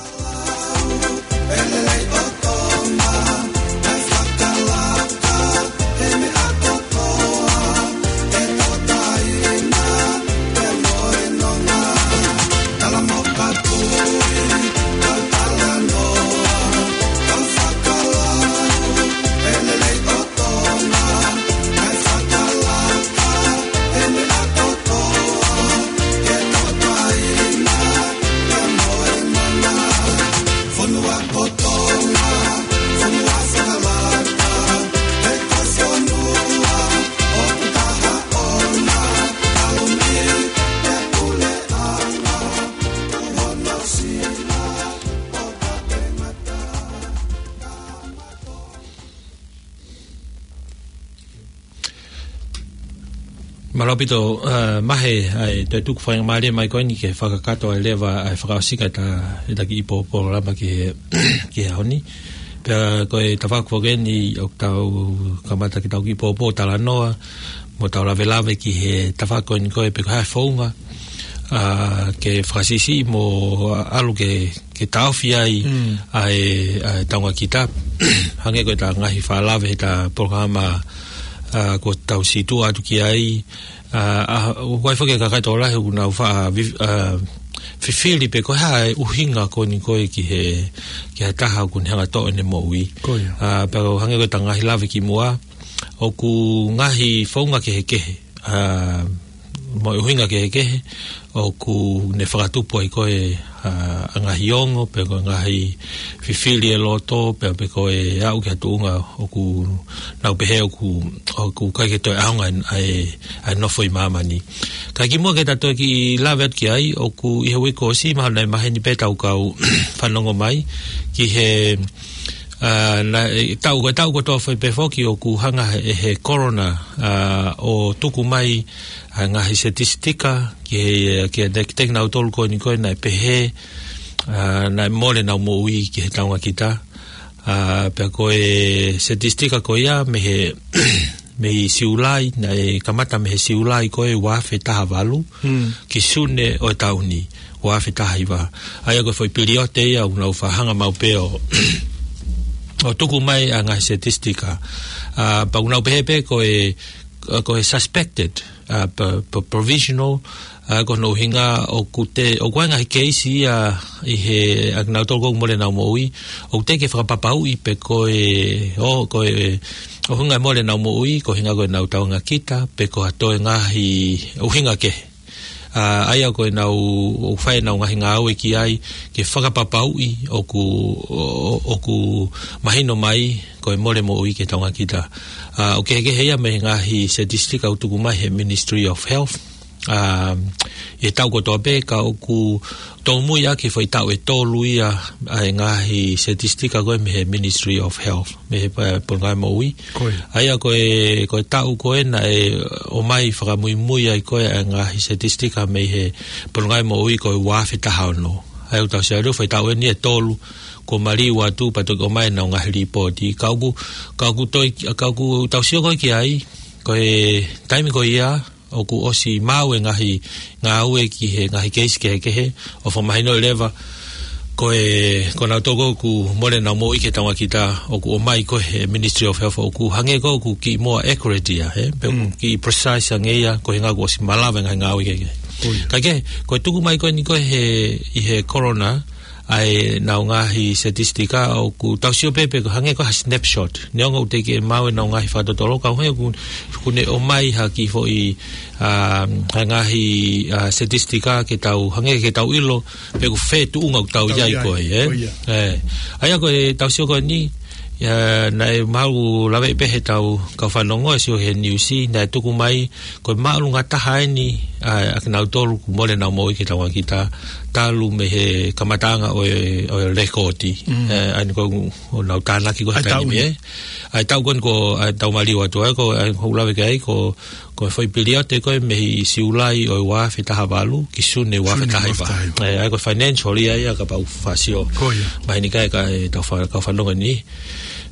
Mālō ʻaupito, ē, Mahe, ʻa e toe tuku faingamālie mai ko eni ke fakakakato ai leva ʻa e fakaʻosinga ʻeta, ʻeta kiʻi pō-, pōlama ki he, ki he ʻaho ni. Pea ko e tafaʻaki foki eni ʻoku tau kamata ke tau kiʻi pōpō talanoa, mo tau lavelave ki he tafaʻaki ko eni ko e pe ko e hā e founga, ā, ke fakasiʻisiʻi mo ʻalu ke, ke taʻofi ai Mm. ʻa e, ʻa e taʻonga kita. Hangē ko e ta ngaahi fakalave he ta polokalama, ā, ko tau sītuʻa atu ki ai, ā, ʻa, ʻoku ʻi ai foki e kakai tokolahi ʻoku nau fa-, ā, vi-, ā, fifili pe ko e hā e ʻuhinga ko eni ko e ki he, ki he taha ʻoku ne hanga toʻo ʻene moʻui. Ko ia. Ā, pea ʻoku hangē ko e ta ngaahi lave kimuʻa, ʻoku ngaahi founga kehekehe, ā, mo e ʻuhinga kehekehe, ʻoku ne fakatupu ai ko e, ā, ngaahi ongo, pe ko e ngaahi fifili e loto, pe, pe ko e aʻu ki ha tuʻunga ʻoku nau pehē ʻoku, ʻoku ʻikai ke toe ʻaonga ʻa e, ʻa e nofo ʻi māmani. Ka kimuʻa ke ta toe kiʻi lave atu ki ai, ʻoku ʻi he uike kuo ʻosi mahalo naʻe maheni pē ʻetau kau fanongo mai, ki he, ā, naʻe, taʻu, ko e taʻu kotoa foʻi pē foki ʻoku hanga he, he korona, ā, ʻo tuku mai ʻa e ngaahi setisitika ki he, ki he tek-, tekinautolu ko eni ko e naʻe pehē, ā, naʻe mole ʻenau moʻui ki he taʻonga kita. Ā, pea ko e setisitika ko ia mei he, mei Siulai, naʻe kamata mei he Siulai ko e ua afe taha valu, Mm. ki Sune ʻo e taʻu ni, ua afe taha hiva. ʻA ia ko e foʻi piliote ia ʻoku nau faʻa hanga maʻu pē ʻo, ʻo tuku mai ʻa e ngaahi setisitika. Ā, pea ʻoku nau pehē pē ko e, ko e suspected, ā, pe, pe provisional, ā, ko hono ʻuhinga ʻoku te, ʻoku ʻi ai e ngaahi keisi ia ʻi he, ʻa kinautolu ʻoku mole ʻenau moʻui, ʻoku teʻeki fakapapauʻi pe ko e, ʻo, ko e, ʻuhinga e mole ʻenau moʻui, ko e ʻuhinga ko ʻenau taʻonga kita, pe ko ha toe ngaahi ʻuhinga kehe. Ā, ʻa ia ko ʻenau, ʻoku fai ʻenau ngaahi ngāue ki ai, ke fakapapauʻi ʻoku, ʻo, ʻoku mahino mai, ko e mole moʻui ki he taʻonga kita. Ā, ʻoku kehekehe ia mei he ngaahi setisitika ʻoku tuku mai he Ministry of Health. Ā, ʻi he taʻu kotoa pē ka ʻoku tōmui ʻaki foʻi taʻu ʻe tolu ia ʻa e ngaahi setisitika ko e mei he Ministry of Health, mei he, ā, Polonga Moʻui. Ko ia. ʻA ia ko e, ko e taʻu ko ē naʻe ʻomai fakamuimui ai ko e ʻa e ngaahi setisitika mei he Polonga Moʻui ko e ua afe taha ono. ʻA ia ʻoku tau sio atu foʻi taʻu eni ʻe tolu, kuo maliu atu pea toki ʻomai ʻenau ngaahi lipooti. Ka ʻoku, ka ʻoku toi, ka ʻoku tau sio ko ē ki ai, ko e taimi ko ia, ʻoku ʻosi maʻu e ngaahi ngāue ki he ngaahi keisi kehekehe, ʻo fakamahinoʻi leva, ko e, ko kinautolu ʻoku mole ʻenau moʻui ki he taʻonga kita, ʻoku ʻomai ko e he Ministry of Health, ʻoku hangē ko ē ʻoku kiʻi more accurate ia, ē? Pe ʻoku Mm. kiʻi precise ange ia, ko e ʻuhinga ʻoku ʻosi malava e ngaahi ngāue kehekehe. Ko ia. Ka ke, ko e tuku mai ko eni ko e he, ʻi he korona, ʻa ʻenau ngaahi setisitika ʻoku tau sio pē pe ko e hangē ko ha snapshot. Neongo ʻoku teʻeki ke maʻu ʻenau ngaahi fakatotolo, ka ʻoku hangē ʻoku, ʻoku ne ʻomai ha kiʻi foʻi, ā, ha ngaahi, ā, setisitika ke tau, hangē ke tau ʻilo, pe ko fē tuʻunga ʻoku tau Tau ʻi ai ʻi ai, ko ē, ē? ko ia. Ē. ʻA ia ko e tau sio ko eni, ā, naʻe maʻu lave pē he tau kau fanongo ʻe sio he niusi, naʻe tuku mai, ko e māʻolunga taha eni, ā, ʻa kinautolu ʻoku mole ʻenau moʻui ki he taʻonga kita, talu mei he kamataʻanga ʻo e, ʻo e lēkooti. Mm. Ē, ʻa eni ko ʻenau tānaki ko e ʻA e taʻu taimi, ni. ē. ʻA e taʻu ko eni ko, ʻa e taʻu maliu atu, ē, ko, ʻa e hoʻo lave ki ai, ko, ko e foʻi piliote ko e mei Siulai ʻo e ua afe taha valu, ki Sune ua afe taha hiva. Sune ua afe taha hiva. Ē, ʻa ia ko e financial ia, ia kapau ʻoku faʻa sio. Ko ia. Mahino ki he kau fa-, kau fanongo ni.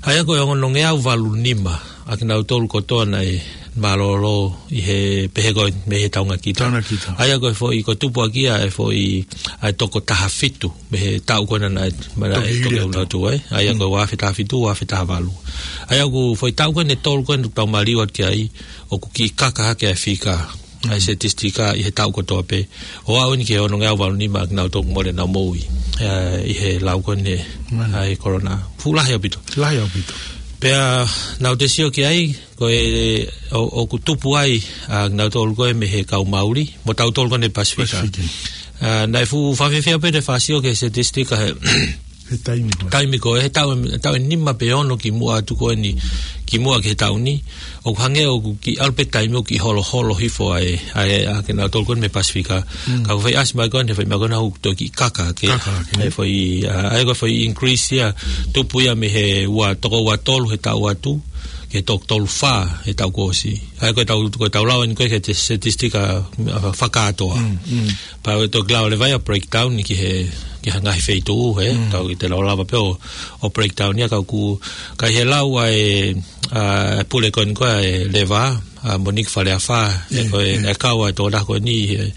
ʻA ia ko e onongeau valu nima ʻa kinautolu kotoa naʻe mālōlō ʻi he pehē ko e mei he taʻonga kita. Taʻonga kita. ʻA ia ko e foʻi, ko e tupu ʻaki ia e foʻi, ʻa e toko taha fitu mei he taʻu ko ena naʻe, naʻe Toki hili toki atu. atu, ē. ʻA ia ko e Mm. ua afe taha fitu, ua afe taha valu. ʻA ia ko e foʻi taʻu ko ena ʻe tolu ko ena ʻoku tau maliu atu ki ai, ʻoku kiʻi kaka hake ʻa e fika ʻa e Mm. setisitika ʻi he taʻu kotoa pē. ʻO aʻu eni ki he onongeau valu nima ʻa kinautolu ʻoku mole ʻenau moʻui, ē, ʻi he lau ko ena Mani. ʻa e korona. Fuʻu lahi ʻaupito. Lahi ʻaupito. Pea naʻa tau sio ki ai, ko e, ʻo, ʻoku tupu ai ʻa kinautolu ko e mei he kau Mauli, mo tautolu ko ena Pasifika. Pasifika. Ā, naʻe fuʻu fakafiefia pē ʻete faʻa sio ki he setisitika he He taimi ko ē. taimi ko ē, he taʻu, taʻu ʻe nima pe ono kimuʻa atu ko eni, kimuʻa ki he taʻu ni, ʻoku hangē ʻoku kiʻi ʻalu pē taimi ʻoku kiʻi holoholo hifo ai, ʻa e, ʻa kinautolu ko ena mei Pasifika. Mm. Ka ʻoku fai ʻasi mai ko ena, fai mai ko ena ʻoku toe kiʻi kaka hake. Kaka hake. ʻA e foʻi, ā, ʻa e ko e foʻi increase ia, tupu ia mei he ua, toko ua tolu he taʻu atu, ki he toko tolu fā he taʻu kuo ʻosi. ʻA ia ko e tau, ko e tau lau eni ko ē ki he te-, statistika, ʻa, fakakātoa. Pea ʻe toki lau leva ia breakdown ki he, ki he ngaahi feituʻu, he. Tau ʻikai te tau lava pē ʻo, ʻo breakdown ia ka ʻoku, ka ʻi he lau ʻa e, ʻa, pule ko eni ko ē ʻa e leva, ʻa Monique Faleafa, ʻe ko e, ʻe kau ʻa e tokolahi ko eni, he,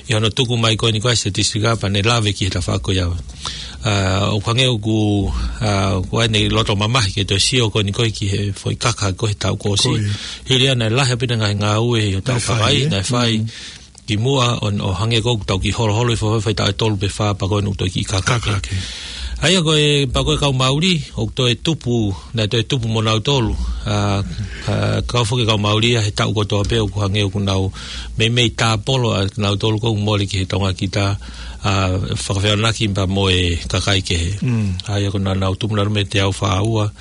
ʻi hono tuku mai ko eni ko ē statistika pea ne lave ki he tafaʻaki ko ia. ʻA, ʻoku hangē ʻoku, ʻa, ʻoku ʻi ai ʻene loto mamahi ke toe sio ko eni ko ē ki he foʻi kaka ko ē he taʻu kuo ʻosi. Hili ia naʻe lahi ʻaupito ngaahi ngāue ʻi he taʻu fai, naʻe fai. Ki muʻa ʻo, ʻo hangē ko ē ʻoku tau kiʻi holoholo ʻi he foʻi, foʻi taʻu ʻe tolu pe fā pea ko eni ʻoku toe kiʻi kaka. Kaka ke. ʻA ia ko e, pea ko e kau Mauli, ʻoku toe tupu, naʻe toe tupu mo nautolu. ʻA, ʻa, kau foki kau Mauli ia he taʻu kotoa pē ʻoku hangē ʻoku nau meimei tāpolo ʻa nautolu ko ē ʻoku mole ki he tongakita, ʻa, fakafeʻiloaki pea mo e kakai kehe. ʻA ia ko ʻenau tupu nautolu mei he teau fā ua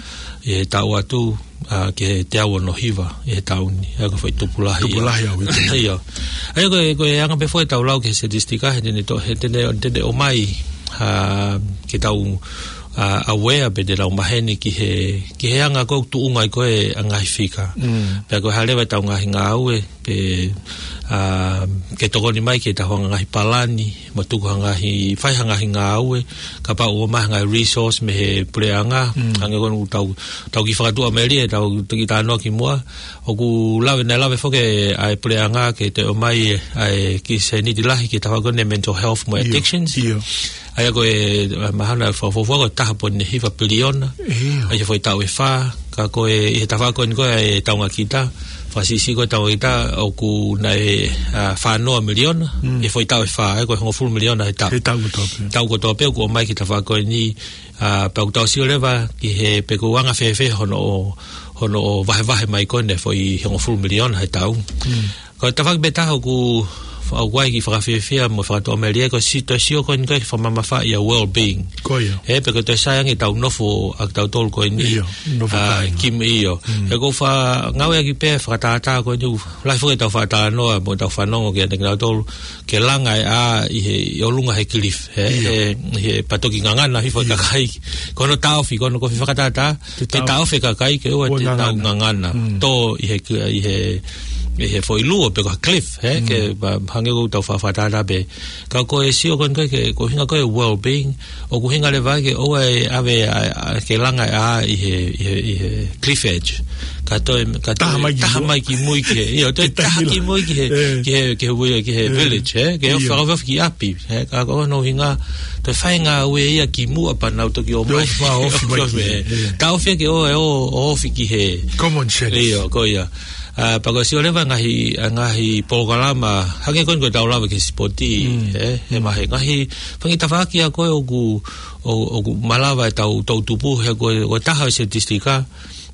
ʻi he taʻu atu, ʻa, ki he teau ono hiva ʻi he taʻu ni, ʻa ia ko e foʻi tupu lahi ia. Tupu lahi ʻaupito. ʻIo. ʻA ia ko e, ko e anga pē foʻi ʻetau lau ki he statistika, he te ne to-, he te ne, te ne ʻomai, ʻa, ke tau, ʻa, aware pe te tau maheni ki he, ki he anga ko ē ʻoku tuʻunga ai ko ē ʻa e ngaahi fika. Pea ko e hā leva ʻetau ngaahi ngāue, pe, ʻa, ke tokoni mai ke tau hanga ngaahi palani, mo tuku ha ngaahi, fai ha ngaahi ngāue, kapau ʻoku ʻomai ha ngaahi resource mei he puleʻanga, hangē ko eni ʻoku tau, tau kiʻi fakatuʻamelie, tau kiʻi talanoa ki muʻa, ʻoku lave, naʻe lave foki ʻa e puleʻanga ke toe ʻomai ʻa e kiʻi sēniti lahi ki he tafaʻaki ko eni mental health mo e addictions. ʻIo. ʻA ia ko e, ʻa, mahalo naʻe fakafuofua ko e taha poini hiva piliona. ʻIo. ʻA ia foʻi taʻu ʻe fā, ka ko e, ʻi he tafaʻaki ko eni ko ē ʻa e tongakita, fakasiʻisiʻi ko ē tongakita ʻoku naʻe, ʻa, fā noa miliona, ʻi he foʻi taʻu ʻe fā, ʻa ia ko e hongofulu miliona he taʻu. He taʻu kotoa pē. Taʻu kotoa pē ʻoku ʻomai ki he tafaʻaki ko eni, ʻa, pea ʻoku tau sio leva ki he pe ʻoku anga fēfē hono ʻo, hono ʻo vahevahe mai ko eni foʻi hongofulu miliona he taʻu. Ko e tafaʻaki pē taha ʻoku, ʻoku ʻi ai e kiʻi fakafiefia mo e fakatuʻamelie ko e si-, toe sio ko eni ko ē ki he fakamamafaʻi ʻa e well-being. Ko ia. He pe ko e toe sai ange ʻetau nofo ʻa kitautolu ko eni. ʻIo, nofo ʻa, kai. Ki muʻa ʻio. He ʻoku ou faʻa ngāueʻaki pē fakatātā ko eni, lahi foki ʻetau fakatalanoa mo ʻetau fanongo kiate kinautolu, ke langa e ʻā ʻi he, ʻi ʻolunga he cliff, he, ʻio, he, he pea toki ngangana hifo e, ʻio, kakai. Ko hono taʻofi, ko hono kofi fakatātā, te, te taʻofi, taʻofi e kakai ke ʻoua, ʻoua te nau ngangana. Ngangana. Tō ʻi he, ʻi he, ʻi he foʻi luo pe ko ha cliff, he, ke, pea hangē ko ʻetau fa-, fakatātā pē. Ka ko e sio ko eni ko ē ki he, ko e ʻuhinga ko ē well-being, ʻoku ʻuhinga leva ke ʻoua ʻe ʻave ʻa, ʻa, ke langa e ʻā ʻi he, ʻi he, ʻi he cliff edge. Ka toe, ka toe taha mai ki, taha mui, mai ki mui ki he, ʻio, toe taha ki mui ki he, ki he, ki he, ki he, ki he village, he? Ke ʻio, ʻo fakaofi ki ʻapi, he? Ka ko hono ʻuhinga, toe fai ngāue ia ki muʻa pea nau toki ʻomai. Toe ʻofi mai, ʻofi mai ki he, he. Taʻofi ke ʻoua ʻe ʻo, ʻofi ki he. Common sense. ʻIo, ko ia. ʻA, pea ko e sio leva ngaahi, ʻa, ngaahi polokalama, hangē ko eni ko ʻetau lave ki he sipoti, he? He mahe, ngaahi, fanga tafaʻaki ʻa ko ē ʻoku, ʻo, ʻoku malava ʻetau toʻutupu, he ko e, ko e taha ʻo e statistika,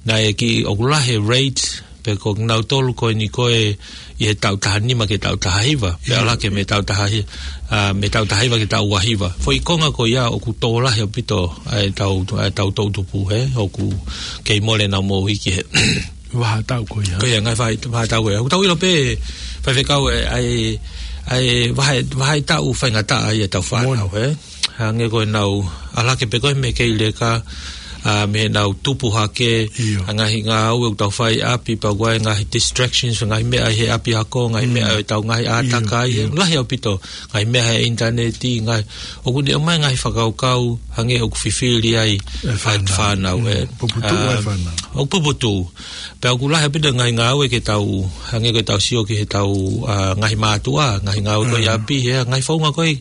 naʻe kiʻi ʻoku lahi e rate, pe ko kinautolu ko eni ko ē ʻi he taʻu taha nima ki he taʻu taha hiva, pea, ʻio, ʻalu hake mei he taʻu taha hi-, ʻa, mei he taʻu taha hiva ki he taʻu ua hiva. Foʻi konga ko ia ʻoku tō lahi ʻaupito ʻa ʻetau, ʻa ʻetau toʻutupu, he, ʻoku kei mole ʻenau moʻui ki he vahaʻa taʻu ko ia. Ko ia, ngaahi vahaʻa, vahaʻa taʻu ko ia. ʻOku tau ʻilo pē, faifekau, ʻa e, ʻa e, ʻa e vahaʻa, vahaʻa taʻu faingataʻa ia ʻetau fānau, he? Hangē ko ʻenau ʻalu hake pē ko ē mei he kei leka, ʻa, mei heʻenau tupu hake, ʻio, ʻa e ngaahi ngāue ʻoku tau fai ʻi ʻapi, pea ʻoku ʻi ai e ngaahi distractions, ngaahi meʻa ʻi he ʻapiako, ngaahi, mm, meʻa ʻi heʻetau ngaahi, ʻio, ʻātakai, ʻio, lahi ʻaupito, ngaahi meʻa he ʻinitaneti, ngaahi, ʻoku ne ʻomai ngaahi fakakaukau, hangē ʻoku fifili ai e fānau. Fānau, mm, ē. Puputuʻu ai, ʻa, fānau. ʻOku puputuʻu. Pea ʻoku lahi ʻaupito e ngaahi ngāue ke tau, hangē ko ʻetau sio ki heʻetau, ʻa, ngaahi mātuʻa, ngaahi ngāue ko ē ʻi, mm, ʻapi, he ngaahi founga ko ē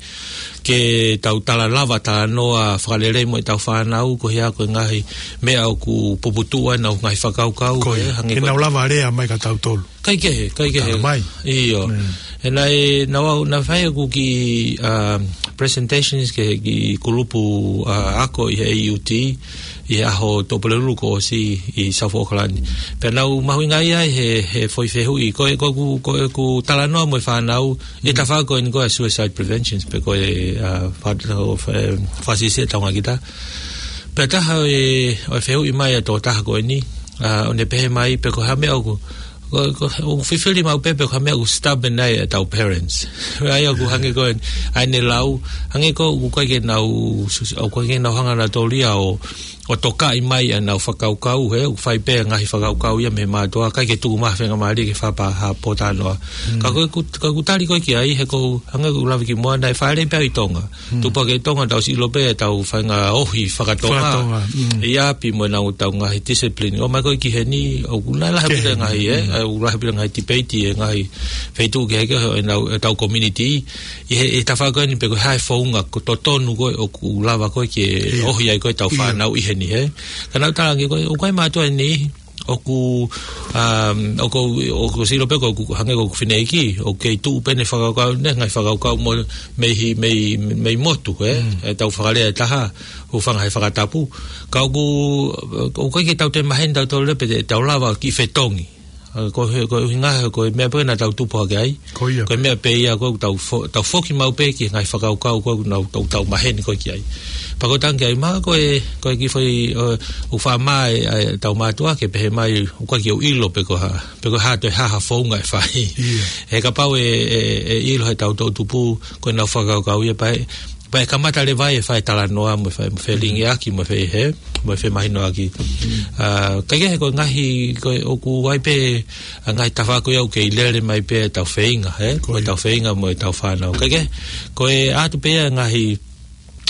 ke tau tala lava, talanoa fakalelei mo ʻetau fānau, ko e hā ko e ngaahi meʻa ʻoku puputuʻu ai ʻenau ngaahi fakakaukau, ko ia, ē, hangē ko ē ke nau lava lea mai kia tautolu. Kaikehe, kaikehe. Tala mai. ʻIo. Mm. He naʻe, naʻa ku, naʻa ku fai ʻeku kiʻi, ʻa, presentations ki he kiʻi kulupu, ʻa, ako ʻi he A U T, ʻi he ʻaho Tuʻapulelulu kuo ʻosi ʻi South Auckland. Pea naʻa ku mahuʻingaʻia ai he, he foʻi fehuʻi. Ko e, ko ʻeku, ko ʻeku talanoa mo e fānau, ʻi he, mm, tafaʻaki ko eni ko e suicide preventions, pe ko e, ʻa, fa-, ʻo, fa-, fasiʻisiʻi tongakita. Pea taha ʻo e, ʻo e fehuʻi mai ʻa e tokotaha ko eni, ʻa, ʻo ne pehē mai pe ko e hā e meʻa ʻoku, ko, ko, ʻoku fifili maʻu pē pe ko e hā e meʻa ʻoku stubborn ai ʻetau parents. ʻA ia ʻoku hangē ko ē, ʻa ʻene lau, hangē ko ē ʻoku ʻikai ke nau, sus-, ʻoku ʻikai ke nau hanga nautolu ia ʻo, ʻo tokaʻi mai ʻenau fakakaukau, he ʻoku fai pē ngaahi fakakaukau ia mei mātuʻa, ʻikai ke tuku mai ha faingamālie ke fakapā ha pōtalanoa. Ka ko ʻeku, ka ʻeku tali ko ē ki ai, he ʻoku ou hangē ko ʻeku lave ki muʻa, naʻe fāʻeleʻi pē ʻi Tonga. Tupu hake ʻi Tonga, tau sio pē ʻetau faʻahinga ohi faka-Tonga. Faka-Tonga, mm. ʻI ʻapi mo ʻenau tau ngaahi discipline. ʻOmai ko ē ki heni, ʻoku nau lahi pē ngaahi, ē, ʻoku lahi pē ngaahi tipeiti, ʻi he ngaahi feituʻu kehekehe ʻo ʻenau, ʻetau community. ʻI he, ʻi he tafaʻaki ko eni pe ko e hā e founga ko e totonu ko ē ʻoku lava ko ē ke ohi ai ko ē ʻetau fānau ʻi heni, ē. Ka naʻá ku talaange ko ē, ʻoku ʻi ai mātuʻa ʻi heni, ʻoku, um, ʻoku, ʻoku sio pē ko ē ʻoku hangē ko ʻeku fineʻeiki, ʻoku kei tuʻu pē ʻene fakakaukau, ʻene ngaahi fakakaukau mo, mei he, mei, mei motu, ē? ʻEtau fakalea ʻe taha, hūfanga he fakatapu. Ka ʻoku, ʻoku ʻikai ke tau toe maheni tautolu pē te tau lava ki fetongi. ʻA, ko e, ko e ʻuhinga, ko e meʻa pē naʻa tau tupu hake ai. Ko ia. Ko e meʻa pē ia, ko ʻetau fo-, tau foki maʻu pē ki he ngaahi fakakaukau, ko ʻetau, tau, tau maheni ko ē ki ai. Pea ko e tangi ai, mahalo ko e, ko e kiʻi foʻi, ʻo, ʻoku faʻa maʻu ʻe, ʻe, ʻetau mātuʻa ke pehē mai, ʻoku ʻikai ke u ʻilo pe ko e hā, pe ko e hā toe hā ha founga ʻe fai. Ia. He kapau ʻe, ʻe, ʻe ʻilo heʻetau toʻutupu, ko ʻenau fakakaukau ia pea ʻe, pea ʻe kamata leva ai ʻe fai e talanoa mo e fai, mo e felingiʻaki, mo e fai hē, mo e femahinoʻaki. ʻA, ka ʻi he ko e ngaahi, ko e ʻoku ʻi ai pē, ʻa e ngaahi tafaʻaki ko ia ʻoku kei lele mai pē ʻetau feinga, ē? Ko ia. Mo ʻetau feinga, mo ʻetau fānau. Ka ʻi he, ko e ʻoatu pē ʻa e ngaahi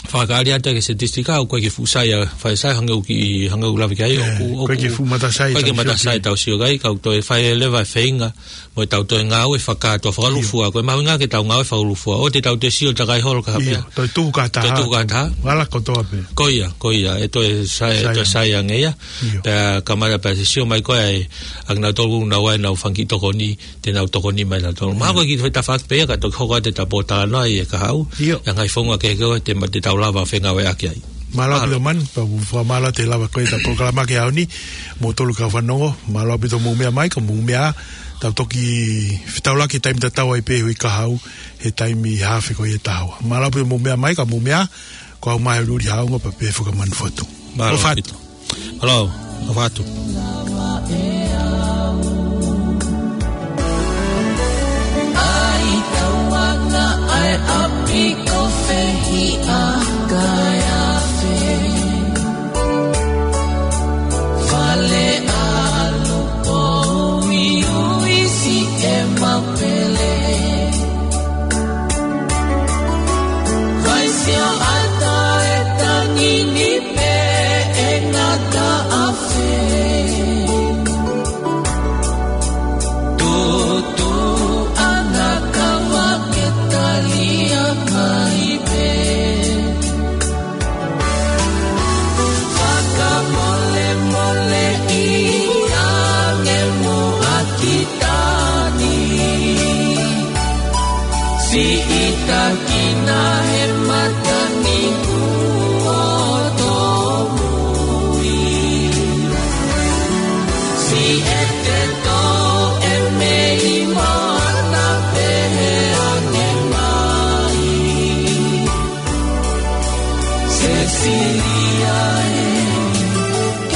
fakakaukau atu ki he statistika, ʻoku ʻikai ke fuʻu sai ʻa, fai sai hangē ʻoku, hangē ʻoku lave ki ai, ʻoku, ʻoku ʻikai ke fuʻu matasai ʻoku ʻikai ke matasai ʻetau sio ki ai, ka ʻoku toe fai leva e feinga, mo ʻetau toe ngāue fakakātoa fakalūkufua, ko e mahuʻinga ke tau ngāue fakalūkufua, ʻoua te tau toe sio takai holo ki ha meʻa. Toe tuku ki ha taha. Toe tuku ki ha taha. Ala kotoa pē. Ko ia, ko ia, ʻe toe sai, ʻe toe sai ange ia. Pea kamata pea sio mai ko ē, ʻa kinautolu ʻoku nau ʻi ai ʻenau fanga kiʻi tokoni, te nau tokoni mai nautolu. Mahalo ko e kiʻi tafaʻaki pē ia ka toki hoko atu ʻeta pōtalanoa ʻi he kahaʻu. ʻA e ngaahi founga kehekehe te ma-, te tau lava fengāueʻaki ai. Mālō ʻaupito Manu, pea ʻoku fakamālō atu he lava ko ē ʻeta polokalama ki he ʻaho ni, moutolu kau fanongo, mālō ʻaupito hoʻomou meʻa mai, ka mou meʻa, tau toki fetaulaki he taimi tatau ai pē hui kahaʻu, he taimi haafe ko ia ʻo e taʻu. Mālō ʻaupito hoʻomou meʻa mai, ka mou meʻa, ko au mai Luli Haunga pea pehē foki Manu Fotu. Mālō ʻaupito. Mālō, ʻofa atu. ʻAi tauanga ʻa e ʻapi ko fē hiʻa kae